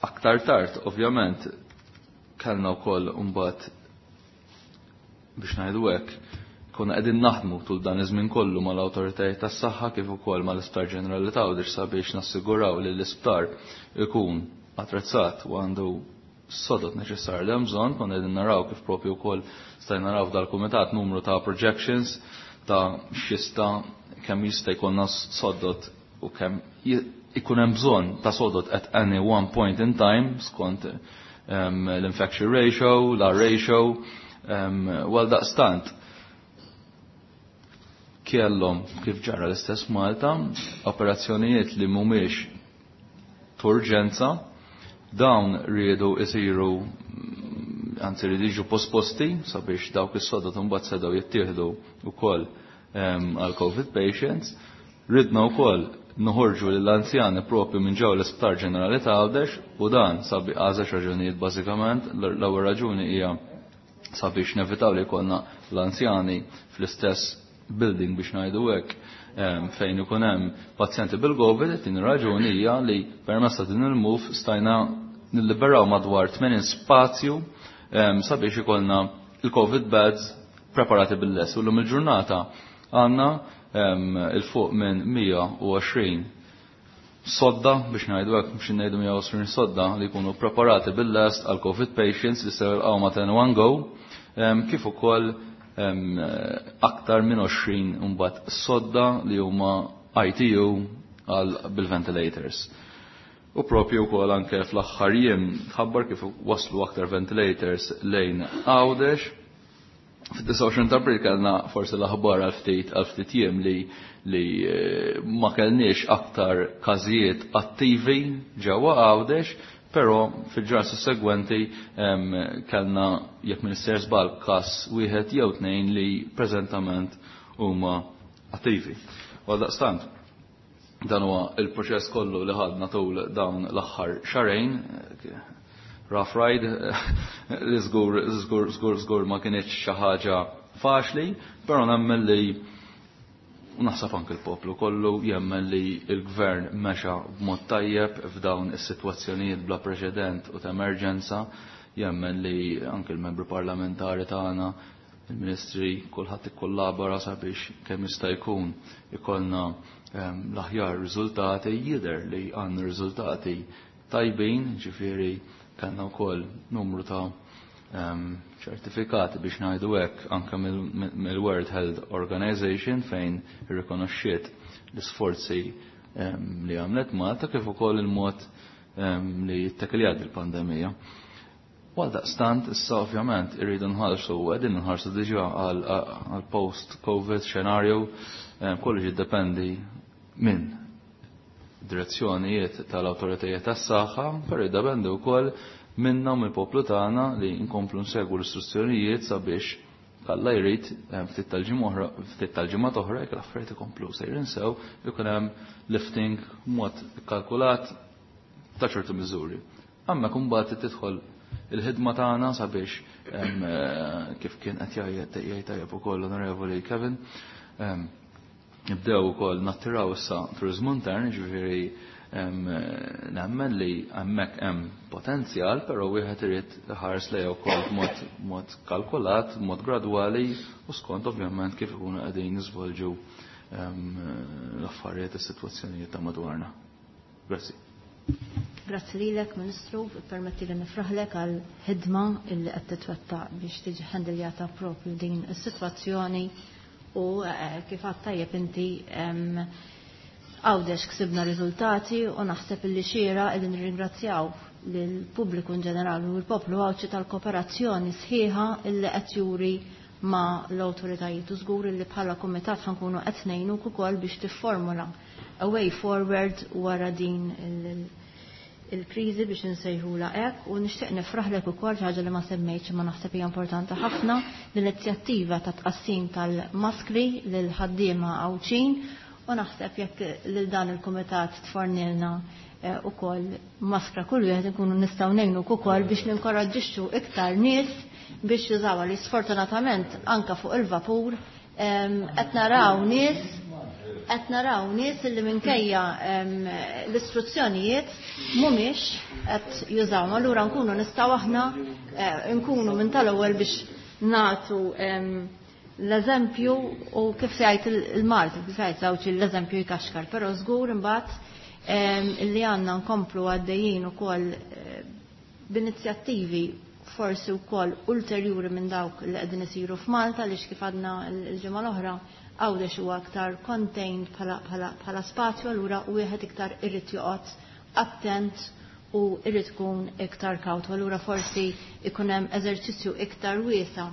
Aktar tard, ovvjament, kellna wkoll imbagħad biex ngħidu hekk, konna qegħdin naħdmu tul dan iż-żmien kollu mal-awtoritajiet tas-saħħa kif ukoll mal-Isptar Ġenerali ta' Għawdex sabiex nassiguraw li l-isptar ikun attrezzat u għandu sodot neċessarji li hemm bżonn. Konna qegħdin naraw kif propju wkoll stajna naraw f'dal-kumitat numru ta' projections ta' x'jista' kemm jista' jkollna sodot u kemm ikun hemm bżonn ta' sodot at any one point in time skont l-infection ratio, l-R ratio, għal daqstant kellhom kif ġara l-istess Malta operazzjonijiet li mhumiex turġenza, dawn riedu isiru, anzi riedu jiġu posposti sabiex dawk is-sodot imbagħad setgħu jittieħdu wkoll għal COVID patients. Ridna wkoll noħorġu lill-anzjani propju minn ġew l-Isptar Ġenerali ta' Għawdex u dan sabi għażex raġunijiet bażikament. L-ewwel raġuni hija sabiex nevitaw li jkollna l-anzjani fl-istess building biex ngħidu hekk fejn ikun hemm pazjenti bil-COVID. It-tieni raġuni hija li permezz ta' din il-move stajna nilliberaw madwar 80 spazju sabiex ikollna il-COVID beds preparati bil-les. U l-lum il-ġurnata għandna il-fuq minn 120 sodda, biex ngħidu hekk, biex ngħidu 120 sodda li jkunu preparati bil-lest għal COVID patients li se jilqgħu ma' ten one go, kif ukoll aktar minn 20 imbagħad sodda li huma ITU għal bil-ventilators. U propju wkoll anke fl-aħħar jiem tħabbar kif waslu aktar ventilators lejn Għawdex. Fid-29 ta' April kellna forsi l-aħbar għal ftit jiem li ma kellniex aktar każijiet attivi ġewwa Għawdex, però fil-ġranet sussegwenti kellna, jekk Minister żball, każ wieħed jew tnejn li preżentament huma attivi. Għal daqstant, dan huwa il-proċess kollu li ħadna tul dawn l-aħħar xarejn, rough ride, li żgur, żgur, żgur, żgur ma kienx xi ħaġa faċli, però nemmen li naħseb anke l-poplu kollu jemmen li l-gvern mexa b'mod tajjeb f'dawn is-sitwazzjonijiet bla preċedent u ta' emerġenza, jemmen li anke l-membri parlamentari tagħna, il-ministri, kulħadd ikkollabora sabiex kemm jista' jkun ikollna l-aħjar riżultati. Jidher li għandna riżultati tajbin, ġifieri kellna wkoll numru ta' ċertifikati biex ngħidu hekk anke mill-World Health Organization fejn irrikonoxxiet l-isforzi li għamlet Malta kif ukoll il-mod li jittakljat il-pandemija. Għal daqstant, issa ovvjament irridu nħarsu, u qegħdin nħarsu diġà għal post-COVID scenario, kollox jiddependi minn direzzjonijiet tal-awtoritajiet tas-saħħa, però jiddependi wkoll minna u mill-poplu tagħna li nkomplu nsegwu l-istruzzjonijiet sabiex kalla jrid ftit tal-ġimgħa oħra, ftit tal-ġimgħa oħra jekk l-affarijiet ikomplu sejrin sew, ikun hemm lifting mod ikkalkulat ta' ċertu miżuri. Amma kumbat tidħol il-ħidma tagħna sabiex kif kien qed jgħid tajjeb ukoll l-Onorevoli Kevin, nibdew ukoll nattiraw issa turizmu intern, ġifieri nemmen li hemmhekk hemm potenzjal, però wieħed irid ħares lejha wkoll b'mod kalkulat, b'mod gradwali u skont ovvjament kif ikunu qegħdin niżvolġu l-affarijiet is-sitwazzjonijiet ta' madwarna. Grazzi. Grazzi lilek, Ministru, permetti li nifraħlek għal ħidma illi qed titwettaq biex tiġi ħendiljata propju din is-sitwazzjoni u kif għadt tajjeb inti. Għawdex ksibna riżultati u naħseb illi xira illi nirringrazzjaw lill-pubbliku in ġenerali u l-poplu Għawdxi tal-kooperazzjoni sħiħa illi qed juri ma' l-awtoritajiet u żgur illi bħala kumitat ħankunu qed ngħinuk ukoll biex tifformula a way forward wara din il-kriżi biex insejħula hekk u nixtieq nifraħlek ukoll xi ħaġa li ma semmejtx imma naħseb hija importanti ħafna l-inizjattiva ta' tqassim tal-maskri lil ħaddiema Għawdxin u naħseb jekk lil dan il-kumitat tfornilna ukoll maskra kull wieħed inkunu nistgħu ngħinuk ukoll biex ninkoraġġixxu iktar nies biex jużawha li sfortunatament anka fuq il-vapur qed naraw nies qed naraw nies li minkejja l-istruzzjonijiet mhumiex qed jużawhom. Allura nkunu nistgħu aħna nkunu minn tal-ewwel biex nagħtu l-eżempju u kif se jgħid il-Malti, kif se jgħid żewġ l-eżempju jkaxkar, però żgur imbagħad li għandna nkomplu għaddejjin ukoll b'inizjattivi forsi wkoll ulterjuri minn dawk li qegħdin isiru f'Malta għaliex kif għadna l-ġimgħa l-oħra Għawdex huwa aktar contained bħala spazju allura wieħed iktar irid joqgħod attent u irid ikun iktar kawt. Allura forsi ikun hemm eżerċizzju iktar wiesa'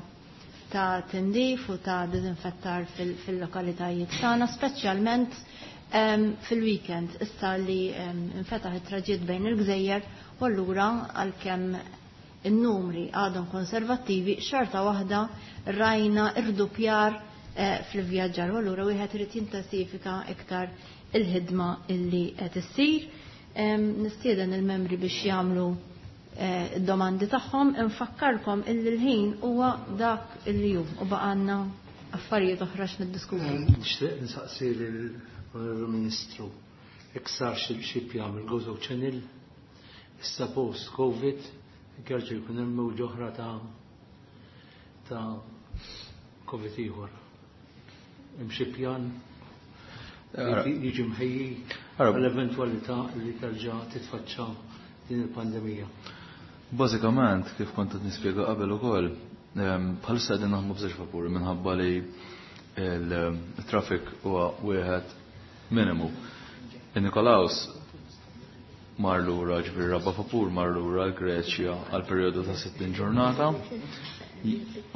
ta' tindif u ta' dizinfettar fil-lokalitajiet tagħna, speċjalment fil-weekend issa li infetaħ it-traġitt bejn il-gżejjer u allura għalkemm in-numri għadhom konservattivi xorta waħda rajna irdupjar fil-vjaġġar u allura wieħed irid jintensifika iktar il-ħidma illi qed issir. Nistieden il-membri biex jagħmlu id-domandi tagħhom, infakkarkom illi l-ħin huwa dak illi hu u baqgħalna affarijiet oħra x'niddiskutu. Nixtieq nsaqsi lill-Onorevoli Ministru jekk sar xi pjan mill-Gozo Channel issa post Covid jerġa' jkun hemm mewġa oħra ta' Covid ieħor. Hemm xi pjan li jiġi mħejji għall-eventwalità li terġa' titfaċċa din il-pandemija? Bażikament, kif kont qed nispjega qabel ukoll, bħalissa qegħdin naħdmu b'żewġ vapuri minħabba li il-traffic huwa wieħed minimu. Il-Nikolaus mar lura, ġifieri raba' vapur mar lura l-Greċja għal perjodu ta' 60 ġurnata.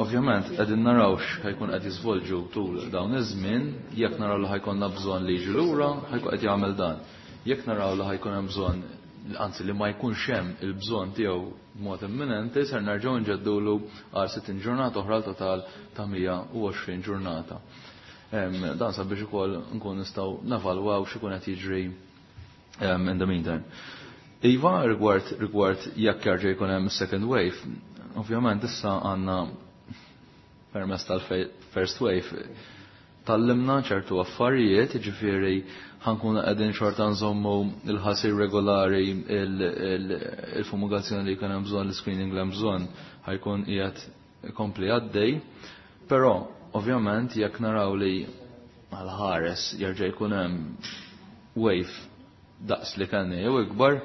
Ovvjament qegħdin naraw x'ħajkun qed jiżvolġu tul dawn iż-żmien, jekk naraw li ħajkonna bżonn li jiġi lura, ħajkun qed jagħmel dan. Jekk naraw li ħajkun hemm bżonn, anzi li ma jkunx hemm il-bżonn tiegħu b'mod imminenti, ser nerġgħu nġeddulu għal 60 ġurnata oħra total ta' 120 ġurnata. Dan sabiex ukoll nkun nistgħu nevalwaw x'ikun qed jiġri in the meantime. Iva, rigward jekk jerġa' jkun hemm second wave, ovvjament issa għandna permezz tal-first wave tallimna ċertu affarijiet, ġifieri ħankun qegħdin xorta nżommu il-ħasir regolari, il-fumigazzjoni li jkun hemm bżonn, l-screening li hemm bżonn ħajkun qiegħed ikompli għaddej, però ovvjament jekk naraw li għal-ħares jerġa' jkun hemm wave daqs li kellna jew ikbar,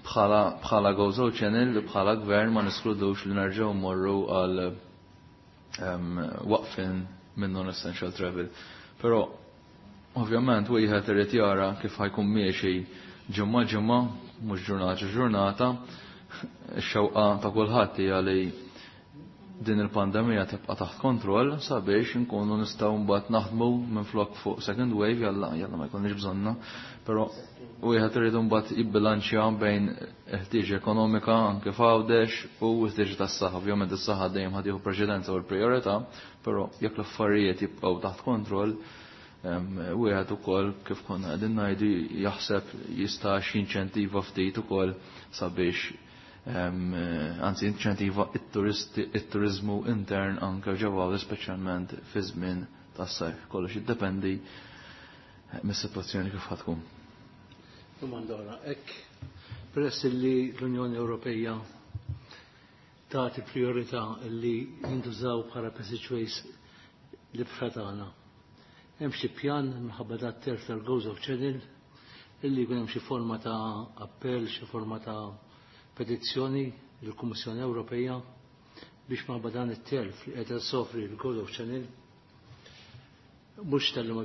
bħala Gozo Channel, bħala gvern ma niskludux li nerġgħu mmorru għal waqfin minn non-essential travel. Però ovvjament wieħed irid jara kif ħajkun miexi ġimgħa ġimgħa, mhux ġurnata ġurnata, ix-xewqa ta' kulħadd hija li din il-pandemija tibqa' taħt kontroll sabiex nkunu nistgħu mbagħad naħdmu minflok fuq second wave, jalla jalla ma jkollniex bżonna, però wieħed irid mbagħad jibbilanċja bejn ħtieġ ekonomika anke f'Għawdex u ħtieġ tas-saħħa. Ovvjament is-saħħa dejjem ħad jieħu preċedenza u l-prijorità, però jekk l-affarijiet jibqgħu taħt kontroll, wieħed ukoll kif konna qegħdin ngħidu jaħseb jista' x'inċentiva ftit ukoll sabiex anzi inċentiva it-turizmu intern anke ġewwa speċjalment fi żmien tas-sajf. Kollox jiddependi mis-sitwazzjoni kif ħatkun. Domanda oħra, hekk peress li l-Unjoni Ewropea tagħti priorità li jintużaw bħala passageways l-ibħra tagħna. Hemm xi pjan minħabba dat terf tal-Gozo Channel illi jkun hemm xi forma ta' appell, xi forma ta' petizzjoni lill-Kummissjoni Ewropea biex minħabba dan it-telf li qed sofri l-Gozo Channel Mhux talli ma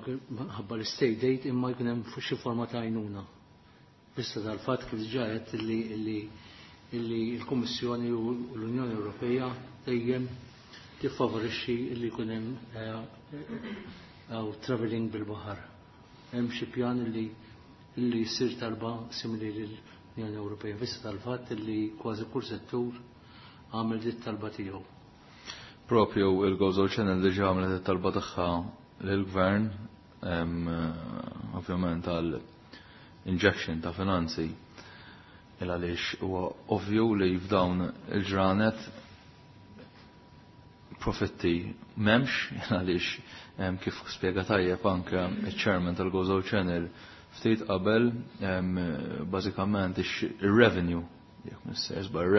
ħabba l-state aid imma jkun hemm xi forma ta' għajnuna. Vista tal-fatt kif diġà għedt illi illi l-Kummissjoni u l-Unjoni Ewropea dejjem tiffavorixxi illi jkun hemm travelling bil-baħar. Hemm xi pjan illi illi jsir talba simili lill-Unjoni Ewropea vista tal-fatt illi kważi kull settur għamel dit talba tiegħu. Propju il-Gozo Channel diġà għamlet it-talba tagħha lill-Gvern, ovvjament għal injection ta' finanzi, il għaliex huwa ovvju li f'dawn il-ġranet profitti m'hemmx, għaliex kif spjega tajjeb anke iċ-chairman tal-Gozo Channel ftit qabel, bażikament ir-revenue, jekk mhux żball,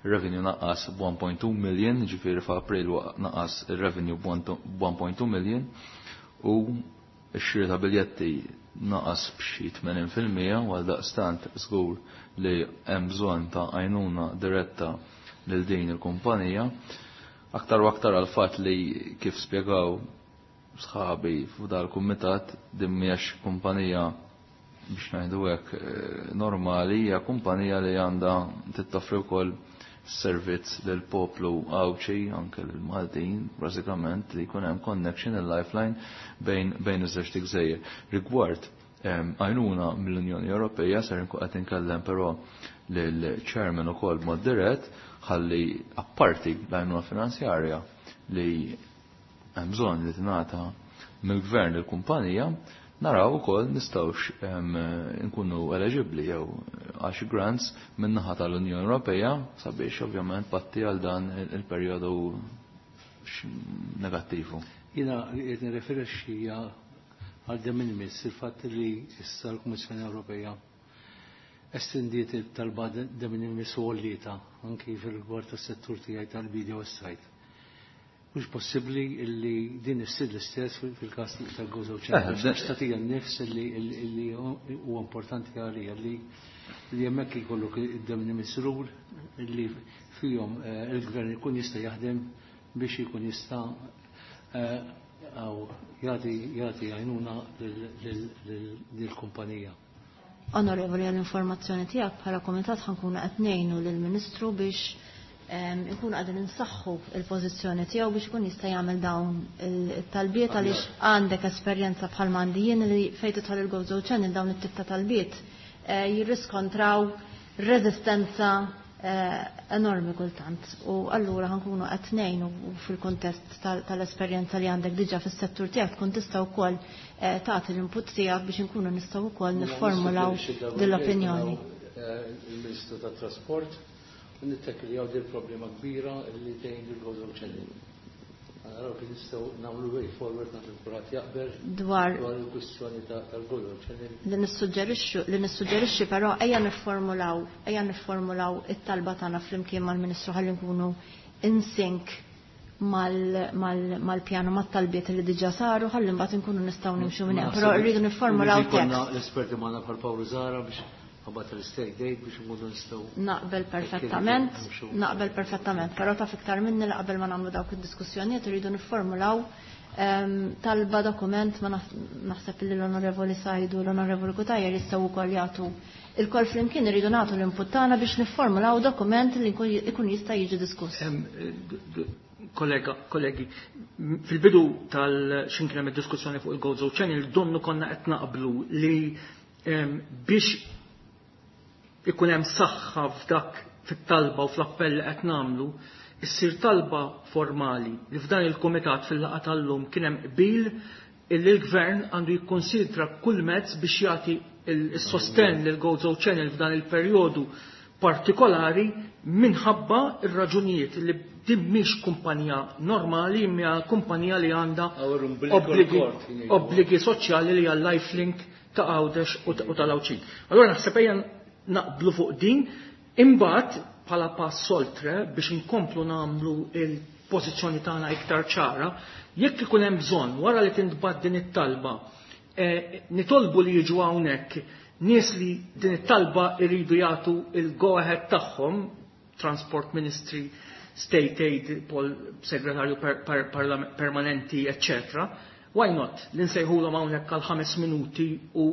ir-revenue naqqas b'1.2 million, ġifieri f'April naqas ir-revenue b'1.2 million u x-xiri ta' biljetti naqas b'xi 80% u għaldaqstant żgur li hemm bżonn ta' għajnuna diretta lil din il-kumpanija. Aktar u aktar għal fatt li kif spjegaw sħabi f'dal kumitat din mhijiex kumpanija biex ngħidu hekk normali, hija kumpanija li għandha tittofri wkoll servizz lil poplu Għawdxi, anke lil Maltin, bażikament li jkun hemm connection il-lifeline bejn iż-żewġ gżejjer. Rigward għajnuna mill-Unjoni Ewropea ser nkun qed inkellem però lill-chairman ukoll b'mod dirett ħalli apparti l-għajnuna finanzjarja li hemm bżonn li tingħata mill-gvern lill-kumpanija, naraw ukoll nistgħux nkunu eligibbli jew għax grants min-naħa tal-Unjoni Ewropea sabiex ovvjament patti għal dan il-perjodu negattivu. Jiena qed nirreferixxi għal de minimis, il-fatt li issa l-Kummissjoni Ewropea estendiet il-talba de minimis u għollietha anki fil-rigward tas-settur tiegħi tal-bidja u s-sajd. Mhux possibbli illi din issir l-istess fil-każ tal-Gozo Channel. Għax tagħtija n-nifs illi huwa importanti għalija li hemmhekk jkollok id-de minimis rule illi fihom il-gvern ikun jista' jaħdem biex ikun jista' jagħti għajnuna lill-kumpanija. Onorevoli, għall-informazzjoni tiegħek bħala komitat ħankunu qed ngħinu lill-Ministru biex ikun qegħdin insaħħu il-pożizzjoni tiegħu biex ikun jista' jagħmel dawn it-talbiet, għaliex għandek esperjenza bħal m'għandi jien li fejn tidħol il-Gozo Channel dawn it-tip ta' talbiet jirriskontraw reżistenza enormi kultant. U allura ħankunu qed ngħinu fil-kuntest tal-esperjenza li għandek diġà fis-settur tiegħek tkun tista' wkoll tagħti l-input tiegħek biex inkunu nistgħu wkoll nifformulaw din l-opinjoni. Il-Ministru tat-Trasport u nittakiljaw din problema kbira li tgħin il-Gozo Channel. Naraw kif nistgħu nagħmlu way forward nagħmlu kulħadd jaqbel dwar dwar il-kwistjoni tal-Gozo Channel. Li nissuġġerixxi però ejja nifformulaw it-talba tagħna flimkien mal-Ministru ħalli nkunu in sync mal-pjanu mat-talbiet li diġà saru ħalli mbagħad inkunu nistgħu nimxu minn hemm. Però rridu nifformulaw Ikollna tekst. l-esperti magħna bħal Paolo Zahra biex ħabbat l-state aid biex nkunu nistgħu Naqbel perfettament, nimxu. Naqbel perfettament, però taf iktar minni li qabel ma nagħmlu dawk id-diskussjonijiet irridu nifformulaw talba dokument ma naħseb li l-Onorevoli Sajdu u l-Onorevoli Cutajar jistgħu wkoll jagħtu il-kol flimkien irridu nagħtu l-input tagħna biex nifformulaw dokument li ikun jista' jiġi diskuss. Kollega, kollegi, fil-bidu tal-xin kien hemm id-diskussjoni fuq il-Gozo Channel, donnu konna qed naqblu li biex ikun hemm saħħa f'dak fit-talba u fl-appell li qed nagħmlu, issir talba formali li f'dan il-kumitat fil-laqgħa tal-lum kien hemm qbil illi l-gvern għandu jikkonsidra kull mezz biex jagħti il-sostenn lil Gozo Channel f'dan il-perjodu partikolari minħabba ir-raġunijiet li din mhix kumpanija normali imma kumpanija li għandha Our umbilical cord, jgħidu. obbligi soċjali li għal lifelink ta' Għawdex u tal-Għawdxin. Allora naħseb ejja naqblu fuq din, imbagħad bħala pass oltre biex inkomplu nagħmlu il-pożizzjoni tagħna iktar ċara, jekk ikun hemm bżonn wara li tintbagħat din it-talba, nitolbu li jiġu hawnhekk nies li din it-talba jridu jagħtu il-go ahead tagħhom, Transport Ministry, State Aid, Pol Segretarju Permanenti, eccetera. Why not li nsejħulhom hawnhekk għal 5 minuti u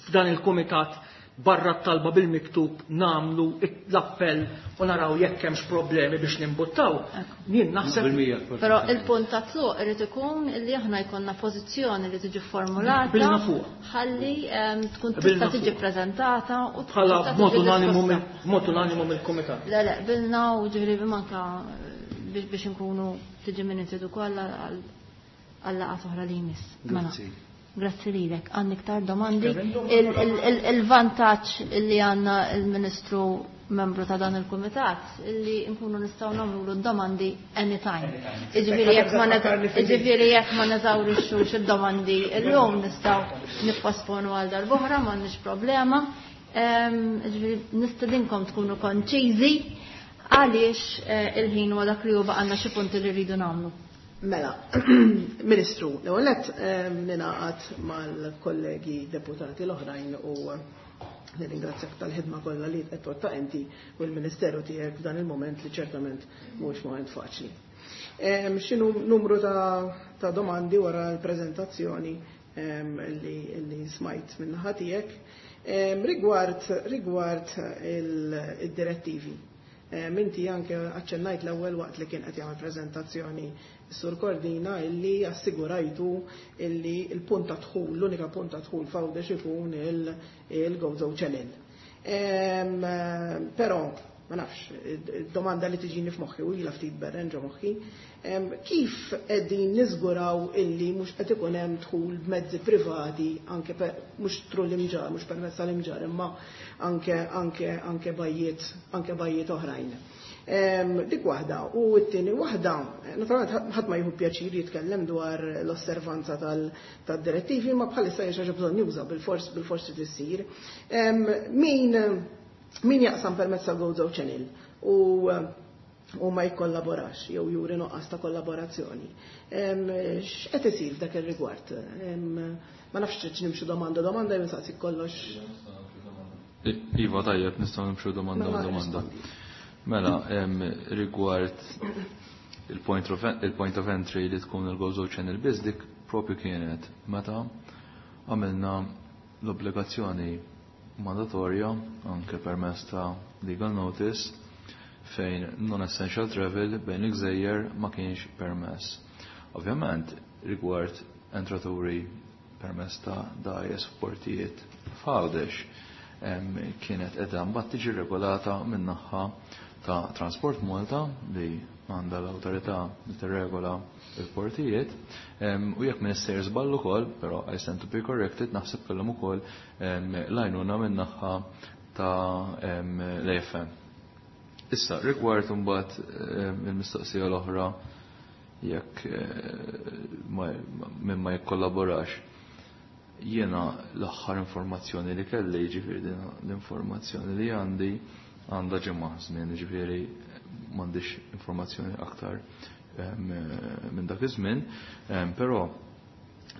f'dan il-kumitat barra t-talba bil-miktub namlu l-appell u naraw jekk hemmx problemi biex nimbuttaw. Jien naħseb. Però il-punt ta' tluq irid ikun li aħna jkollna pożizzjoni li tiġi formulata. Qbilna fuq. Ħalli tkun tista' tiġi preżentata u bħala b'mod unanimu b'mod unanimu mill-kumitat. Le le qbilna u ġifieri manka biex inkunu tiġi minuted ukoll għal laqgħat oħra li jmiss. Mela. Grazzi. Grazzi lilek. Għandna iktar domandi. Il-vantaġġ li għandna il-Ministru membru ta' dan il-Kumitat illi nkunu nistgħu nagħmlu domandi anytime. Jiġifieri jekk ma neżawrixxux id-domandi illum nistgħu nipposponu għal darb'oħra, m'għandniex problema. Jiġifieri nistedinkom tkunu konċiżi għaliex il-ħin huwa dak li hu baqgħalna xi punti li rridu nagħmlu. Mela, Ministru, l-ewwel nett ningħaqad mal-kollegi deputati l-oħrajn u nirringrazzjak tal-ħidma kollha li qed twettaq inti u l-Ministeru tiegħek f'dan il-mument li ċertament mhuwiex mument faċli. X'inhu numru ta' domandi wara l-preżentazzjoni li smajt min-naħa tiegħek rigward id-direttivi. Inti anke aċċennajt l-ewwel waqt li kien qed jagħmel preżentazzjoni Sur Cordina illi assigurajtu illi l-punt ta' dħul, l-unika punt ta' dħul f'Għawdex ikun il-Gozo Channel. Però, ma nafx, id-domanda li tiġini f'moħħi u ilha ftit berren ġo moħħi, kif qegħdin niżguraw illi mhux qed ikun hemm dħul b'mezzi privati anke mhux tru l-imġar, mhux permezz tal-imġar, imma anke bajjiet, anke bajjiet oħrajn. Dik waħda, u t-tieni waħda, naturalment ħadd ma jieħu pjaċir jitkellem dwar l-osservanza tad-direttivi, ma bħalissa hija xi ħaġa bżonn juża bil-fors trid issir. Min jaqsam permezz tal-Gozo Channel u ma jikkollaborax jew juri nuqqas ta' kollaborazzjoni. X'qed isir f'dak ir-rigward? Ma nafx trid nimxu domanda domanda jew nsaqsik kollox. Iva, tajjeb, nistgħu nimxu domanda Mela, domanda. rispondi. Mela, rigward il-point of entry li tkun il-Gozo Channel biss, dik propju kienet meta għamilna l-obbligazzjoni mandatorja anke permezz ta' legal notice fejn non-essential travel bejn il-gżejjer ma kienx permess. Ovvjament, rigward entraturi permess ta' dgħajjes f'portijiet f'Għawdex, kienet qiegħda mbagħad tiġi regolata min-naħa ta' Transport Malta li għandha l-awtorità li tirregola l-portijiet, u jekk minister żball ukoll, però I stand to be corrected, naħseb kellhom ukoll l-għajnuna min-naħa ta' l-AFM. Issa, rigward imbagħad il-mistoqsija l-oħra jekk minn ma jikkollaborax, jiena l-aħħar informazzjoni li kelli, jiġifieri din l-informazzjoni li għandi għandha ġimgħa żmien, jiġifieri m'għandix informazzjoni aktar minn dak iż-żmien, però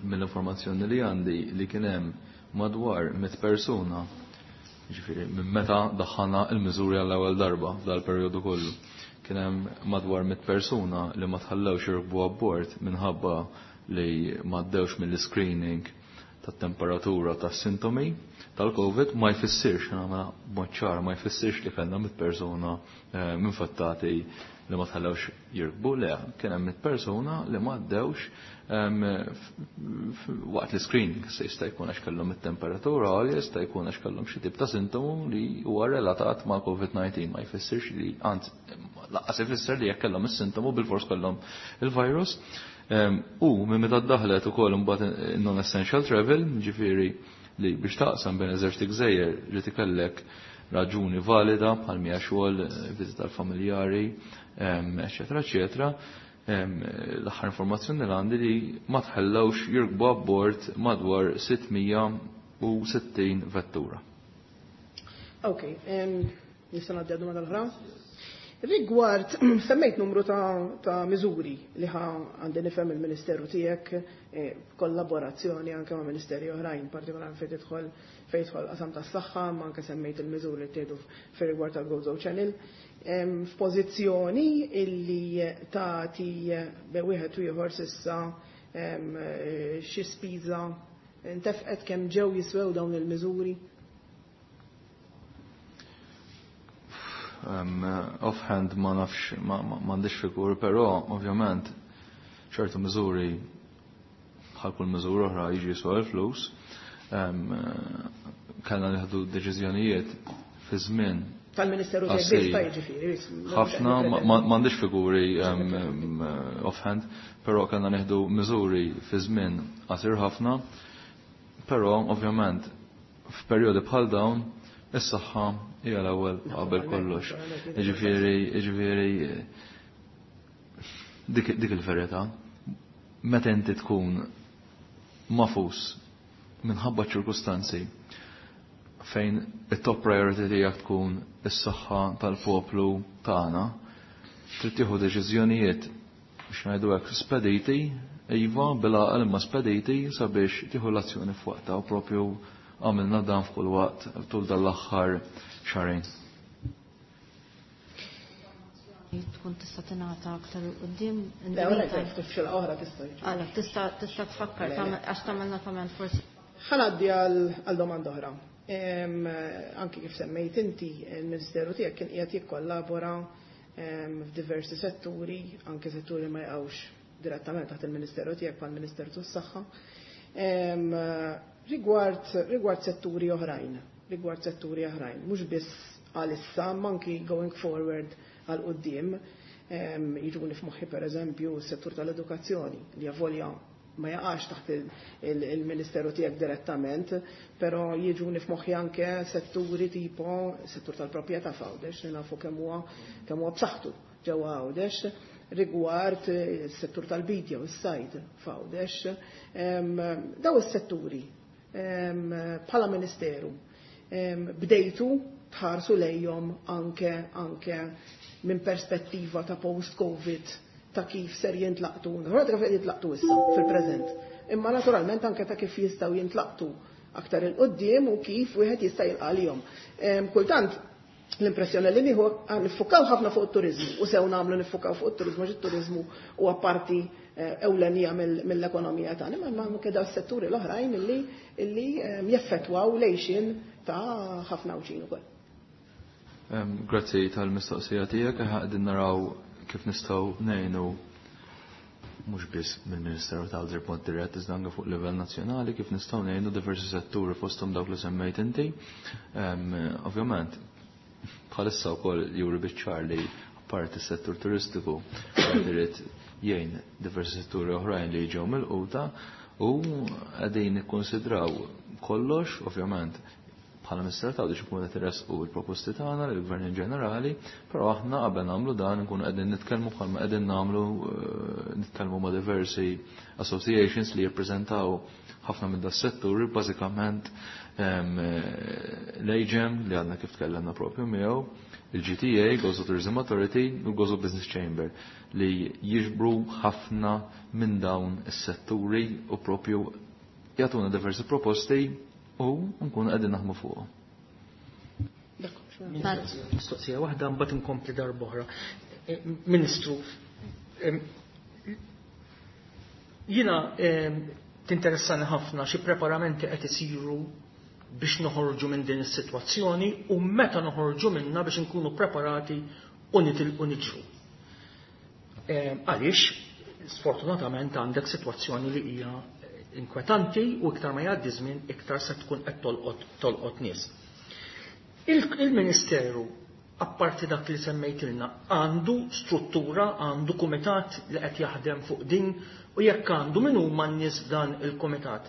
mill-informazzjoni li għandi li kien hemm madwar 100 persuna, jiġifieri minn meta daħħalna l-miżuri għall-ewwel darba f'dal-perjodu kollu, kien hemm madwar 100 persuna li ma tħallewx jirkbu abbord minħabba li m'għaddewx mill-screening tat-temperatura tas-sintomi tal-COVID. Ma jfissirx, nagħmel b'mod ċar, ma jfissirx li kellna 100 persuna infettati li ma tħallewx jirkbu, le, kien hemm 100 persuna li ma għaddewx waqt l-screening, se jista' jkun għax kellhom it-temperatura għolja, jista' jkun għax kellhom xi tip ta' sintomu li huwa relatat ma' COVID-19, ma jfissirx li, anzi, lanqas ifisser li jekk kellhom is-sintomu bil-fors kellhom il-virus. U minn meta ddaħlet ukoll imbagħad non-essential travel, ġifieri li biex taqsam bejn eżerċti gżejjer li tikellek raġuni valida bħal mija xogħol, viżita tal-familjari, eċetera, eċetera. L-aħħar informazzjoni li għandi li ma tħallewx jirkbu abbord madwar 660 vettura. Ok, nista' ngħaddi għad-domanda l-oħra? Rigward, semmejt numru ta' miżuri li ħa għandi nifhem il-Ministeru tiegħek, kollaborazzjoni anke ma' ministeri oħrajn, partikolarment fejn jidħol qasam tas-saħħa, ma anke semmejt il-miżuri li ttieħdu fir-rigward tal-Gozo Channel. F'pożizzjoni illi tagħti be wieħed u ieħor s'issa Xi spiża ntefqet, kemm ġew jiswew dawn il-miżuri? Offhand ma nafx, m'għandix figur, però ovvjament ċertu miżuri, bħal kull miżura oħra, jiġi jiswa l-flus. Kellna nieħdu deċiżjonijiet fi żmien Tal-Ministeru tiegħek biss ta' jiġifieri. Ħafna, m'għandix figuri offhand, però kellna nieħdu miżuri fi żmien qasir ħafna, però ovvjament f'perjodi bħal dawn is-saħħa hija l-ewwel qabel kollox. Jiġifieri dik il-verità. Meta inti tkun magħfus minħabba ċirkustanzi fejn it-top priority tiegħek tkun is-saħħa tal-poplu tagħna, trid tieħu deċiżjonijiet, biex ngħidu hekk, spediti, iva, bil-għaqal imma spediti, sabiex tieħu l-azzjoni f'waqtha, u propju għamilna dan f'kull waqt tul dal-aħħar xahrejn. Tkun tista' tingħata aktar quddiem. Le, ftit oħra tista' Għala, tista' tfakkar għax tagħmel notament forsi. Ħa ngħaddi għal domanda oħra. Anki kif semmejt inti, il-Ministeru tiegħek kien qiegħed jikkollabora f'diversi setturi, anke setturi ma jaqgħux direttament taħt il-Ministeru tiegħek bħal Ministeru tas-Saħħa. Rigward setturi oħrajn, rigward setturi oħrajn, mhux biss għalissa, anki going forward għal quddiem, jiġuni f'moħħi per eżempju s-settur tal-edukazzjoni, li avolja ma jaqax taħt il-Ministeru tiegħek direttament, però jiġuni f'moħħi anke setturi tipo settur tal-proprjetà f'Għawdex, li nafu kemm huwa b'saħħtu ġewwa Għawdex, rigward is-settur tal-bidja u s-sajd f'Għawdex. Daw is-setturi bħala Ministeru bdejtu tħarsu lejhom anke minn perspettiva ta' post-Covid, ta' kif ser jintlaqtu, naturalment kif jintlaqtu issa fil-preżent, imma naturalment anke ta' kif jistgħu jintlaqtu aktar il-qoddim u kif wieħed jista' jilqa' Kultant l-impressjoni li nieħu, niffukaw ħafna fuq it-turizmu, u sew nagħmlu niffukaw fuq it-turizmu għax it-turizmu huwa parti ewlenija mill-ekonomija tagħna, imma anke daw setturi l-oħrajn illi jeffettwaw l-għixien ta' ħafna Għawdxin ukoll. Grazzi tal-mistoqsija tiegħek. Qegħdin naraw kif nistgħu ngħinu, mhux biss mill-Ministeru tal b'mod dirett, iżda anke fuq livell nazzjonali, kif nistgħu ngħinu diversi setturi, fosthom dawk li semmejt inti. Ovvjament, bħalissa wkoll juri biċ-ċar li apparti s-settur turistiku irid jgħin diversi setturi oħrajn li ġew milquta, u qegħdin nikkonsidraw kollox. Ovvjament, bħala Ministeru ta' biex ikunu qed iressqu l-proposti tagħna lill-Gvern in ġenerali, però aħna qabel nagħmlu dan nkunu qegħdin nitkellmu, bħalma qegħdin nagħmlu, nitkellmu ma' diversi associations li jirpreżentaw ħafna minn das-settur, bażikament l-AGEM li għadna kif tkellemna propju miegħu, il-GTA, Gozo Tourism Authority, u l-Gozo Business Chamber, li jiġbru ħafna minn dawn is-setturi u propju jagħtuna diversi proposti u nkunu qegħdin naħdmu fuqhom. Mistoqsija waħda, mbagħad inkompli darb'oħra. Ministru, jiena tinteressani ħafna xi preparamenti qed isiru biex noħorġu minn din is-sitwazzjoni u meta noħorġu minna biex inkunu preparati u nitilqu niġru. Għaliex sfortunatament għandek sitwazzjoni li hija inkwetanti u iktar ma jgħaddi żmien iktar se tkun qed tolqot nies. Il-Ministeru, apparti dak li semmejtilna, għandu struttura, għandu kumitat li qed jaħdem fuq din, u jekk għandu, min huma n-nies f'dan il-kumitat?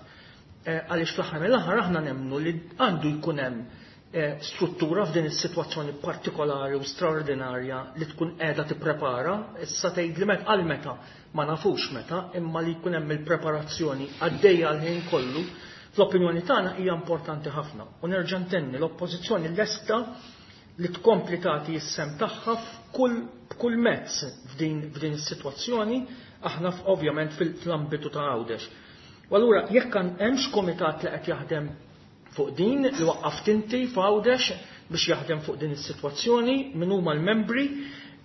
Għaliex fl-aħħar mill-aħħar aħna nemmnu li għandu jkun hemm struttura f'din is-sitwazzjoni partikolari u straordinarja li tkun qiegħda tipprepara. Issa tgħid li met għal meta, ma nafux meta, imma li jkun hemm il-preparazzjoni għaddejja għal ħin kollu, fl-opinjoni tagħna hija importanti ħafna. U nerġa' ntenni, l-oppożizzjoni lesta li tkompli tagħti s-sehem tagħha b'kull mezz f'din is-sitwazzjoni, aħna ovvjament fl-ambitu ta' Għawdex. U allura jekk hemmx komitat li qed jaħdem fuq din, li waqqaft inti f'Għawdex biex jaħdem fuq din is-sitwazzjoni, min huma l-membri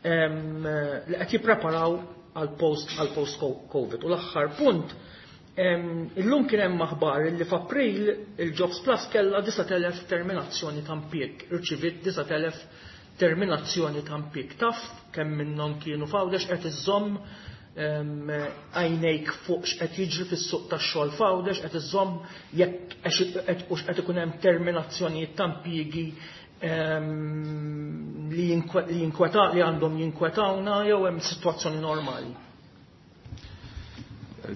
li qed jippreparaw għal post għal post Covid. U l-aħħar punt, illum kien hemm aħbar li f'April il-Jobs Plus kellha 9,000 terminazzjoni ta' impjieg, irċiviet 9,000 terminazzjoni ta' impjieg. Taf kemm minnhom kienu f'Għawdex? Qed iżżomm għajnejk fuq x'qed jiġri fis-suq tax-xogħol f'Għawdex, qed iżżomm jekk hux qed ikun hemm terminazzjonijiet ta' impjiegi li jinkweta li għandhom jinkwetawna jew hemm sitwazzjoni normali?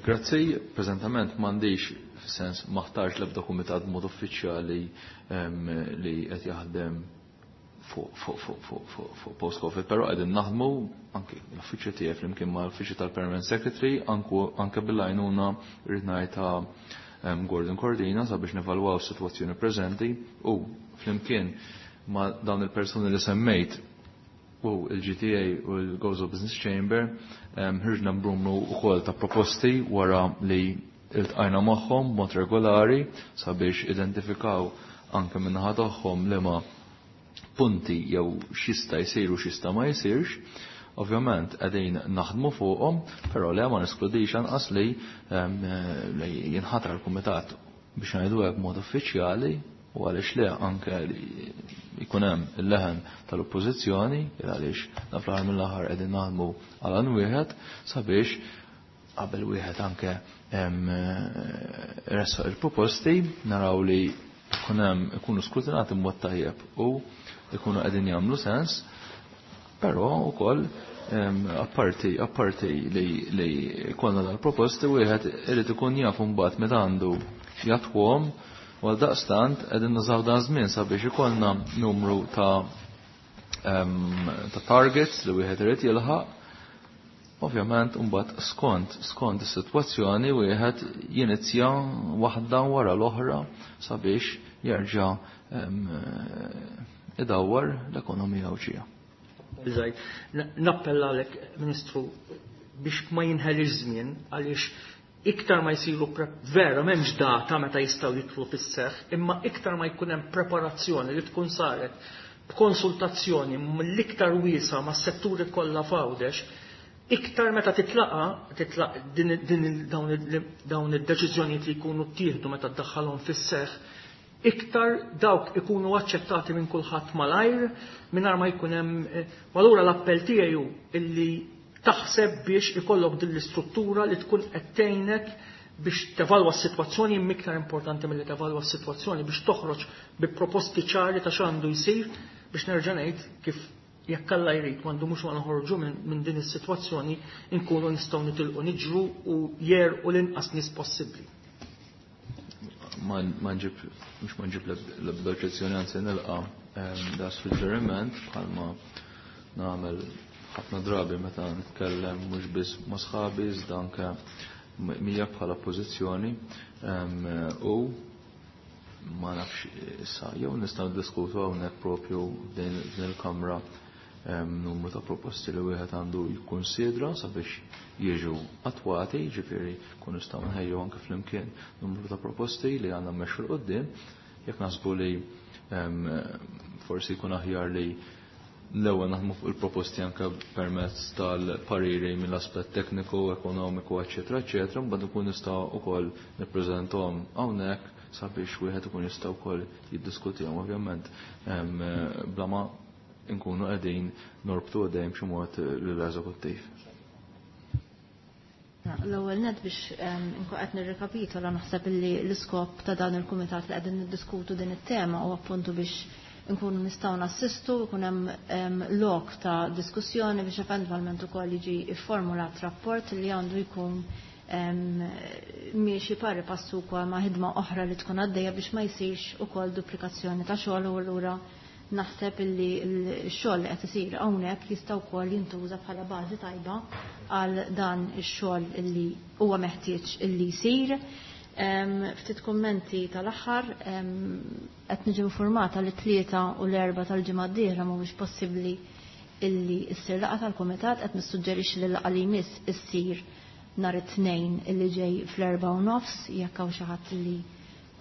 Grazzi, preżentament m'għandix, fis-sens maħtarx l-ebda kumitat b'mod uffiċjali li qed jaħdem fuq post-Covid, però qegħdin naħdmu anke l-uffiċċju tiegħi flimkien ma' l-uffiċċju tal-Permanent Secretary, anke bil-għajnuna rrid ngħid ta' Gordon Cordina sabiex nevalwaw is-sitwazzjoni preżenti u flimkien ma' dawn il-persuni li semmejt u il-GTA u l-Gozo Business Chamber ħirġna b'numru wkoll ta' proposti wara li iltqajna magħhom b'mod regolari sabiex identifikaw anke min-naħa tagħhom liema punti jew x'jista' jsir u x'jista' ma jsirx. Ovvjament qegħdin naħdmu fuqhom, però le ma neskludix anqas li jinħatar kumitat biex ngħidu hekk b'mod uffiċjali u għaliex le anke li jkun hemm il-leħen tal-oppożizzjoni, għaliex naf l-aħħar mill-aħħar qegħdin naħdmu għal għan wieħed sabiex qabel wieħed anke ressaq il-proposti naraw li jkun hemm ikunu skrutinati b'mod tajjeb u ikunu qegħdin jagħmlu sens, però wkoll apparti apparti li li konna dal-proposti wieħed irid ikun jaf imbagħad meta għandu jatwhom u għal daqstant qegħdin nużaw dan żmien sabiex ikollna numru ta' ta' targets li wieħed irid jilħaq. Ovvjament imbagħad skont skont is-sitwazzjoni wieħed jinizja waħda wara l-oħra sabiex jerġa' idawwar l-ekonomija Għawdxija. Biżajt, nappella għalek, Ministru, biex ma jinħelix żmien għaliex iktar ma jsiru vera m'hemmx data meta jistgħu jidħlu fis-seħħ, imma iktar ma jkun hemm preparazzjoni li tkun saret b'konsultazzjoni mill-iktar wiesa mas-setturi kollha f'Għawdex, iktar meta titlaqa titlaq din dawn id-deċiżjonijiet li jkunu ttieħdu meta ddaħħalhom fis-seħħ, iktar dawk ikunu aċċettati minn kulħadd malajr mingħajr ma jkun hemm. U allura l-appell tiegħi hu illi taħseb biex ikollok din l-istruttura li tkun qed tgħinek biex tevalwa s-sitwazzjoni, imma iktar importanti milli tevalwa s-sitwazzjoni biex toħroġ bi proposti ċari ta' x'għandu jsir biex nerġa' ngħid kif jekk Alla jrid m'għandu mhux ma noħorġu minn din is-sitwazzjoni nkunu nistgħu nitilqu niġru u jerqu l-inqas nies possibbli. Ma nġib, mhux ma nġib l-ebda oġġezzjoni, anzi nilqa' da suġġeriment bħalma nagħmel ħafna drabi meta nitkellem mhux biss ma' sħabi iżda anke mija bħala pożizzjoni u ma nafx issa jew nistgħu niddiskutu hawnhekk propju din il-kamra numru ta' proposti li wieħed għandu jikkunsidra sabiex jiġu attwati, ġifieri kun nistgħu nħejju anke flimkien numru ta' proposti li għandna mmexxu 'l quddiem, jekk naħsbu li forsi jkun aħjar li l-ewwel naħdmu fuq il-proposti anke permezz tal-pariri mill-aspett tekniku, ekonomiku, eċetera, eċetera, mbagħad ikun nistgħu wkoll nippreżentahom hawnhekk sabiex wieħed ikun jista' wkoll jiddiskutihom ovvjament bla ma nkunu qegħdin norbtu għadejn b'xi mod lill-eżekuttiv. L-ewwel net biex nkun qed nirrikapitola naħseb li l-iskop ta' dan il-kumitat li qegħdin niddiskutu din it-tema u appuntu biex nkunu nistgħu nassistu, ikun hemm lok ta' diskussjoni biex eventwalment ukoll jiġi fformulat rapport li għandu jkun miexi pari passu wkoll ma' ħidma oħra li tkun għaddejja biex ma jsirx ukoll duplikazzjoni ta' xogħol u allura naħseb illi x-xogħol li qed isir hawnhekk jista' wkoll jintuża bħala bażi tajba għal dan ix-xogħol illi huwa meħtieġ illi jsir. Ftit kummenti tal-aħħar, qed niġi informata li 3 u l-4 tal-ġimgħa d-dieħla mhuwiex possibbli illi ssir laqgħa tal-kumitat, qed nissuġġerixxi li l-laqgħa li jmiss issir nhar it-Tnejn illi ġej fl-4:30 jekk hawn xi ħadd li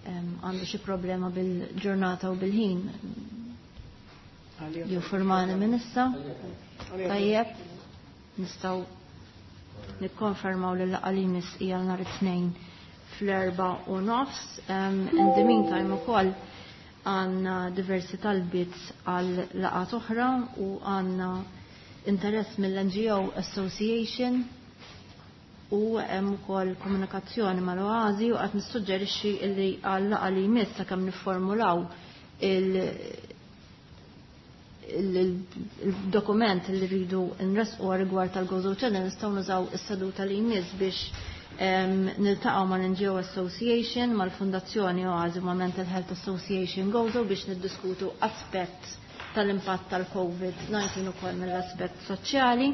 għandu xi problema bil-ġurnata u bil-ħin jinformani minn issa. Tajjeb, nistgħu Nikkonfermaw li l-laqgħa li jmiss hija nhar it-Tnejn fl-4:30. In the meantime ukoll għandna diversi talbiet għal laqgħat oħra u għandna interess mill-NGO Association u hemm ukoll komunikazzjoni mal-Oazi u qed nissuġġerixxi li għal laqgħa li jmiss sakemm nifformulaw il-dokument li rridu nresqu rigward tal-Gozo Channel nistgħu nużaw is-seduta li jmiss biex niltaqgħu mal-NGO Association, mal-Fundazzjoni Oazi, ma' Mental Health Association Gozo biex niddiskutu aspett tal-impatt tal-COVID-19 ukoll mill-aspett soċjali.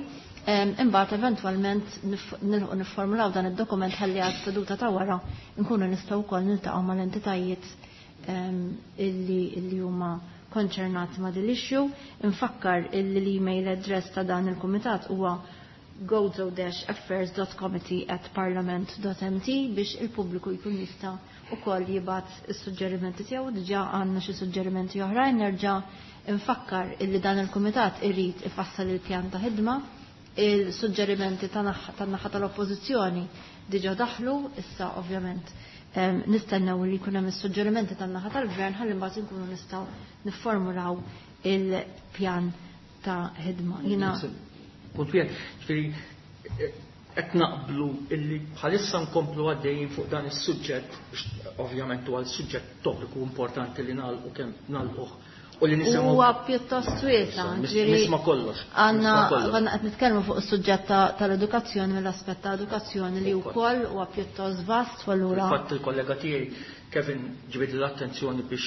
Imbagħad eventwalment nilħu nifformulaw dan id-dokument ħalli għas-seduta ta' wara nkunu nistgħu wkoll niltaqgħu mal-entitajiet illi huma konċernati ma' din l-issue. Infakkar illi l-email address ta' dan il-kumitat huwa gozo-affairs.committee@parliament.mt biex il-pubbliku jkun jista' ukoll jibgħat is-suġġerimenti tiegħu. Diġà għandna xi suġġerimenti oħrajn. Nerġa' infakkar illi dan il-kumitat irid ifassal il-pjan ta' ħidma. Il-suġġerimenti tan-naħa tal-oppożizzjoni diġà daħlu, issa ovvjament nistennew li jkun hemm is-suġġerimenti tan-naħa tal-gvern ħalli mbagħad inkunu nistgħu nifformulaw il-pjan ta' ħidma. Jiena Punt wieħed, ġifieri qed naqblu illi bħalissa nkomplu għaddejjin fuq dan is-suġġett, ovvjament huwa l-suġġett topiku importanti li nagħlqu kemm nagħlquh u li nisimgħu. Huwa pjuttost wiesa', ġifieri nisma' kollox. Għandna qed nitkellmu fuq is-suġġett tal-edukazzjoni mill-aspett ta' edukazzjoni li wkoll huwa pjuttost vast u allura. Infatti il-kollega tiegħi Kevin ġibed l-attenzjoni biex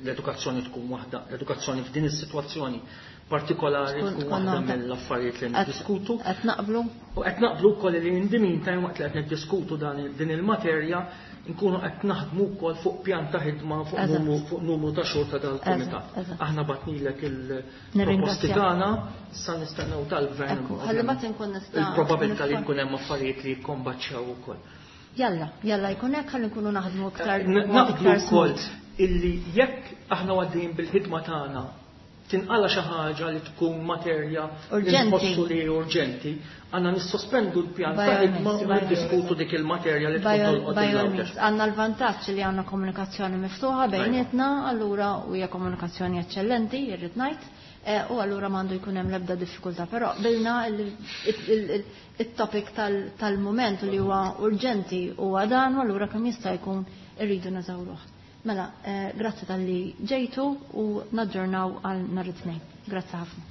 l-edukazzjoni tkun waħda, l-edukazzjoni f'din is-sitwazzjoni partikolari tkun waħda mill-affarijiet li niddiskutu. Qed naqblu? U qed naqblu wkoll li in the meantime waqt li qed niddiskutu din il-materja nkunu qed naħdmu wkoll fuq pjan ta' ħidma fuq numru ta' xhur ta' dal-kumitat. Aħna batnilek il-proposti tagħna, sa nistennew tal-gvern. Ħalli mbagħad inkun nista' Il-probabilità li jkun hemm affarijiet li jikkombaċċjaw ukoll. Jalla, jalla jkun hekk ħalli nkunu naħdmu iktar Naqblu wkoll illi jekk aħna għaddejjin bil-ħidma tagħna tinqala xi ħaġa li tkun materja li nħossu li urġenti, għandna nissospendu l-pjan ta' ħidma u niddiskutu dik il-materja li tkun tolqot il-għawdex. Għandna l-vantaġġ li għandna komunikazzjoni miftuħa bejnietna, allura u hija komunikazzjoni eċċellenti, irrid ngħid, u allura m'għandu jkun hemm l-ebda diffikultà, però bilna il-topic tal-mument li huwa urġenti huwa dan, u allura kemm jista' jkun irridu neżawruh. Mela, grazzi tal-li ġejtu u naġġornaw għal nhar it-Tnejn. Grazzi ħafna.